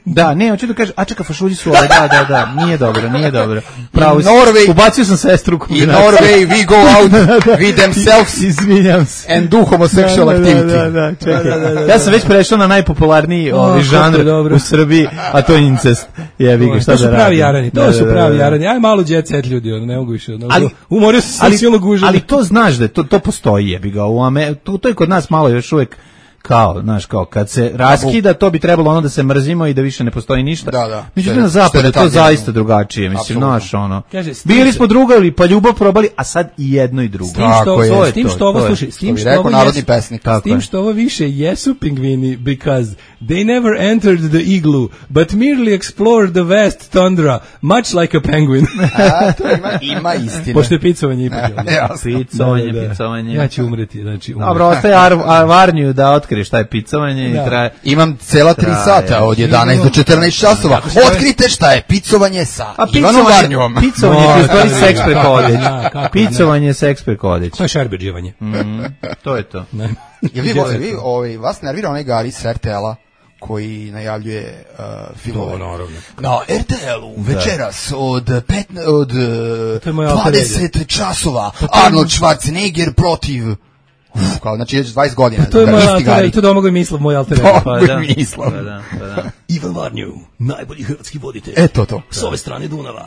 Speaker 1: Da, ne, hoću da kažem, a čeka, fašulji su ove, da, da, da, nije dobro, nije dobro. Pravo,
Speaker 9: Norway,
Speaker 1: ubacio sam sestru u kombinaciju.
Speaker 9: In Norway we go out with themselves
Speaker 1: izvinjam se.
Speaker 9: And do homosexual
Speaker 1: da,
Speaker 9: activity.
Speaker 1: Da, da, da, čekaj. Da, da, da, da. Ja sam već prešao na najpopularniji oh, ovaj žanr u Srbiji, a to je incest. Jebi ga, šta da radim.
Speaker 7: To su pravi jarani, to da, su pravi da, da, jarani. Aj malo jet set ljudi, ono, ne mogu više. Ono,
Speaker 1: ali,
Speaker 7: umorio sam se silno gužan.
Speaker 1: Ali to znaš da to, to postoji, jebi ga. U Ame, to, to je kod nas malo još uvek kao, znaš, kao, kad se raskida, to bi trebalo ono da se mrzimo i da više ne postoji ništa.
Speaker 9: Da, da.
Speaker 1: Međutim, na zapadu je to zaista drugačije, mislim, znaš, ono. Bili smo drugali, pa ljubav probali, a sad i jedno i drugo.
Speaker 7: S tim što,
Speaker 1: je,
Speaker 7: s tim što ovo, slušaj, s tim što ovo,
Speaker 9: narodni pesnik.
Speaker 7: S tim što ovo više jesu pingvini, because they never entered the igloo, but merely explored the vast tundra, much like a penguin.
Speaker 9: A, to ima, ima istine.
Speaker 7: Pošto je picovanje ipak.
Speaker 1: Picovanje, picovanje.
Speaker 7: Ja ću umreti, znači umreti.
Speaker 1: Dobro, ostaje Varniju da otkrije šta je picovanje da. I traje.
Speaker 9: Imam cela tri sata od jedanaest do četrnaest časova. Otkrite šta je picovanje sa Ivanom Varnjom.
Speaker 1: Picovanje je u stvari seks preko odeće. Picovanje je seks preko odeće.
Speaker 7: To je šerbeđivanje.
Speaker 1: To je to.
Speaker 9: Jel vi, vi ovaj, vas nervira onaj Gari s R T L-a koji najavljuje uh, filmove. Na R T L-u večeras od, pet, od dvadeset časova Arnold Schwarzenegger protiv... Uf, kao, znači, već dvadeset godina.
Speaker 7: Pa to je moj alter, to Domagoj Mislav, moj alter.
Speaker 9: Domagoj Mislav.
Speaker 1: Pa da, pa da.
Speaker 7: Ivan Varnju, najbolji hrvatski voditelj.
Speaker 9: Eto to.
Speaker 7: S ove strane Dunava.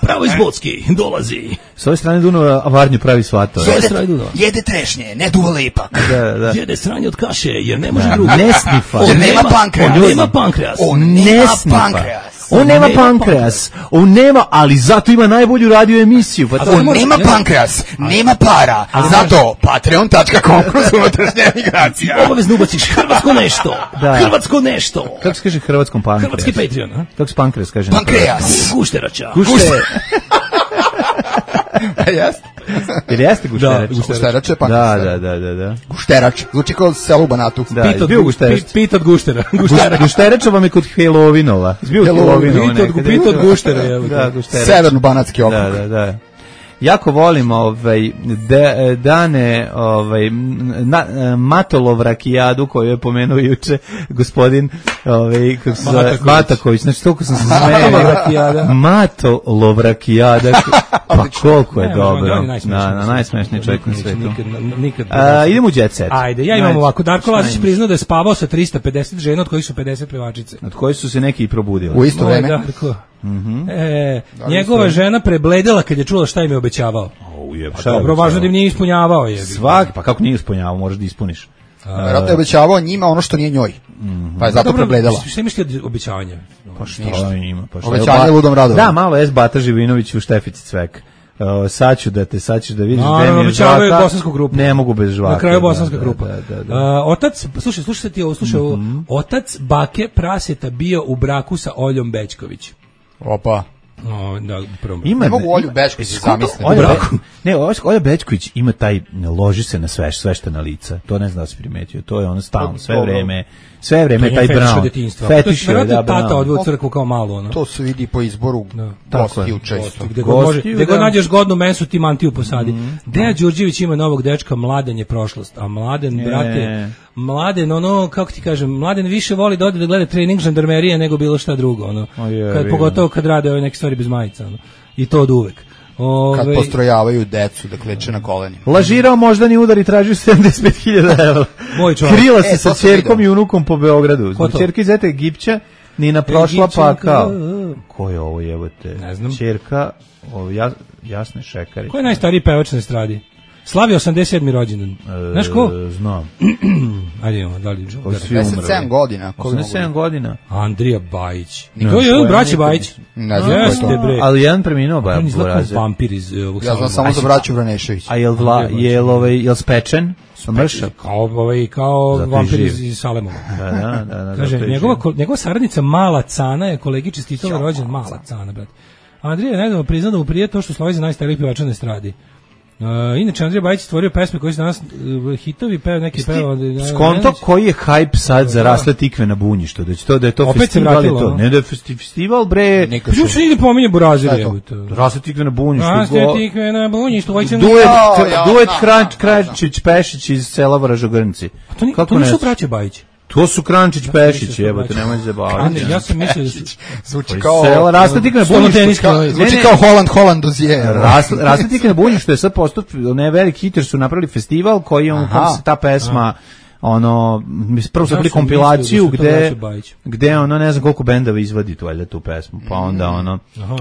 Speaker 7: Pravo iz Bocki, dolazi.
Speaker 1: S ove strane Dunava, a Varnju pravi svatove.
Speaker 7: S ove strane Dunava.
Speaker 9: Jede trešnje, ne duva lepak.
Speaker 1: Da, da.
Speaker 7: Jede sranje od kaše, jer ne može drugo.
Speaker 1: Ne snifa.
Speaker 9: On nema pankreas.
Speaker 7: On nema pankreas.
Speaker 9: On nema pankreas.
Speaker 1: On nema pankreas, on nema, ali zato ima najbolju radio emisiju. Pa
Speaker 9: on nema pankreas, nema para, zato patreon tačka com kroz unutrašnja emigracija.
Speaker 7: Obavezno ubaciš hrvatsko nešto, hrvatsko nešto.
Speaker 1: Kako se kaže hrvatskom pankreas?
Speaker 7: Hrvatski Patreon, a?
Speaker 1: Kako se pankreas kaže?
Speaker 9: Pankreas.
Speaker 7: Gušterača.
Speaker 1: Gušterača.
Speaker 9: Jeste.
Speaker 1: Jer jeste gušterač?
Speaker 9: Da, gušterač je pankreas.
Speaker 1: Da, da, da, da.
Speaker 9: Gušterač, zvuči kao selo u Banatu.
Speaker 1: Da, bio gušterač.
Speaker 7: Pit od guštera.
Speaker 1: Gušterača vam je kod Helovinova. Zbio Helovinova.
Speaker 7: Pit od guštera, evo.
Speaker 1: Da, gušterač.
Speaker 9: Severno-banatski okrug.
Speaker 1: Da, da, da. Jako volim ovaj de, dane ovaj na, Matolov rakijadu koju je pomenuo juče gospodin ovaj kako se zove Mataković. Znači toliko sam se smejao. Matolov rakijada. Pa koliko je dobro. Na na najsmešniji čovjek na svetu.
Speaker 7: Nikad.
Speaker 1: Idemo u jet set.
Speaker 7: Ajde, ja imam ovako. Darko Lazić priznao da je spavao sa trista pedeset žena, od kojih su pedeset pevačice.
Speaker 1: Od kojih su se neki i probudili.
Speaker 9: U isto vreme.
Speaker 7: Mm-hmm. E, njegova žena prebledela kad je čula šta im je obećavao.
Speaker 1: Oh, je,
Speaker 7: pa dobro, važno da im nije ispunjavao. Je.
Speaker 1: Svaki, pa kako nije ispunjavao, možeš da ispuniš.
Speaker 9: Vjerojatno je obećavao njima ono što nije njoj. Mm-hmm. Pa je zato dobro, prebledela.
Speaker 7: Šta misli od obećavanja?
Speaker 1: Pa što ima? Pa
Speaker 9: obećanje ludom radom.
Speaker 1: Da, malo es Bata Živinović u Štefici Cvek. Uh, sad ću da te, sad ću da vidiš
Speaker 7: no,
Speaker 1: gde
Speaker 7: no,
Speaker 1: mi je
Speaker 7: obećavaju
Speaker 1: žvaka,
Speaker 7: bosansku grupu.
Speaker 1: ne mogu bez žvaka.
Speaker 7: Na kraju bosanska
Speaker 1: da,
Speaker 7: grupa.
Speaker 1: Da, da, da.
Speaker 7: Uh, otac, slušaj, slušaj ti ovo, slušaj ovo. Mm-hmm. Otac bake praseta bio u braku sa Oljom Bećković.
Speaker 9: Opa.
Speaker 7: No, da, prvom.
Speaker 1: Ima,
Speaker 9: ne mogu Olju Bećković zamisliti.
Speaker 1: Olja, Be, ne, Olja Bećković ima taj, loži se na sve, sveštena lica. To ne znam da si primetio. To je ono stalno, sve vreme, sve vreme taj Brown.
Speaker 7: Fetiš je, da, tata odveo u crkvu kao malo. Ono.
Speaker 9: To se vidi po izboru gostiju često.
Speaker 7: Gde god, može, gde god nađeš godnu mesu, ti mantiju posadi. Mm-hmm. Dejan Đurđević ima novog dečka, Mladen je prošlost. A Mladen, je. brate, Mladen, ono, kako ti kažem, Mladen više voli da ode da gleda trening žandarmerije nego bilo šta drugo. Ono. Je, kad, pogotovo kad rade ove neke stvari bez majica. Ono. I to od uvek. Ove...
Speaker 9: Kad postrojavaju decu da kleče na kolenima.
Speaker 1: Lažirao moždani udar i tražio sedamdeset pet hiljada evra. Krila se e, sa ćerkom i unukom po Beogradu. Zbog ćerke iz Zete Egipća, Nina prošla pa kao. Ko je ovo jebote?
Speaker 7: Ne znam.
Speaker 1: Ćerka, ovo, jas, Jasne Šekari.
Speaker 7: Ko je najstariji pevač na estradi? Slavi osamdeset sedmi rođendan. E, Znaš ko?
Speaker 1: Znam.
Speaker 7: Ajde imamo, da li
Speaker 9: osamdeset sedam godina.
Speaker 1: osamdeset sedam godina.
Speaker 7: Andrija Bajić. To je jedan braći Bajić.
Speaker 9: Ne znam
Speaker 7: Jeste, bre.
Speaker 1: Ali jedan preminuo Bajić.
Speaker 7: On izgleda kao vampir iz ovog.
Speaker 9: Ja znam samo za braću Vranešević.
Speaker 1: A jel vla, jel ovaj, jel spečen? Mršav.
Speaker 7: Kao ovaj, kao vampir iz, iz Salemova.
Speaker 1: Da, da, da, da.
Speaker 7: Kaže, njegova, njegova saradnica Mala Cana je kolegi čestitala rođendan. Mala Cana, brate. Andrija je nedavno priznao da mu prije to što slavi za najstariji pevača na estradi. Uh, inače, Andrija Bajić stvorio pesme koji su danas uh, hitovi, peo neki peo.
Speaker 1: Skonto koji je hype sad za rasle tikve na bunjištu, da će to da je to
Speaker 7: opet
Speaker 1: festival, je to, ne da je festival, bre.
Speaker 7: Ju se ide pominje Burazir.
Speaker 1: Rasle tikve na bunjištu.
Speaker 7: Rasle tikve na bunjištu.
Speaker 1: Duet, duet Kranč, Krančić, Pešić iz sela Vražogrnci.
Speaker 7: To, to nisu braće Bajić.
Speaker 1: To su Krančić Pešić, jebote, nemoj se baviti.
Speaker 7: Ja sam mislio da su
Speaker 9: zvuči kao
Speaker 1: sela Rastetik na bunjištu,
Speaker 9: zvuči kao Holland Holland dozier.
Speaker 1: Rastetik na bunjištu je sad postao ne veliki hit jer su napravili festival koji on kako se ta pesma ono prvo su bili kompilaciju gde gde ono ne znam koliko bendova izvadi tu valjda tu pesmu pa onda ono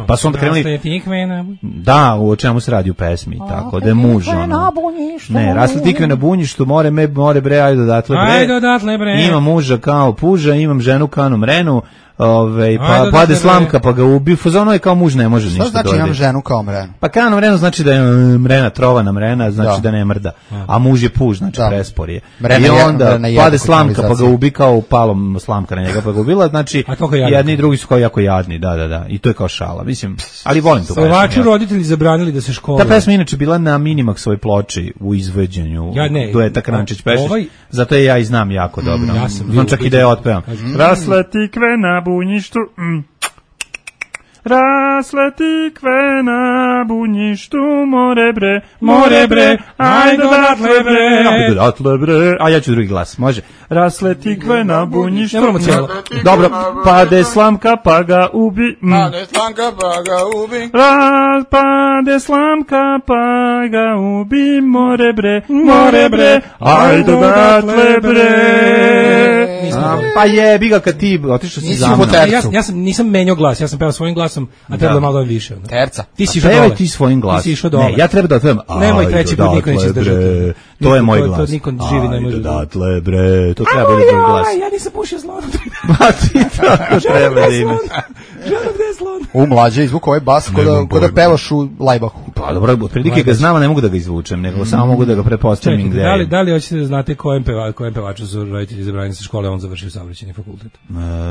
Speaker 1: pa su onda krenuli da u čemu se radi u pesmi tako da je muž ono ne rasle tikve na bunjištu more me more bre ajde odatle bre
Speaker 7: ajde odatle bre
Speaker 1: imam muža kao puža imam ženu kao mrenu Ove, pa pade slamka pa ga ubi fazonu je kao muž ne može ništa
Speaker 9: znači imam ženu kao mrenu
Speaker 1: pa kao mrenu znači da je mrena trovana mrena znači da, da ne mrda a muž je puž znači da. Prespor je i onda pade slamka pa ga ubi kao palom slamka na njega pa ga ubila znači jedni i drugi su kao jako jadni da da da i to je kao šala mislim ali volim to
Speaker 7: Slovački roditelji zabranili da se školuju
Speaker 1: ta pesma inače bila na Minimaxovoj ploči u izvođenju
Speaker 7: ja ne
Speaker 1: dueta Krančić Pešić ovaj... zato je ja i znam jako dobro
Speaker 7: ja sam
Speaker 1: znam čak i da je otpevam
Speaker 6: rasle tikve na bunjištu mm. Rasle tikve na bunjištu more bre, more bre, ajde odatle bre,
Speaker 1: ajde odatle bre, a ja ću drugi glas, može. Rasle tikve na bunjištu,
Speaker 7: ne moramo cijelo.
Speaker 1: Dobro, pade slamka pa ga ubi.
Speaker 9: Mm. Pade slamka pa ga ubi.
Speaker 6: Ras, pade slamka pa ga ubi, more bre, more bre, ajde odatle bre.
Speaker 1: A, pa jebi ga kad ti otišao si za mnom.
Speaker 7: Ja, ja sam, nisam menjao glas, ja sam pevao svojim glasom, a treba da malo više. Ne?
Speaker 9: Terca.
Speaker 7: Ti si išao dole.
Speaker 1: Ti svojim glasom.
Speaker 7: Ti si išao dole.
Speaker 1: Ne, ja treba da otpevam.
Speaker 7: Nemoj treći put, niko neće izdržati.
Speaker 1: To je moj glas.
Speaker 7: To niko živi ne može.
Speaker 1: Datle bre, to treba biti drugi glas.
Speaker 7: Ja nisam pušio slonu.
Speaker 1: Ma ti tako treba da imaš.
Speaker 7: Žena gde je slon?
Speaker 9: U mlađe izvuku ovaj bas ko da pevaš u Lajbahu.
Speaker 1: Pa dobro, otprilike ga znam, ne mogu da ga izvučem, nego samo mogu da ga pretpostavim gde.
Speaker 7: Da li da li hoćete da znate kojem pevaču, kojem pevaču su roditelji izabrani sa škole, on završio saobraćajni fakultet?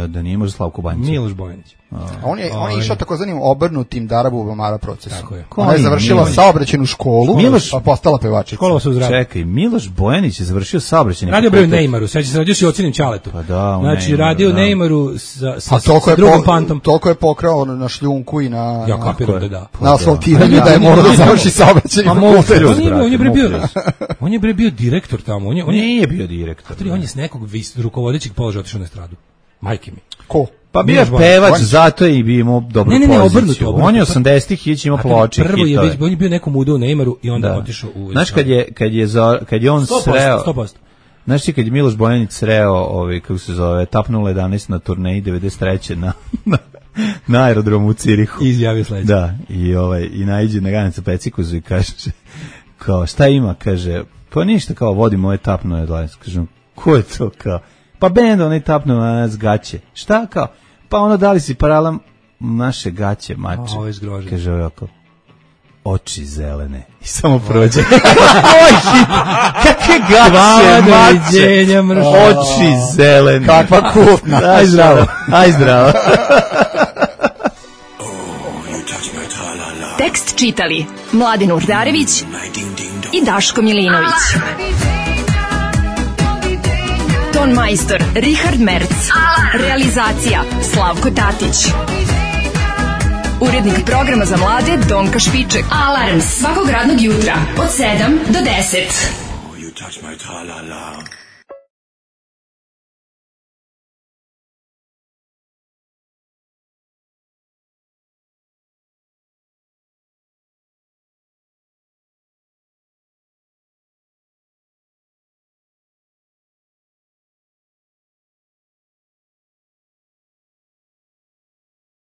Speaker 1: Da nije možda Slavko Banjić.
Speaker 7: Miloš Bojanić.
Speaker 9: On je on je išao takozvanim obrnutim Darabubamara procesom.
Speaker 7: Tako je.
Speaker 9: Ona je završila saobraćajnu školu,
Speaker 1: Miloš,
Speaker 9: pa postala pevačica.
Speaker 7: Škola se uzradi.
Speaker 1: Čekaj, Miloš Bojanić je završio saobraćajni
Speaker 7: fakultet. Radio bre u Neymaru, seća se radio se ocenim Ćaletom.
Speaker 1: Pa da,
Speaker 7: znači radio u Neymaru sa sa,
Speaker 9: sa
Speaker 7: drugom pantom.
Speaker 9: Toliko je pokrao na šljunku i na
Speaker 7: ja kapiram da da.
Speaker 9: Na asfaltiranju da je morao da završi saobraćajni fakultet.
Speaker 7: On je bre bio. On je bre bio direktor tamo. On je on
Speaker 1: nije bio direktor.
Speaker 7: On je s nekog rukovodećeg položaja otišao na estradu. Majke mi.
Speaker 9: Ko?
Speaker 1: Pa bio je pevač, zato je i bio imao dobru
Speaker 7: ne, ne, ne,
Speaker 1: poziciju.
Speaker 7: Obrnuto, obrnuto.
Speaker 1: On je osamdesetih ići imao ploče.
Speaker 7: Prvo je već, on je bio nekom udao u Neymaru i onda otišao u...
Speaker 1: Znaš, kad je, kad je, za, kad je on
Speaker 7: sto posto,
Speaker 1: sreo...
Speaker 7: sto posto.
Speaker 1: Znaš ti kad je Miloš Bojanić sreo, ovaj, kako se zove, Tap nula jedanaest na turneji devedeset treće na... na aerodromu u Cirihu.
Speaker 7: Izjavio sledeće.
Speaker 1: Da, i, ovaj, i naiđe na Ganica Pecikuzu i kaže, kao, šta ima, kaže, pa ništa, kao, vodim ovaj Tap nula jedanaest. Kažem, ko je to, kao? Pa bend, onaj Tap nula jedanaest gaće. Šta, kao? Pa ono, dali si paralam naše gaće, mače.
Speaker 7: A, ovo je zgrožen.
Speaker 1: Kaže ovako, oči zelene. I samo prođe. Oj, hit! Kakve gaće, mače! Oči zelene.
Speaker 9: Kakva kultna.
Speaker 1: Aj zdravo. Aj zdravo.
Speaker 4: Tekst čitali Mladin Urdarević i Daško Milinović. Ton majstor Richard Merc. Realizacija Slavko Tatić. Urednik programa za mlade Donka Špiček. Alarms svakog radnog jutra od sedam do deset. Oh, you touch my tra-la-la.